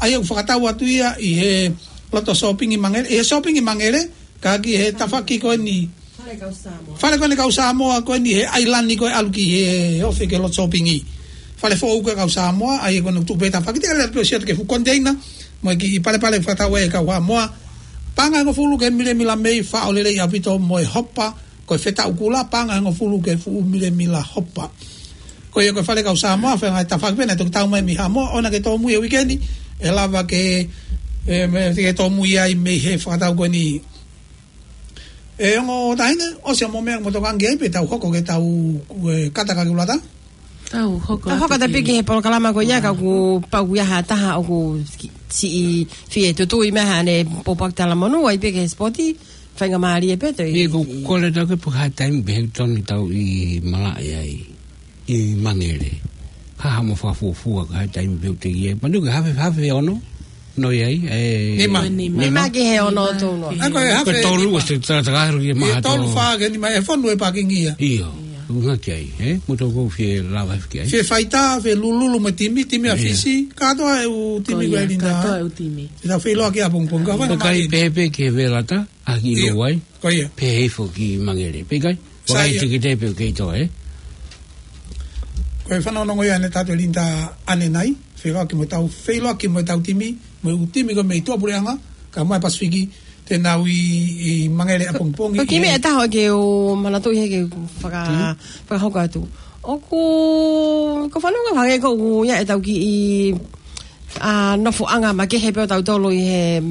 ʻA ia ʻoku fakatau atu ia ʻi he loto sōpingi Mangele, ʻi he sōpingi Mangele, ka ki he tafaʻaki ko eni. Fale kau Samoa. Fale ko eni kau Samoa, ko eni he ʻailani ko ē ʻalu ki he ofi ki he loto sōpingi. Fale foʻou ko ē kau Samoa, ʻa ia ko eni ʻoku tuʻu pē tafaʻaki, te lele pē ʻo ʻosi atu ki he fuʻu koniteina, mo e kiʻi palepale fakatau ʻe he kau Haʻamoa. Paʻanga ʻe hongofulu ki he milemila mei, faʻo lelei ʻaupito mo e hopa, ko e fetaʻu kula, paʻanga ʻe hongofulu ki he fuʻu milemila hopa. Ko ia ko e fale kau Samoa, fēfē ngaahi tafaʻaki pē naʻe toki tau mai mei Haʻamoa, ʻoua ke tōmui e uike ni, ʻe lava ke, ʻe, mei, ke tōmui ai mei he fakatau ko eni. ʻE ongo taʻahine, ʻosi hoʻomou meʻa mo tokanga ki ai pea tau hoko ki heʻetau, ʻe, kata kakeulata. Tau hoko Tau hoko atu atu pē ki ki he polokalama ko ia, ka ʻoku pau ia ha taha ʻoku ki-, siʻi fie tutui mai haʻane pōpoaki talamonū, ʻai pē ki he sipoti, faingamālie pē toe. ʻIo, ko e kole atu ke pehē ha taimi pē he tonu tau ʻi malaʻe ai, ʻi Mangele. Ka haʻamo fakafuofua ka ha taimi pē te ia. Manu ke hafe, hafe ono, noi ai, ʻe, Nima. Nima. Nima ki he ono tonu. ʻAi ko e Ko e hafe tolu ʻosi takataka helu ki he ʻIo, maha tolu tolu. Fā ke nima ʻe fonu e pākingi ia. ʻIo, ʻunga ki ai, ē? Mo toko fie lava ki ai. Fie faitā, fie lululu mo e timi, timi ʻa ʻIo. Fisi, kātoa e ʻū timi Ko ko e ia, Linda. Kātoa e ʻū timi. Te tau feiloaki ʻapongipongi, ka fai Ko kai mai. Pehē pē ki he Velatā, ʻa ki ʻIo. Loʻau ai. Ko ia. Pehē foki ki Mangele. Pea kai, Sai vakai ia. Tiki tepe kei toa, ē? Ko e fanongonongo ia ʻanenai, Linda, ʻanenai, feiloaki mo ʻetau, feiloaki mo ʻetau timi, mo e ʻū timi ko ē mei tuʻapuleʻanga, kae ʻumaʻā e Pasifiki, te nau ʻi, ʻi Mangele ʻapongipongi. Ko e kiʻi meʻa ʻe taha ke u manatuʻi he ke faka-, Hmm? fakahoko atu. ʻOku, ko e fanongo hangē ko ē ʻoku ʻi ai ʻetau kiʻi, ʻa, nofoʻanga makehe pē ʻo tautolu ʻi he,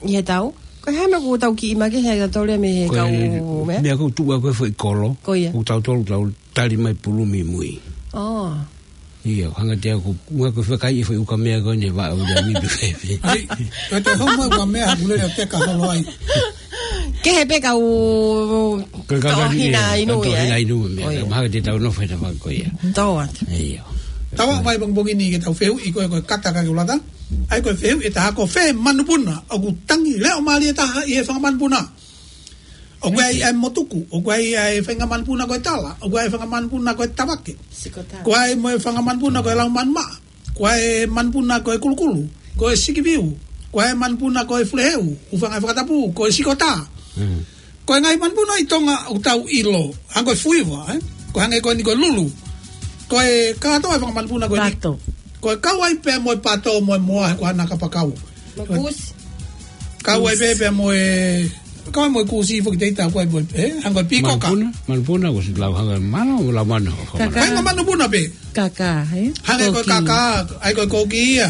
ʻi he tau. Ko e hā e meʻa ʻoku tau kiʻi makehe ai tautolu ia mei he Ko e kau meʻa? Meʻa ʻoku tuʻu ko ē foʻi kolo. Ko ia. ʻOku tautolu tau tali mai pulu mimui. Oh. ʻIo, hanga te au ko, ʻunga ko e fakaʻi e foʻi ukamea ko eni ʻe vaʻa ʻo ia mi pe fēfē. ʻAi, ko e te hau mai ukamea ha kulele ʻo teka holo ai. Kehe pē kau Ko e kau tau kani hina ia, inu kau tau ia, hina ē? Inu mea, ʻO ia. Mahalo te tau nofo he tafaʻaki ko ia. Tau atu. ʻIo. Tau ʻai mai pongipongi ni ke tau fehuʻi ko e, ko e kata kakeulata. ʻAi ko e fehuʻi ʻe taha, ko fē manupuna ʻoku tangi leʻo mālie taha ʻi he fanga manupuna. ʻOku ʻi ai ʻa e motuku, ʻoku ʻi ai ʻa e faʻahinga manupuna ko e tala, ʻoku ʻi ai e faʻahinga manupuna ko e tavake. Sikotā. ʻOku ʻi ai mo e faʻahinga manupuna ko e lau manumaʻa, ʻoku ʻi ai e manupuna ko e kulukulu, ko e sikiviu, ʻoku ʻi ai e manupuna ko e fuleheu, ʻū faʻahinga fakatapu, ko e sikotā. Mm. Ko e ngaahi manupuna ʻi Tonga ʻoku tau ʻilo, hangē ko e fuiva, ē? Ko e hangē ko eni ko e lulu. Ko e kātoa e faʻahinga manupuna ko eni. Pato. Ko e kau ai pē mo e pato mo e moa, he ko e hā e kapakau. Mo e kusi. Kau ai pē pea mo e, kau ai mo e kusi foki te ita kau ai mo e, ē, hangē ko e pīkoka. Manupuna, manupuna, ʻosi lau hangē mano, lau mano. Kakā. Faʻahinga manupuna pē. Kakā, ē? Hangē ko e Koki. Kakā, ʻai ko e koki ia.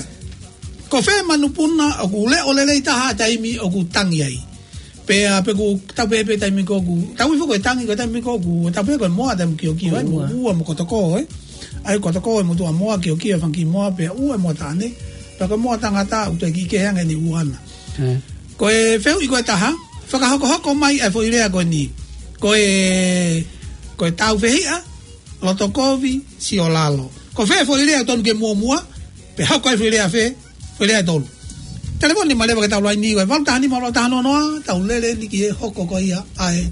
Ko fē manupuna ʻoku leʻo lelei taha taimi ʻoku tangi ai. Pea, pe ʻoku tau pehē pē taimi ko ē ʻoku, tau ifo ko e tangi ko e taimi ko ē ʻoku, tau pehē ko e moa taimi kiokio ai, mo Ua. ua mo kotoko, ē. ʻAi kotoko e motuʻa moa kiokio e fanga kiʻi moa pea ua e moa taʻane. Pea ko e moa tangata ʻoku toe kiʻi kehe ange ʻene ua na. Ē. Ko e fehuʻi ko e taha, fakahokohoko mai e foʻi lea ko eni. Ko e, ko e tāufehiʻa, loto kovi, siolalo. Ko fē foʻi lea tonu ke muʻomuʻa, pea hoko ai foʻi lea fē, foʻi lea ʻe tolu. Telefoni mai leva ki heʻetau laini ko e valu taha nima valu taha noa noa, tau lele ni ki he hoko ko ia ʻa e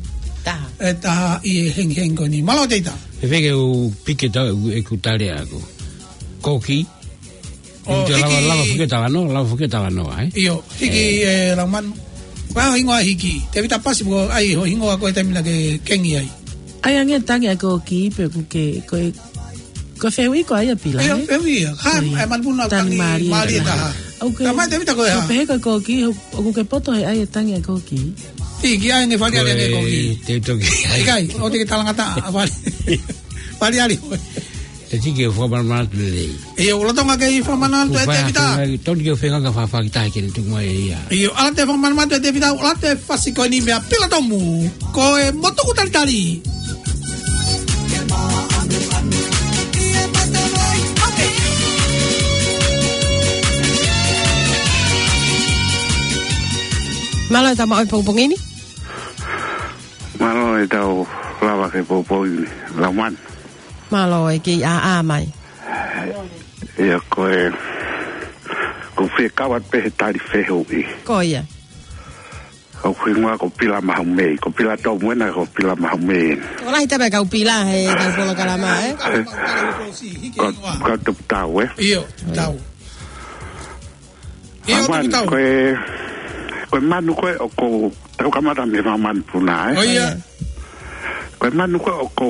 Taha. ʻe taha ʻi he hengihengi ko eni. Mālō Teita. Fēfē ke u piki atu ʻeku tali ʻaʻaku. Koki. ʻO, ʻio, lava, hiki. Lava foki e talanoa, lava foki e talanoa, ē? ʻIo, hiki, ē, Laumanu. Ko e hā ho hingoa, hiki? Tēvita Pasi, ko e hā ho hingoa ko e taimi naʻá ke kengi ai? ʻA ia, ʻa e tangi ʻa e kōkī pē ʻoku ke, ko e, ko e fehuʻi ko ia, Pila, ʻio, ē? Fehuʻi ia. Hā, ʻio. ʻA e manupuna Tangi tangi mālie mālie taha. Taha. ʻOku ke, Ka mai Tēvita ko e hā? Pehē ko e kōkī, ʻo, ʻoku ke poto he ʻai e tangi ʻa e kōkī? Hiki, ʻai ange fali Ko ʻai ange e kōkī. Te toki ai. ʻIkai, ʻoua te ke talangataʻa, fali. Fali ali. Te tiki e fua manamana tu lelei. ʻIo, ʻoku lolotonga ke fua manamana tu e Tēvita. Tonu ke fenga ka fafaki tahi ke ne tuku mai ia. ʻIo, ʻalu atu e fua manamana tu e Tēvita, ʻalu atu e fasi ko eni meia Pila Tomu. Ko e motuku talitali. Mālō e tama ʻo e pongipongi ni. Mālō e tau lava ke pongipongi ni. Laumanu. Mālō e kei ʻā ʻā mai. ʻIo ko e, ko fie kau atu pē he tali fehuʻi. Ko ia. Ko e hingoa ko Pila Mahumei, ko Pila Tomu ena ko Pila Mahumei. Ko lahi tabe kau Pila he kau polokalama, ē? Ko, ko Tuputau, ē? ʻIo, Tuputau. ʻIo, Laumanu, Tuputau. Ko e, ko e manu ko ē ʻoku tau kamata mei he fanga manupuna, ē? ʻIo. Ko e manu ko ē ʻoku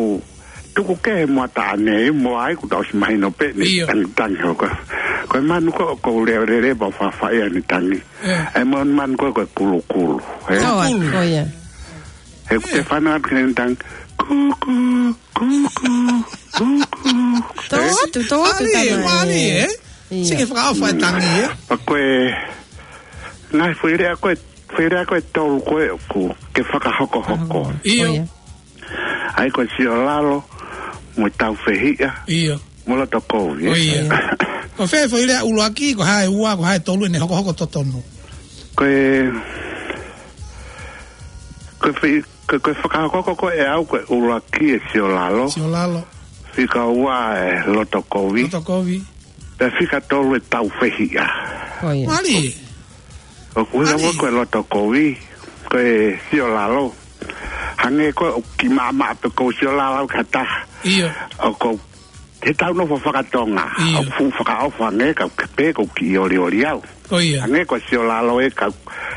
tuku kehe mo ʻataʻane, mo ai kuo tau ʻosi mahino pē ʻene ʻIo. tangitangi hoko. Ko e manu ko ē ʻoku leʻo lelei pea faʻa faʻa ʻi ai ʻene tangi. ʻIo. ʻA e manu, manu ko ē ko e kulukulu, ē? Ko ia, Kulukulu. ko ia. He ʻoku te ʻIo. fanongo atu ki heʻene tangi, kūkū, kūkū, kūkū. Tō Ē? atu, tō atu Mālie, tamai. mālie, ē? ʻIo. Sike fakaʻofa e tangi, ē? Pea ko e, ngaahi foʻi lea ko ē, foʻi lea ko ē tolu ko ē ʻoku ke fakahokohoko. ʻIo. Ko ia. ʻA ia ko e siolalo, mo e taufehiʻa, ʻIo. mo e loto kovi, ē? Ko ia. ʻIo. Ko fē foʻi lea ʻuluaki, ko e hā e ua, ko e hā e tolu ʻene hokohoko totonu? Ko e, ko e fei-, ko e, ko e fakahoko ko ē ʻe au ko e ʻuluaki e siolalo. Siolalo. Fika ua e loto kovi. Loto kovi. Pea fika tolu e taufehiʻa. Ko ia. Mālie. ʻOku ʻuhinga Mālie. ko e loto kovi, ko e siolalo. Hangē ko ē ʻoku kiʻi maʻamaʻa pē ʻoku ou siolalo au ki ha taha. ʻIo. ʻOku ou, he tau nofo fakatonga. ʻIo. ʻOku fuʻu fakaʻofa ange, kau ke pē ʻoku ou kiʻi olioli au. Ko ia. Hangē ko e siolalo ē kau,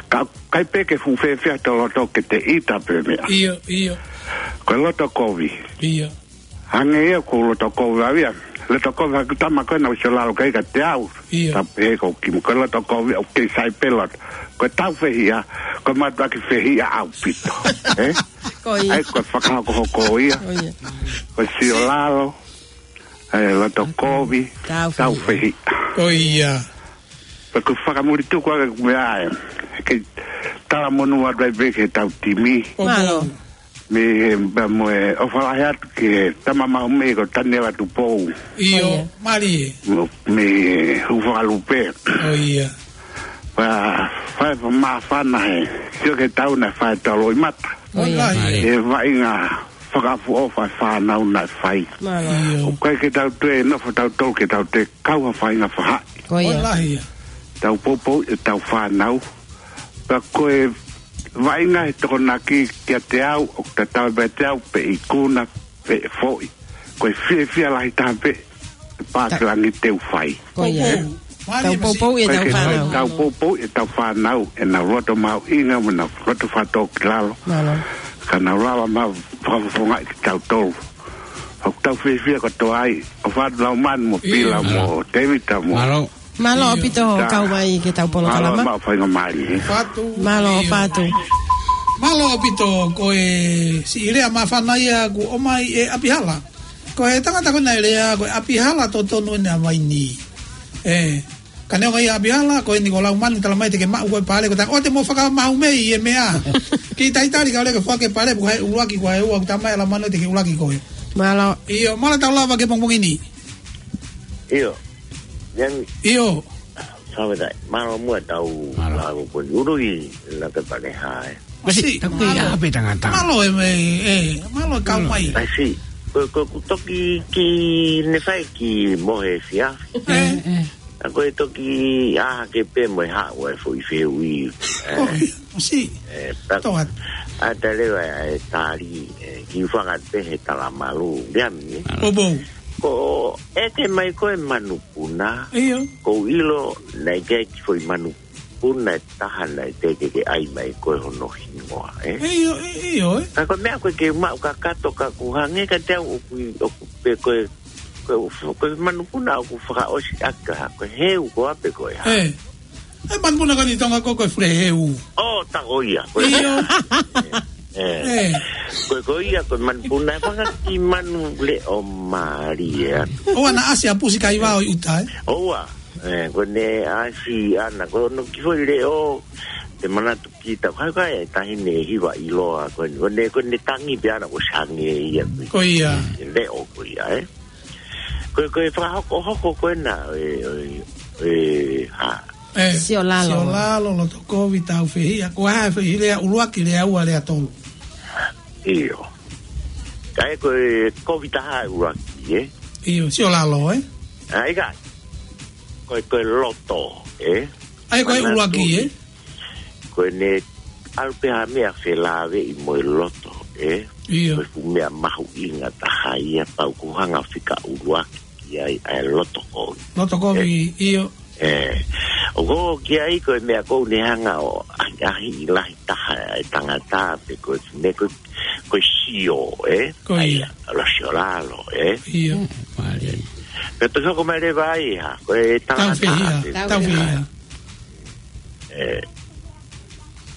kau, ʻikai pē ke fuʻu fiefia toloto ke te ʻita pē meʻa. ʻIo, ʻio. Ko e loto kovi. ʻIo. Hangē ia ko e loto kovi au ia. Loto kovi haku tama ko ē naʻa ku siolalo ki ai kiate au. ʻIo. Tapu he ko kimu ko e loto kovi au kei sai pē loto. Ko e taufehiʻa, ko e mātuʻaki fehiʻa ʻaupito. Ē? Ko ia. ʻA ia ko e fakahokohoko ia. Ko ia. Ko e siolalo, ē, loto kovi, Taufehiʻa. taufehiʻa. Ko ia. Pea ʻoku fakamuli tuku ake ku meʻa ē. Kei talamonū atu ai pē ki he tau timi. Mālō. Mei he, pea mo e ʻofa lahi atu ki he tama Mahumei ko Taniela Tupou. ʻIo, ʻIo. mālie. Mo, mei he Hūfakalupe. ʻIo. Pea fai fa māfana he. Sio ki he tau naʻe fai tau loʻimata. ʻIo. Mālie. He vaʻinga fakaʻofoʻofa e fānau naʻe fai. Mālō. ʻIo. ʻOku ʻikai ke tau toe nofo tautolu ke tau toe kau ha faʻahinga faʻahi. Ko ia. Lahi ia. Tau poupou ʻetau fānau. Pea ko e vaʻinga he Tokonaki kiate au, ʻoku tatau pē kiate au, pe ikuna, pe foʻi. Ko e fiefia lahi taha pē, pā Ta- ke langi te u fai. Ko ia. Poupou. Mālie Tau poupou ʻetau Ko e ke fānau. tau poupou ʻetau fānau, ʻenau loto mahuʻinga, mo ʻenau loto fakatōkilalo. Mālō. Ka nau lava mai fakafofongaʻi kitautolu. ʻOku tau fiefia kotoa ai, ʻofa atu Laumanu mo Pila ʻIo. mo Tēvita mo Mālō. Mālō ʻaupito hoʻo kau mai ki he tau polokalama. Mālō, mālō faingamālie. Fatu. Mālō, ʻIo. fatu. Mālō ʻaupito, ko e siʻi lea māfana ia kuo ʻomai ʻe ʻApihala. Ko e tangata ko ē naʻe lea, ko e ʻApihala totonu ʻene ʻa mai ni. Ē, ka neongo ia ʻApihala, ko eni ko Laumanu talamai te ke maʻu ko e pale, ko e tangata ʻoua te mo fakamahumei e meʻa. Kiʻi talitali ka lea ke fua ke pale, ko hai ʻuluaki, ko hai ua, ʻoku talamai ʻe Laumanu te ke ʻuluaki koe. Mālō. ʻIo, mālō tau lava ki he pongipongi ni. ʻIo. Yang ʻIo. Sabe tai, mālō muʻa tau Mālō. lava ko ni uru i la ke pale hai. Masi, Masi, taku ke mālō. ʻape tangata. Mālō e mei, ē, mālō e kau Mālō. mai. Masi, ko, ko, ko toki ki ne fai ki mohe fia. Ē. Ē, ē. A ko e toki aha ke pē mo e haʻu e foʻi fehuʻi. Ē. Ko, masi. Ē, ta-, Toa. a ta leva e tali, ē, ki fanga te he tala malu. Ia mi. Mālō. Poupou. Ko ʻete mai ko e manupuna. ʻIo. Ko u ʻilo, naʻe ʻikai ke foʻi manupuna ʻe taha naʻe teʻeki ke ʻai mai ko e hono hingoa, ē? ʻIo, ʻi-, ʻio, ē? Ka ko e meʻa ko ē ke maʻu kakato ka ʻoku hangē ka te au ʻoku, ʻoku pē ko e, ko e, ko e manupuna ʻoku fakaʻosi ʻaki ha, ko e heu ko ā pē ko e hā. Ē. E manupuna ko eni Tonga ko, ko e fule heu. ʻO, tā ko ia. Ko e ʻIo. Ē. Ē. Ko, ko ia, ko e manupuna, ʻe fanga kiʻi manu leʻo mālie atu. ʻOua naʻa ʻasi ʻa Pusi Kaivao ʻi ʻuta, ē? ʻOua. Ē, ko ʻene ʻasi ʻana, ko hono kiʻi foʻi leʻo, te manatu kita, kai kai, taʻahine hiva ʻiloa, ko ʻene, ko ʻene, ko ʻene tangi pē ʻana, ko e sange ia, ko e Ko ia. Leʻo ko ia, ē? Ko, ko e fakahokohoko ko ena, e, e, e, ha. Ē, Siolalo. Siolalo, Lotokovi, Taufehiʻa, ko e hā e foʻi lea ʻuluaki, lea ua, lea tolu. ʻIo. Kae ko e kovi taha ʻuluaki, ē? ʻIo, Siolalo, ē? ʻA, ʻikai. Ko e, ko e loto, ē? ʻA ia ko e Manatu ʻuluaki, ē? Ko ʻene ʻalu pē ha meʻa felāveʻi mo e loto, ē? ʻIo. Ko e fuʻu meʻa mahuʻinga taha ia pau ʻoku hanga fika ʻuluaki ki ai ʻa e Lotokovi. Lotokovi, Ē. ʻIo. Ē. ʻOku ki ai ko e meʻa ʻoku ne hanga ʻo ʻahiʻahiʻi lahi taha e tangata pe ko e, ne ko, ko e sio, ē? Ko ia. ʻA ia, lo Siolalo, ē? ʻIo. Mālie. Pea toki hoko mai leva ai, ha, ko e tangata Taufehiʻa, pe Taufehiʻa. Ē.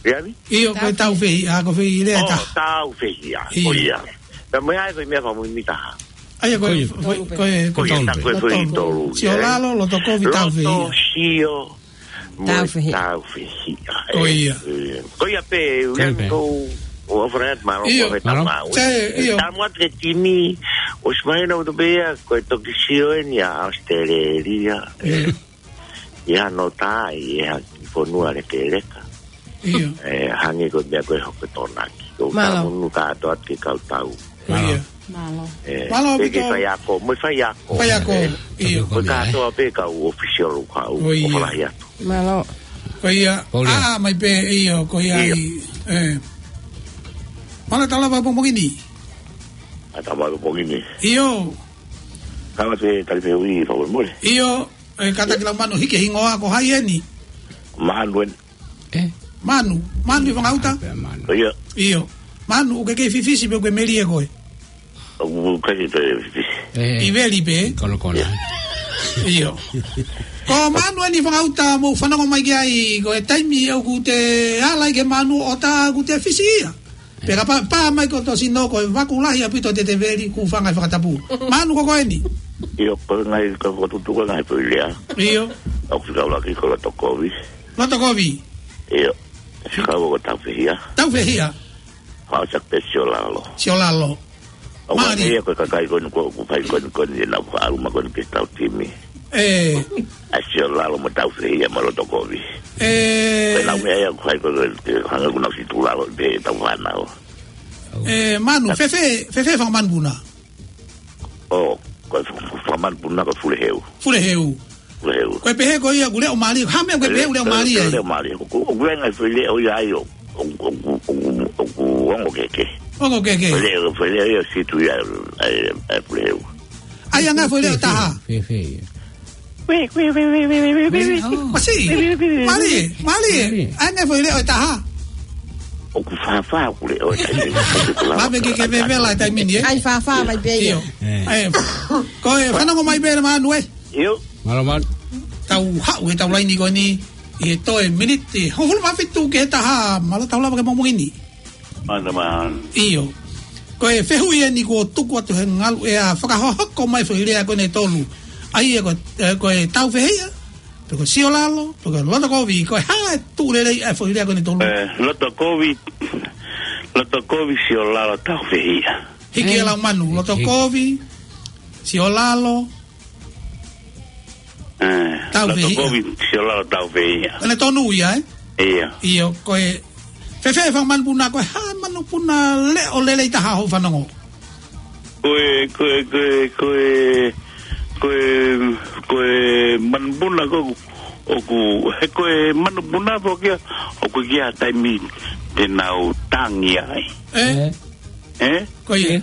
Ia vi? ʻIo, ko e Taufehiʻa, ko e foʻi lea ʻe taha. ʻO, Taufehiʻa, ʻIo. ko ia. Pea mo e ai ko e meʻa fakamuimui taha. ʻA ia ko e, Ko ia. ko e, ko e, Ko ia, tā ko e foʻi tolu, ē? Siolalo, Lotokovi, Loto, Taufehiʻa. Sio, mo e Taufehiʻa. Taufehiʻa, Ko ē. ia. Ē, ko ia pē, Ko ia uian pē. ko, ʻo Alfred, mālō, ʻIo. ko e Mālō. tama, ʻo, Sai, ʻio. tama atu ke timi, ʻosi mahino atu pē ia, ko e toki sio eni ʻa Australia, ē. ʻIo. ʻI hano tā, ʻi he ha kiʻi fonua lekeleka. ʻIo. Ē, hangē ko e meʻa ko e hoko Tonaki. Ko Mālō. Tāmunu kātoa atu ke kau tau. Ko ia. Mālō. Ē, Mālō, pē ke Pito. faiako, mo e faiako. Faiako, Ē, ʻio. Ko e kātoa pē kau ʻōfisiolo kau, Ko ia. ʻo falahi atu. Mālō. Ko ia. Ko ia. ʻĀ, mai pē, ʻio, ko ia ʻIo. ai. Ē. Mālō e tau lava pongipongi ni. ʻA e tau lava pongipongi ni. ʻIo. Kāinga, te tali pē ui, fakamolemole. ʻIo. Ē, kātaki Laumanu, hiki e hingoa ko hai eni? Manu eni. Ē? Manu, Manu ʻi Fangauta? Pea Manu. ʻIo. ʻIo. Manu, ʻoku ke kei fifisi pe ʻoku ke melie koe? ʻOku ʻikai ke fifisi. Ē. ʻI veli pē? Konokona. ʻIo. Ko Manu eni ʻi Fangauta, mou fanongo mai ki ai, ko e taimi ʻoku te ala ai ki he manu ʻo tā ʻoku te fisi ia. Pea kapau pā mai ko hoto sino ko e vaku lahi ʻaupito te te veli, kuo fanga e fakatapu. Manu ko koe eni? ʻIo, ko e ngaahi ka fokotuʻutuʻu ko e ngaahi foʻi lea. ʻIo. ʻOku fika ʻuluaki ko Lotokovi. Lotokovi. ʻIo. Fika ua ko Taufehiʻa. Taufehiʻa. Fakaʻosi pē Siolalo. Siolalo. ʻO Mālie. Ko e kakai ko eni ko, ʻoku fai ko eni ko eni ʻenau faʻauma ko eni ke tau timi. Ē. ʻA Siolalo mo Taufehiʻa mo Lotokovi. Ē. Ko ʻenau meʻa ia ʻoku fai ko eni ke hanga ʻoku nau situlalo pē ʻetau fānau. Ē, Manu, fēfē, fēfē fanga manupuna? ʻO, ko e f-, f-, fanga manupuna ko Fuleheu. Fuleheu. Fuleheu. Ko e pehē ko ia ʻoku leʻo mālie, ha meʻa ko e pehē ʻoku leʻo mālie ai? Leʻo mālie. ʻOku, ʻoku ʻi ai e ngaahi foʻi leʻo ia ai ʻo, ʻoku, ʻoku, ʻoku, ʻoku ongo kehekehe. Ongo kehekehe. Foʻi leʻo, foʻi leʻo ia ʻoku situ ia, ʻa e, ʻa e Fuleheu. ʻAi ʻa e ngaahi foʻi leʻo ʻe taha. Fēfē, fēfē. Kui, kui, kui. Kui, kui, kui, kui. Masi. Mālie, mālie. Mālie. ʻAi ʻa e ngaahi foʻi leʻo ʻe taha. ʻOku fāfā ʻeku leʻo ʻe taha. Mālie ke ke vevela he taimi ni, ē? ʻAi fāfā mai pē ia. ʻIo. Ē. ʻAi, ko e fanongo mai pē Manu ē. ʻIo. Mālō, Manu. Tau haʻu he tau laini ko eni, ʻi he toe miniti hongofulu mā fitu ki he taha, mālō tau lava ki he pongipongi ni. Mālō, Manu. ʻIo. Ko e fehuʻi eni kuo tuku atu he ngalu ʻea fakahohoko mai foʻi lea ko eni ʻe tolu. ʻA ia ko, ē, ko e Taufehiʻa, pe ko Siolalo, pe ko Lotokovi, ko e hā e tuʻu lelei ʻa e foʻi lea ko eni ʻe tolu? Ē, Lotokovi, Lotokovi, Siolalo, Taufehiʻa. Hiki ē. ʻE Laumanu, Lotokovi, Siolalo, Ē, Taufehiʻa. Lotokovi, Siolalo, Taufehiʻa. Ko ʻene tonu ia, ē? ʻIo. ʻIo, ko e, fēfē fanga manupuna, ko e hā e manupuna leʻo lelei taha hoʻo fanongo? Ko e, ko e, ko e, ko e, ko e, ko e manupuna ko ʻoku, he ko e manupuna foki ia, ʻoku ʻi ai e taimi te nau tangi ai. Ē? Ē? Ē? Ko ia. Ē?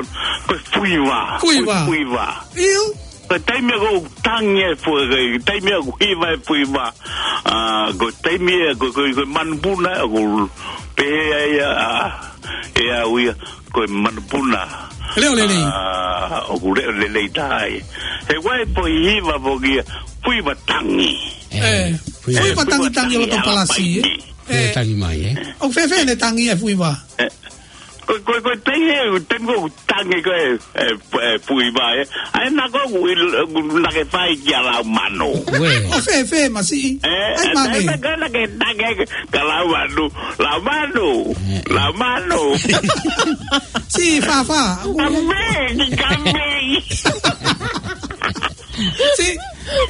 Ko, ko e fuiva. Fuiva. Ko e fuiva. ʻIo. Ko e taimi ʻoku tangi e fuiva, ko e taimi ʻoku hiva e fuiva. ʻA, ko e taimi ē, ko, ko, ko e manupuna, ʻoku pehē ai ʻa, ʻe au ia, ko e manupuna. Leʻo lelei. ʻA, ʻoku leʻo lelei taha ia. He ʻoku ʻi ai e foʻi hiva foki ia, fuiva tangi. ʻE, fuiva tangi, tangi ʻi loto palasi, ʻe? Fuiva tangi mai, ʻe? ʻOku fēfē ʻene tangi e fuiva? ʻE, ko, ko, ko e taimi ē, taimi ʻoku tangi ko ē, ʻe, ʻe, fuiva, ʻe? ʻA ena ko ē ʻoku, ʻoku nake fai kia Laumanu. ʻOku fēfē masiʻi? ʻE, ʻai ʻe, mange. ʻE, nake, nake, nake kia Laumanu. Laumanu. ʻE, ʻe. Laumanu. Siʻi Fāfā. Kame, ki kame. Siʻi,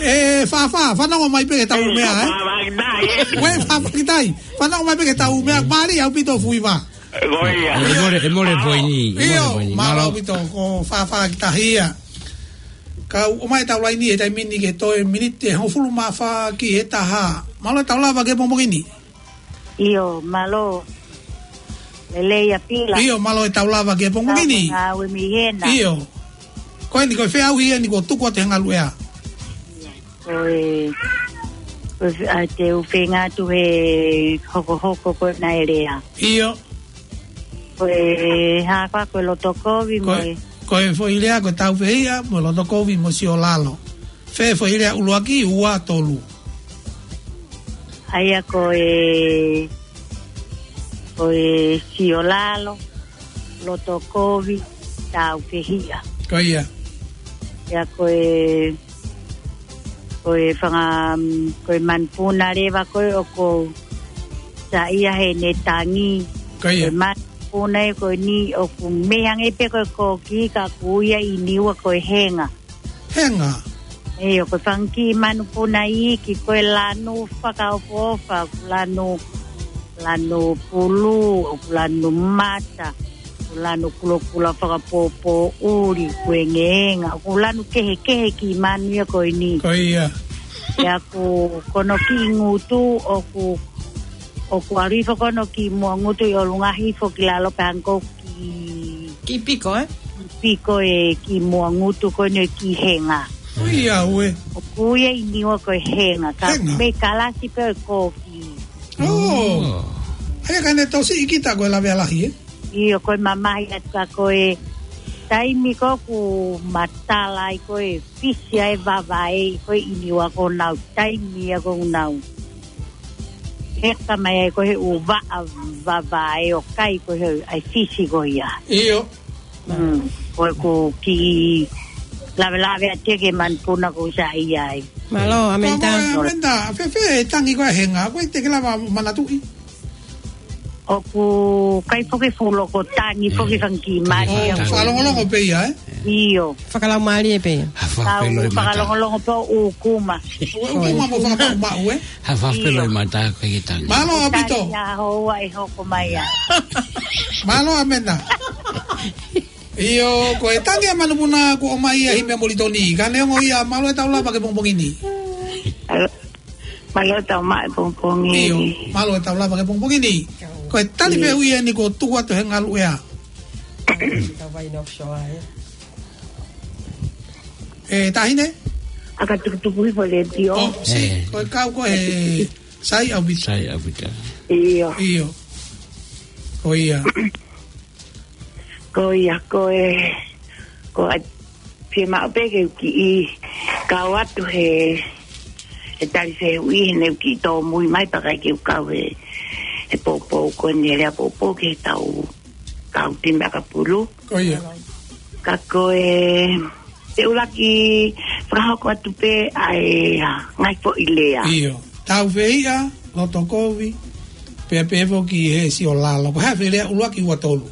ʻe, Fāfā, fanongo mai pē ki he tau meʻa, ʻe? Fāfā kitai, ʻe? Uē, Fāfā kitai. Fanongo mai pē ki he tau meʻa, mālie ʻaupito fuiva. Ko ia. ʻE mole, ʻe mole poini, ʻe mole poini. ʻIo, mālō ʻaupito, ko Fāfā ki tahi ia. Kau ʻomai e tau laini he taimi ni ke toe miniti ʻe hongofulu mā fā ki he taha. Mālō e tau lava ki he pongipongi ni. ʻIo, mālō. Lelei ʻa Pila. ʻIo, mālō e tau lava ki he pongipongi ni. Tau ngāue mei hena. ʻIo. Ko eni, ko e feʻauhi eni kuo tuku atu he ngaluʻea. Ko e, ko e, ʻa, te u feinga atu he hokohoko ko ē naʻe lea. ʻIo. Ko e hā koā, ko e loto kovi mo e, ko e foʻi lea ko e tāufehiʻa mo e loto kovi mo e siolalo. Fē foʻi lea ʻuluaki, ua, tolu? ʻA ia ko e, ko e siolalo, loto kovi, tāufehiʻa. Ko ia. ʻA ia ko e, ko e fanga, mm, ko e manupuna leva ko ē ʻoku ou saiʻia heʻene tangi. Ko ia. Ko e manupuna ē ko eni ʻoku meʻa ange pē ko e koki ka ʻoku ui ia ʻi Niua ko e henga. Henga. ʻIo, ko e fanga kiʻi manupuna iiki, ko e lanu fakaʻofoʻofa, ko e lanu, lanu pulu, ko e lanu mata, ko e lanu kulokula fakapōpōʻuli, ko e ngeenga, ko e lanu kehekehe kiʻi manu ia ko eni. Ko ia. ʻA ia ko, ko hono kiʻi ngutu, ʻoku, ʻoku ʻalu hifo ko hono kiʻi muʻa ngutu ʻi ʻolunga hifo ki lalo pē hangē ko e kiʻi, kiʻi piko, ē? Piko e kiʻi muʻa ngutu ko eni e kiʻi henga. Ui, ʻauē. ʻOku ui ia ʻi Niua ko e henga. Ka, henga, mei kalasi pē ʻo e koki. ʻŌ. ʻŌ. ʻA ia ka ne tausi ʻi kita ko e lavea lahi, ē? ʻIo, ko e mamahi atu ka ko e taimi ko ē ʻoku matala ai ko e fisi ai e vavae ko ē ʻi Niua ko honau taimi ia ko ē ʻoku nau heka mai ai ko ē he ʻū vaʻa vavae ʻo kai ko ē he ʻai fisi ko ia. ʻIo. Mm, ko ʻeku kiʻi lavelave atu ki he manupuna ʻoku ou saiʻia ai. Mālō, Amenta. Ko, ko, Amenta, fēfē e tangi ko ē he ngā, ko e te ke lava manatuʻi? ʻOku ʻikai foki fuʻu loko tangi foki, fanga kiʻi mali. ʻOku fakalongolongo pē ia, ē? ʻIo. Fakalaumālie pē ia. Tau fakalongolongo pē ʻo ʻūkuma. ʻO ʻūkuma mo fakamaʻumaʻu, ē? Ha fafelo i mata ko e tangi. Mālō ʻaupito. Tangi ʻa houa e hoko mai ā. Mālō Amenta. ʻIo, ko e tangi ʻa e manupuna kuo ʻomai ia ʻe Himi ʻa Molitoni. Ka neongo ia, mālō e tau lava ki he pongipongi ni. Mālō e tau maʻu e pongipongi. ʻIo, mālō e tau lava ki he pongipongi ni. Ko e tali fehuʻi eni kuo tuku atu he ngalu ea. Tau vai offshore, ē. E, Taʻahine? ʻA ka tukutuku hifo e letiō. ʻO, si, ko e kau ko e sai ʻaupito. Sai ʻaupito. ʻIo. ʻIo. Ko ia. Ko ia, ko e, ko e, fiemaʻu pē ke u kiʻi kau atu he, he tali fehuʻi, he ne u kiʻi tōmui mai pea ʻikai ke u kau he, he poupou ko eni, he lea poupou ki he tau kau timi ʻakapulu. Ko ia. Ka ko e, te u lava ke fakahoko atu pē ʻa e, ʻa e ngaahi foʻi lea. ʻIo. Taufehiʻa, loto kovi, pea pehē foki he siolalo. Ko e hā e foʻi lea ʻuluaki, ua, tolu?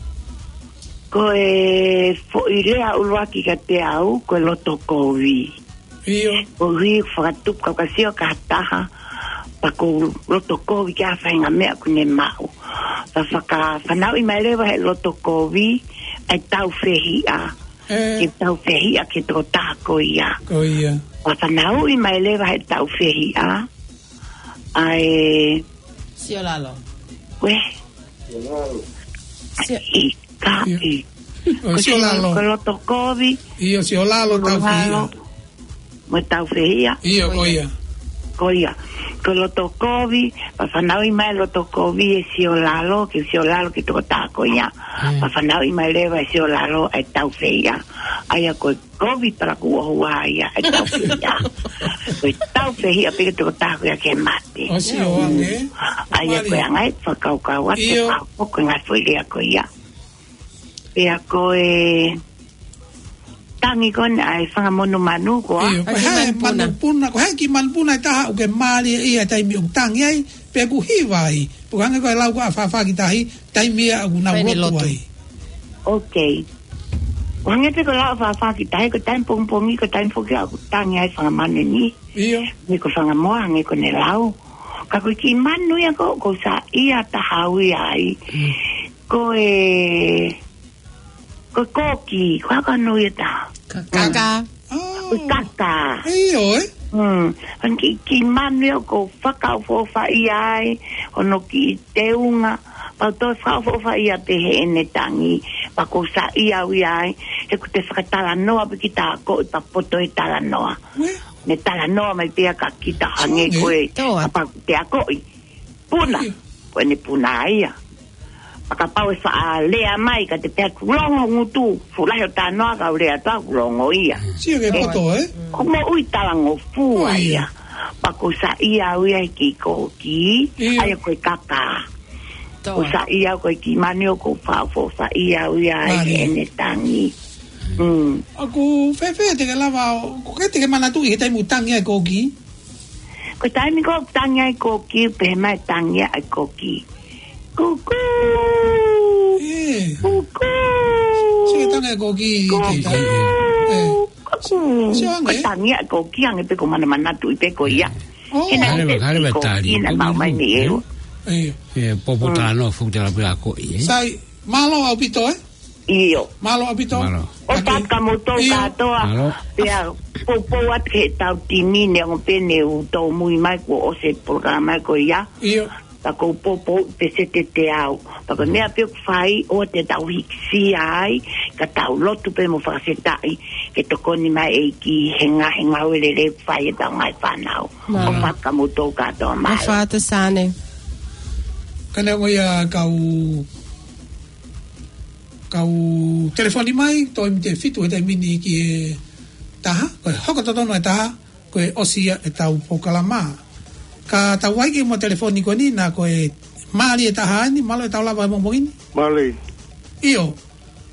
Ko e foʻi lea ʻuluaki kiate au, ko e loto kovi. ʻIo. Koeʻuhi fakatupu kau ka sio ki ha taha, pea ʻoku ou loto kovi ki ha faʻahinga meʻa ʻoku ne maʻu. Pea fakafanauʻi mai leva he loto kovi ʻa e taufehiʻa. ʻE. Ke taufehiʻa ki he tokotaha ko ia. Ko ia. Pea fanauʻi mai leva he taufehiʻa ʻa e siolalo. Ko e. Sio- ʻIkai. ʻIo. ʻO, ko e siolalo. Ko e loto kovi. ʻIo, siolalo, taufehiʻa. Mo e taufehiʻa. ʻIo, ko ia. Ko ia. Ko e loto kovi, pea fanauʻi mai loto kovi e siolalo, ki he siolalo ki he tokotaha ko ia. Mm. Pea fanauʻi mai leva e siolalo e taufehiʻa. ʻA ia ko e kovi palaku ʻohua ia e taufehiʻa. Ko e taufehiʻa pē ki he tokotaha ko ia ke mate. ʻO sio ange. ʻA ia ko e anga e fakakaukau atu, ʻio, ʻa ko e ngaahi foʻi lea ko ia. Pea ko e tangi ko eni ʻa e fanga monumanu ko ā. ʻIo, ko e hā e manupuna, ko e hā e kiʻi manupuna ʻe taha ʻoku ke mālieʻia he taimi ʻoku tangi ai, pe ʻoku hiva ai. Pea hangē ko e lau ko ē ʻa Fafa ki Tahi, taimi ia ʻoku nau lotu ai. Ok. Hangē pē ko e lau ʻa Fafa ki Tahi, ko e taimi pongipongi, ko e taimi foki ʻoku tangi ai fanga manu ni. ʻIo. Ni ko fanga moa, hangē ko ʻene lau. Ka ko e kiʻi manu ia ko, ʻoku ou saiʻia taha au ia ai. Mm. Ko e, ko e koki, ko e hā hono ui ʻe taha? Kaka. Kaka. Ko e kaka. ʻIo, ē? Mm. Hangē kiʻi, kiʻi manu ia ʻoku ou fakaʻofoʻofaʻia ai, hono kiʻi teunga, pea u toe fakaʻofoʻofaʻia pē heʻene tangi, pea ʻoku ou saiʻia au ia ai, he ʻoku te fakatalanoa pē ki he akoʻi pea poto he talanoa. Ue? Ne talanoa mai pē ia kia kita hangē ko e, kapau te akoʻi. Puna. ʻIo. Ko ʻene puna ia. Pea kapau ʻe faʻa lea mai, ka te pehē kuo longo ngutu, fuʻu lahi hoʻo talanoa ka u lea atu kuo longo ia. Sio ki he poto, ē? Ko e moʻui talangofua ia. Pea ʻoku ou saiʻia au ia he kiʻi koki, ʻio, ʻa ia ko e kaka. ʻOku ou saiʻia au ko e kiʻi manu ʻoku ou fakaʻofoʻofaʻia au ia ai heʻene tangi. Mm. ʻOku fēfē te ke lava, ʻoku ʻikai te ke manatuʻi he taimi ʻoku tangi ai e koki? Ko e taimi ko ē ʻoku tangi ai e koki, pehē mai e tangi ʻa e koki: Kukū! ʻE. Kukū! Sio e tangi ʻa e koki, kukū! Kukū! Sio ange. Ko e tangi ʻa e koki, hangē pē ko e manamanatuʻi pē ko ia. ʻO. He naʻe ʻikai ke tali, naʻe maʻu mai mei ʻEua. ʻIo. ʻE, popo talanoa fuʻu tala pē akoʻi, ē? Sai, mālō ʻaupito, ē? ʻIo. Mālō ʻaupito. Mālō. ʻOfa atu kia moutolu kātoa. Mālō. Pea poupou atu ki heʻetau timi, neongo pē ne u tōmui mai kuo ʻosi e polokalama ko ia. ʻIo. Pea ʻoku ou poupou pē sētete au. Pea ko e meʻa pē ʻoku fai, ʻoua te tau hikisia ai, ka tau lotu pē mo fakafetaʻi ke tokoni mai e ʻEiki he ngaahi ngāue lelei ʻoku fai ʻe heʻetau ngaahi fānau. Mālō. ʻOfa atu kia moutolu kātoa, mālō. ʻOfa atu Sane. Ka neongo ia kau kau telefoni mai, toe miniti ʻe fitu he taimi ni ki he taha, ko e hoko totonu e taha, ko e ʻosi ia ʻetau polokalama. Ka tau vakai ki he telefoni ko eni, naʻa ko e mali e taha ni, mālō e tau lava he pongipongi ni. Mali. ʻIo.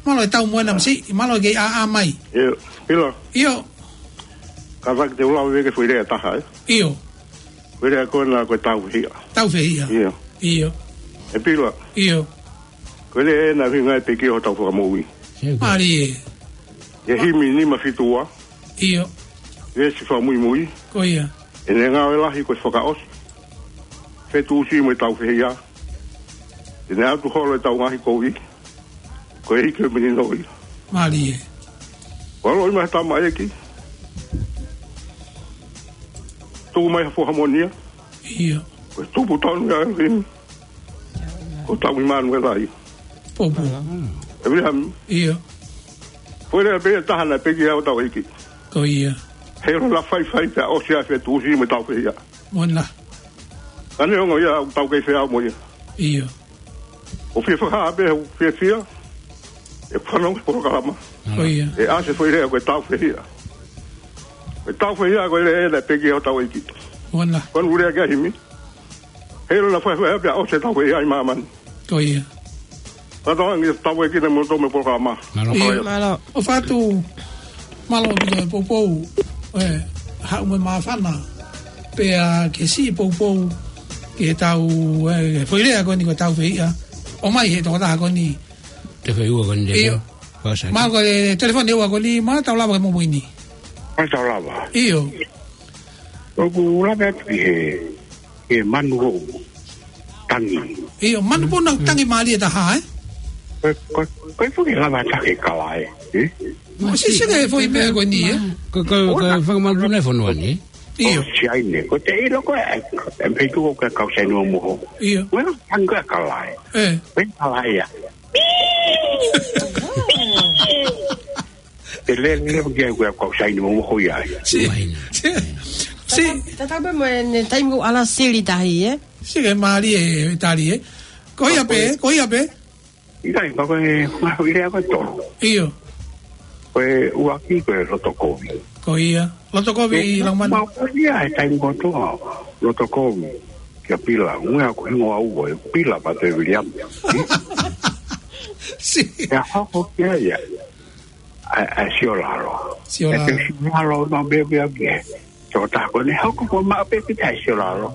Mālō e tau mo ena masiʻi, mālō e kei ʻā mai. ʻIo, Pila. ʻIo. Kātaki te u lave ki he foʻi lea ʻe taha, ē? ʻIo. Foʻi lea ko ena ko e taufehiʻa. Taufehiʻa. ʻIo. ʻIo. ʻE Pila. ʻIo. Ko e lea ena ʻoku ʻuhinga ai pē ki hotau fakamoʻui. Mālie. ʻI he himi nima fitu ua. ʻIo. Veesi fakamuimui. Ko ia. ʻEne ngāue lahi ko e fakaʻosi, fetuʻusi mo e taufehiʻa. ʻEne ʻatu holo ʻetau ngaahi kovi, ko e ʻEiki ʻo e melino ia. Mālie. Ko e ʻaloʻi mai ha tamaiki, tuku mai ha foha moʻoni ia. ʻIo. Ko e tupu tonu ia ʻa ʻElohimi. Ko hotau ʻImanuela ia. Poupou. ʻE Viliami. ʻIo. Foʻi lea pē ʻe taha naʻe pehē ki ai hotau ʻEiki. Ko ia. Heiʻilo naʻa faifai pea ʻosi ʻa e fetuʻusi mo e taufehiʻa. Mona. Ka neongo ia ʻoku tau kei feʻao mo ia. ʻIo. ʻOku fie fakahā pē ʻoku fiefia ʻeku fanongo ki he polokalama. Ko ia. ʻE ʻasi e foʻi lea ko e taufehiʻa. Ko e taufehiʻa ko e lea ena naʻe pehē ki ai hotau ʻEiki. Mona. Ko ʻene lea ki ai himi. Heiʻilo naʻa faifai pea ʻosi e taufehiʻa ʻi māmani. Ko ia. Fakatauange ʻe tau ʻEiki na mo tō me polokalama. Mālō. ʻIo. Mālō. ʻOfa atu, mālō ʻaupito e poupou, ē, haʻu mo e māfana, pea ke siʻi poupou ki he tau, ē, foʻi lea ko eni ko e taufehiʻa. ʻOmai he tokotaha ko eni. Te fai ua ko eni. ʻIo. Mālō ko e telefoni ua ko eni, mālō tau lava ke momo ini. Mālō tau lava. ʻIo. ʻOku lava atu ki he, ki he manu ʻoku tangi. ʻIo, manu puna tangi mālie taha, ē? Ko, ko, ko e fuke lava taha ke kala, ē? Ē? Mo sisi ke foʻi meʻa ko eni, ē? Ko, ko, ko e fakamanu puna e fonua ni, ē? ʻIo. ʻO Siaine, ko te ʻilo ko e, e mei tuko ko e kau Siaine mo moho. ʻIo. Ko e tangi ko e kala, ē? Ē. Ko e kala ia. Te lele leva ki ai ko e kau Siaine mo moho ia. Si. Mai na. Si. Si. Tata, tata pē mo e ne taimi ko ala sili tahi, ē? Si ke mālie e tali, ē? Ko ia pē, ko ia pē. ʻIkai, ka ko e, ko e lea ko e tolu. ʻIo. Ko e ua ki ko e loto kovi. Ko ia. Loto kovi, ē, Laumanu. Mau ko ia e taimi ko ē ʻa e loto kovi. Kia Pila, ʻuhinga ko e hingoa ʻoku ʻi ai, Pila pea toe Viliami. Si. Pea hoko ki ai ia. ʻA, ʻa Siolalo. Siolalo. ʻE te Siolalo na bebe a bie. Tokotaha ko eni hoko ko maʻu pē kita ʻe Siolalo.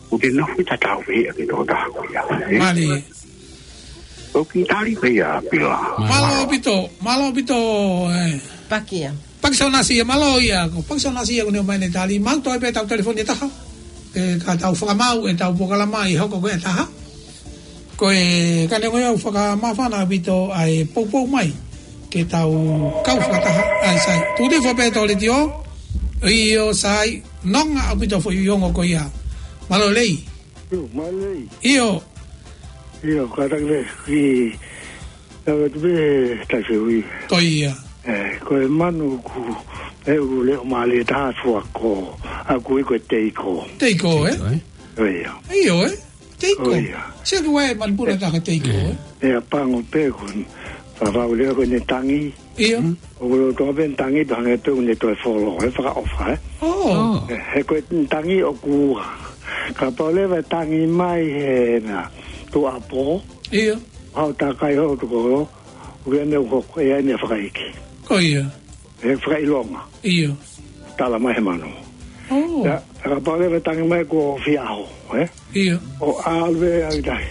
ʻOku te nofo ʻi he taufehiʻa ki he tokotaha ko ia. Ē? Mālie. ʻOku tali pē ia Pila. Mālō ʻaupito, mālō ʻaupito, ē. Pakia. Pakisonasi ia, mālō ia, ko Pakisonasi ia ko eni ʻomai ʻene tali, mau toe pē tau telefoni ʻe taha. Ē, ka tau fakamaau ʻetau polokalama ʻi he hoko ko ē ʻe taha. Ko e, ka neongo ia ʻoku fakamāfana ʻaupito ʻa e poupou mai. Ke tau kau fakataha, ʻa e sai. Tuʻu hifo pē tō letiō, ʻio sai, nonga ʻaupito foʻi ongo ko ia. Mālō lelei. ʻIo, mālō lelei. ʻIo. ʻIo, kātaki pē, ki, ka watu pē, tai feui. Ko ia. Ē, ko e manu ʻoku, ē, ʻoku leʻo mālie taha fuako, ʻa ē ʻoku ui ko e teiko. Teiko, ē? Teiko, ē? Ko ia. ʻIo, ē? Teiko. Ko ia. Sio ki he manu puna taha teiko, ē? ʻE a pango pē ko eni. Fafau leva ko ʻene tangi. ʻIo. ʻOku lolotonga pē ʻene tangi, pea hangē pē ʻoku ne toe folo, ē, fakaʻofa, ē? ʻŌ. ʻŌ. Ē, he ko e tangi ʻoku ua. Kapau leva ʻe tangi mai he meʻa, tuʻuapō. ʻIo. Hao takai holo tokolo, ʻoku ʻi ai e meʻa ʻoku hoko, ʻe ʻi ai e meʻa fakaiki. Ko ia. ʻE fakaʻilonga. ʻIo. Tala mai he manu. ʻŌ. Pea, kapau leva ʻe tangi mai kuo fie ʻaho, ē? ʻIo. ʻO ʻalu ē ʻa e tahi.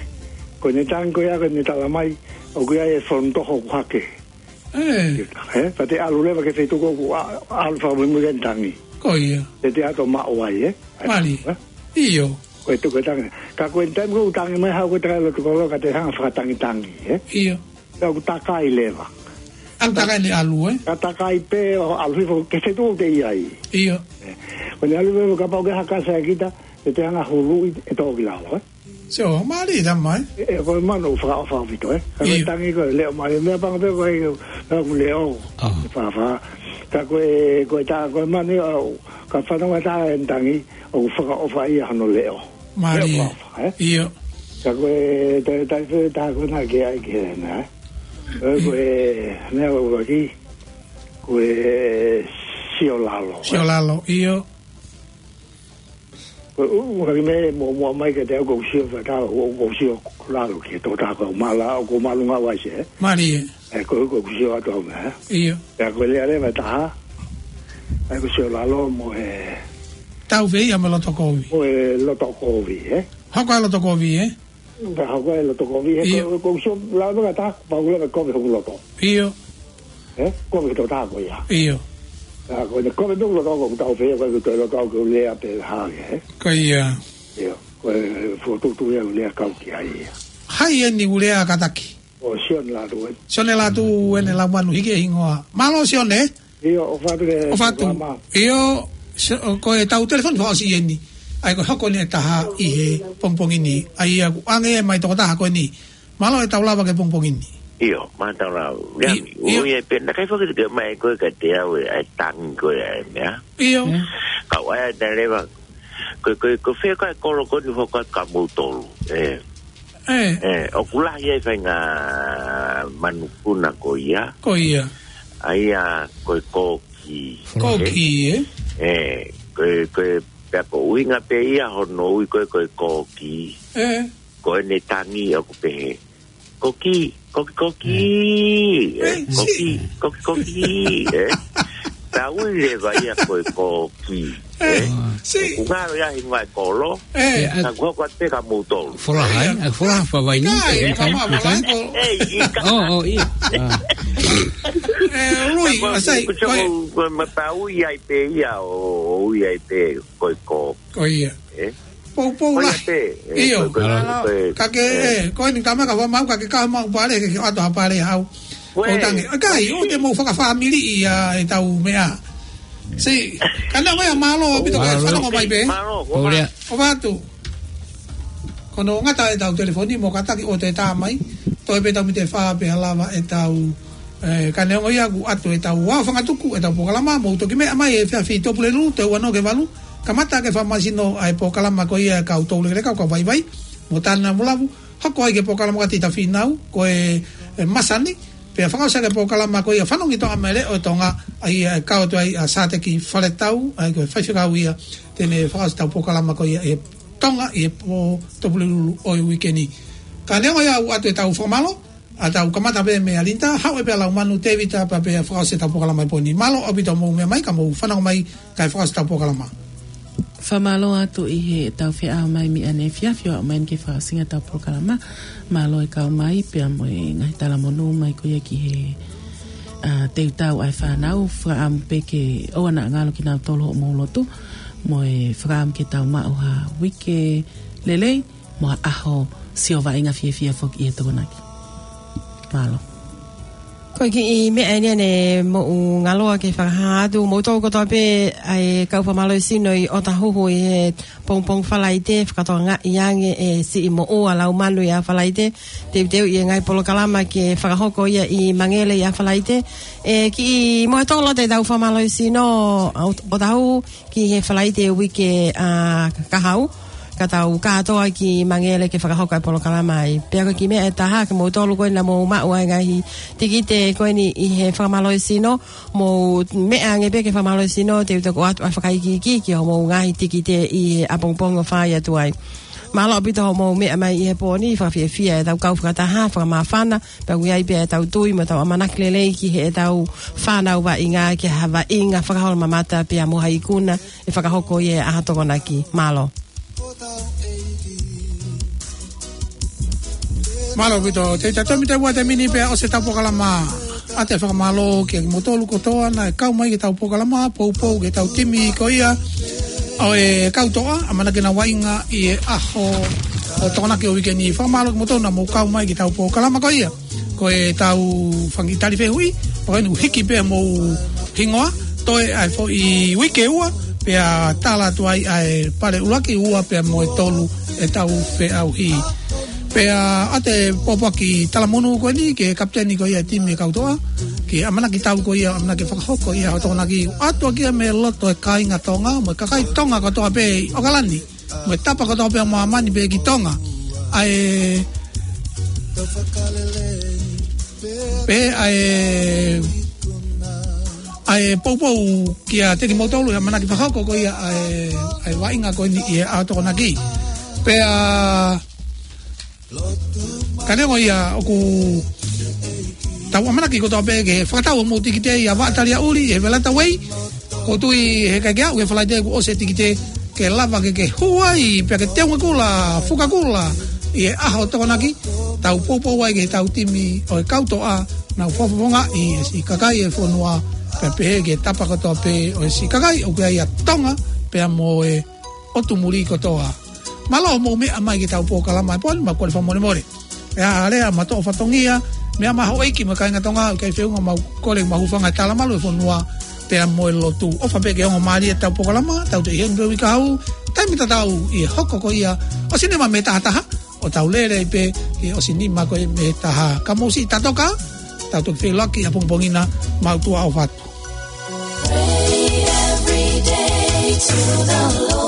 Ko ʻene tangi ko ia, ko ʻene tala mai, ʻoku ʻi ai e fonu toho ʻoku hake. Ē. Ē, pea te ʻalu leva ki he feituʻu ko ē ʻoku ʻa-, ʻalu fakamuimui ki ai ʻene tangi. Ko ia. Te te ʻalu ʻo maʻu ai, ē? Mālie. Ē? ʻIo. Ko e tuku e tangi. Ka ko e taimi ko ē ʻoku tangi mai haʻu ko e takai loto kolo ka te hanga fakatangitangi, ē? ʻIo. Pea ʻoku takai leva. ʻOku takai ʻene ʻalu, ē? Ka takai pē ʻo ʻalu hifo ki he feituʻu ʻoku te ʻi ai. ʻIo. Ē. Ko ʻene ʻalu hifo kapau ʻoku ʻi ai ha kasa ʻia kita, te te hanga huluʻi ʻe tō ki lalo, ē? Sio, mālie tama, ē? Ē, ē, ko e manu ʻoku fakaʻofa ʻaupito, ē? Ka ko e tangi ko e leʻo mālie, meʻa pango pē ko e, ko e leʻo. ʻA. ʻE fāfā. Ka ko e, ko e tā, ko e manu ia, ka fanongo atu ʻene tangi, ʻoku fakaʻofa ia hono leʻo. Mālie. Leʻo fakaʻofa, ē? ʻIo. Ka ko e, tā, tā, tā, tā, ko ena ke ai ke na, ē? Ē, ko e, meʻa ko e ki, ko e Siolalo, ē? Siolalo, ʻio. Ko e ʻuhinga ki he meʻa muʻomuʻa mai kiate au, ʻoku ou sio fakataha, ʻoku ou sio lalo ki he tokotaha ko e mala, ʻoku ou māʻolunga ʻaupito, ē? Mālie. Ē, ko e ʻuhinga ʻoku ou sio atu au meʻa, ē? ʻIo. Pea ko e lea leva ʻe taha, ʻa ia ʻoku ou sio lalo mo e Tau fēia mo e loto kovi. Mo e loto kovi, ē? Hoko ʻa e loto kovi, ē? Pea hoko ʻa e loto kovi, ē? ʻIo. Ko, ʻoku ou sio lalo meʻa ʻe taha, pau leva kovi hoku loto. ʻIo. Ē? Kovi ki he tokotaha ko ia. ʻIo. Pea ko ʻene kovi pē hoku loto, ʻoku ou tau fēia, ko e loto au ke u lea pē hake, ē? Ko ia. ʻIo. Ko e fokotuʻutuʻu ia ʻoku ou lea kau ki ai ia. Hai eni ʻoku lea kātaki? ʻO Sione Lātū ē. Sione Lātū ʻEne Laumanu, hiki e hingoa. Mālō Sione. ʻIo, ʻofa atu ke ʻofa atu. Mālō. ʻIo, si-, ʻo ko e tau telefoni fakaʻosi eni. ʻA ia ko e hoko eni ʻe taha ʻi he pongipongi ni. ʻA ia ʻoku ʻange mai tokotaha ko eni. Mālō e tau lava ki he pongipongi ni. ʻIo, mālō e tau lava. ʻIo, ʻio. ʻIo, ia pē, naʻe ʻikai foki ke mai ko e kiate au ē, ʻa e tangi ko ē ʻa e meʻa. ʻIo. Mm. Kau ai ʻa e leva. Ko, ko, ko fē ko ē kolo ko eni ʻoku hoko atu kia moutolu. Ē. Ē. Ē, ʻoku lahi ai e faʻahinga manukuna ko ia. Ko ia. ʻA ia ko e kōkī. Kōkī, ē? Ē, ko e, ko e, pea ko e ʻuhinga pē ia hono ui ko e, ko e kōkī. Ē. Ko ʻene tangi ʻoku pehē: Kōkī, kōkī, kōkī, ē, ē, kōkī, si. Kōkī, kōkī, ē. Tau ui leva ia ko e kōkī, ē, ē. Si. ʻOku ngalo ia hingoa e kolo, ē. Ē, ʻa, ka ʻoku hoko atu pē kia moutolu. Folaha, ē? ʻA, folaha favaini, ʻikai, ē, ʻikai, fakamoa ʻikai. Folaha ko. Ē, ʻikai. ʻO, ʻo, ʻio. ʻA. Ē, Lui, ʻa, sai, ko e, ko e, ko e, ma tau ui ai pē ia, ʻo, ʻo ui ai pē ko e kōkī. Ko ia. Ē? Poupou lahi. Ko ia pē, ē, ʻio. Ko, ko, ko, ko, ka ke, ē. Ē, ko eni tama ka fua mau, ka ke ka mau pale, ke, ke ʻoatu ha pale hau. Ko e tangi. ʻIkai, ʻoua te mou fakafāmili ia ʻetau meʻa. Si, ka naʻe ʻoku mālō ʻaupito, mālō, fanongo mai pē. Mālō, ʻofa atu. Ko hono ngata ʻetau telefoni, mou kātaki ʻo toe tā mai. Toe pē tau miniti ʻe fā pē ʻe lava ʻetau Ē, ka neongo ia ʻoku ʻoatu ʻetau aofangatuku ʻetau polokalama, mou toki meʻa mai he efiafi Tuʻapulelulu, toe ua noa ki he valu, kamata ke fakamālohisino ʻa e polokalama ko ia ʻa e kau toulekeleka, kau vaivai, mo Tāne Lavulavu, hoko ai ki he polokalama ko ia Tita Fīnau, ko e, ē, masani, pea fakaʻosi ʻaki e polokalama ko ia Fanongo ki Tonga mo e Leʻo ʻo Tonga, ʻa ia ʻe kau atu ai ʻa Sāteki Faletau, ʻa ia ko e faifekau ia te ne fakaʻosi ʻetau polokalama ko ia ʻi Tonga, ʻi he pō Tuʻapulelulu ʻo e uike ni. Ka neongo ia ʻoku ʻoatu ʻetau fakamālō, ʻa tau kamata pē meia Linda, haʻu ē pea Laumanu, Tēvita, pea pea fakaʻosi ʻetau polokalama ʻi he pō ni. Mālō ʻaupito hoʻomou meʻa mai, ka mou fanongo mai, kae fakaʻosi ʻetau polokalama. Fakamālō atu ʻi heʻetau feʻao mai mei ʻaneefiafi ʻo aʻu mai ki he fakaʻosinga ʻetau polokalama. Mālō e kau mai, pea mo e ngaahi talamonū mai ko ia ki he, ʻa, teuteu ʻa e fānau, fakaʻamu pē ke ʻoua naʻa ngalo kinautolu hoʻomou lotu, mo e fakaʻamu ke tau maʻu ha uike lelei, mo ha ʻaho sio vaʻinga fiefia foki ʻi he Tokonaki. Mālō. Ko e kiʻi meʻa eni ʻa e moʻu ngaloa ke fakahā atu, mou tau kotoa pē ʻa e kau fakamālohisino ʻi ʻOtahuhu ʻi he pongipongi Falaite, fakatokangaʻi ange ʻe siʻi moʻua Laumanu ia Falaite, teuteu ʻi he ngaahi polokalama ke fakahoko ia ʻi Mangele ia Falaite. ʻE kiʻi mohe tolo ʻetau fakamālohisino ʻa ʻOt-, ʻOtahuhu, ki he Falaite uike, ʻa, ka hau, ka tau kātoa ki Mangele ke fakahoko e polokalama ai. Pea ko e kiʻi meʻa ʻe taha, ke mou tolu ko ē naʻa mou maʻu ʻa e ngaahi tikite ko eni ʻi he fakamālohisino, mou meʻa ange pē ke fakamālohisino, te u toki ʻoatu ʻa e fakaikiiki ki hoʻomou ngaahi tikite ʻi he ʻapongipongi ʻo fai atu ai. Mālō ʻaupito hoʻomou meʻa mai ʻi he pō ni, fakafiefia ʻetau kau fakataha, fakamāfana, pea ʻoku ʻi ai pē ʻetau tui mo ʻetau ʻamanaki lelei ki heʻetau fānau vaʻinga, ke ha vaʻinga fakaholomamata pea mo ha ikuna ʻe fakahoko ʻi he ʻaho Tokonaki. Mālō. Mālō ʻaupito, te ta tomi te ua te mini pea ʻosi ʻetau polokalama. ʻA e fakamālō kia kimoutolu kotoa naʻe kau mai ki heʻetau polokalama, poupou ki heʻetau timi ko ia ʻo e kau toʻa, ʻamanaki ke nau vaʻinga ʻi he ʻaho ʻo Tokonaki ʻo e uike ni. Fakamālō kimoutolu naʻa mou kau mai ki heʻetau polokalama ko ia. Ko ʻetau fanga kiʻi tali fehuʻi, pea ko eni ʻoku hiki pē hoʻomou hingoa, toe ʻa e foʻi uike ua, pea tala atu ai ʻa e pale ʻuluaki, ua pea mo e tolu ʻetau feʻauhi. Pea ʻoatu e pōpoaki talamonū ko eni ki he kapiteni ko ia e timi e kau toʻa, ki he ʻamanaki tau ko ia, ʻamanaki fakahoko ia ʻa e Tokonaki, ʻoatu ʻaki ia mei loto e kāinga Tonga, mo e kakai Tonga kotoa pē ʻi ʻOkalani, mo e tapa kotoa pē ʻo māmani pē ki Tonga. ʻA e, pē ʻa e ʻa e poupou kiate kimoutolu ʻi he ʻamanaki fakahoko ko ia ʻa e, ʻa e vaʻinga ko eni ʻi he ʻaho Tokonaki. Pea ka neongo ia ʻoku tau ʻamanaki kotoa pē ke fakatau homou tikite ʻia Vaʻa Taliaʻuli ʻi he Veleta Way. ʻOku ou tui he ʻikai ke aʻu ki he Falaite kuo ʻosi e tikite ke lava ke ke hū ai pea ke teunga kula, fuka kula ʻi he ʻaho Tokonaki. Tau poupou ai ki heʻetau timi ʻo e kau toʻa, nau fakafofongaʻi e siʻi kakai e fonua, pea pehē ki he tapa kotoa pē ʻo e siʻi kakai ʻoku ʻi ai ʻa Tonga pea mo e ʻotu muli kotoa. Mālō hoʻomou meʻa mai ki heʻetau polokalama he pō ni, mau kole fakamolemole. ʻE ʻa lea ma toʻo fatongia, meʻa mai houʻeiki mo e kāinga Tonga, ʻikai feʻunga, mau kole mau hūfanga he talamalu e fonua pea mo e lotu. ʻOfa pē ke ongo mālie ʻetau polokalama, tau toe ʻi heni pē uike kahaʻu, taimi tatau ʻi he hoko ko ia ʻo e nima mei he taha taha, ʻo tau lele ai pē ʻi he ʻosi nima ko ia mei he taha. Ka mou siʻi tatoka, tau toki feʻiloaki ʻapongipongi na, mau tuʻa ʻofa atu. Pray every day to the Lord.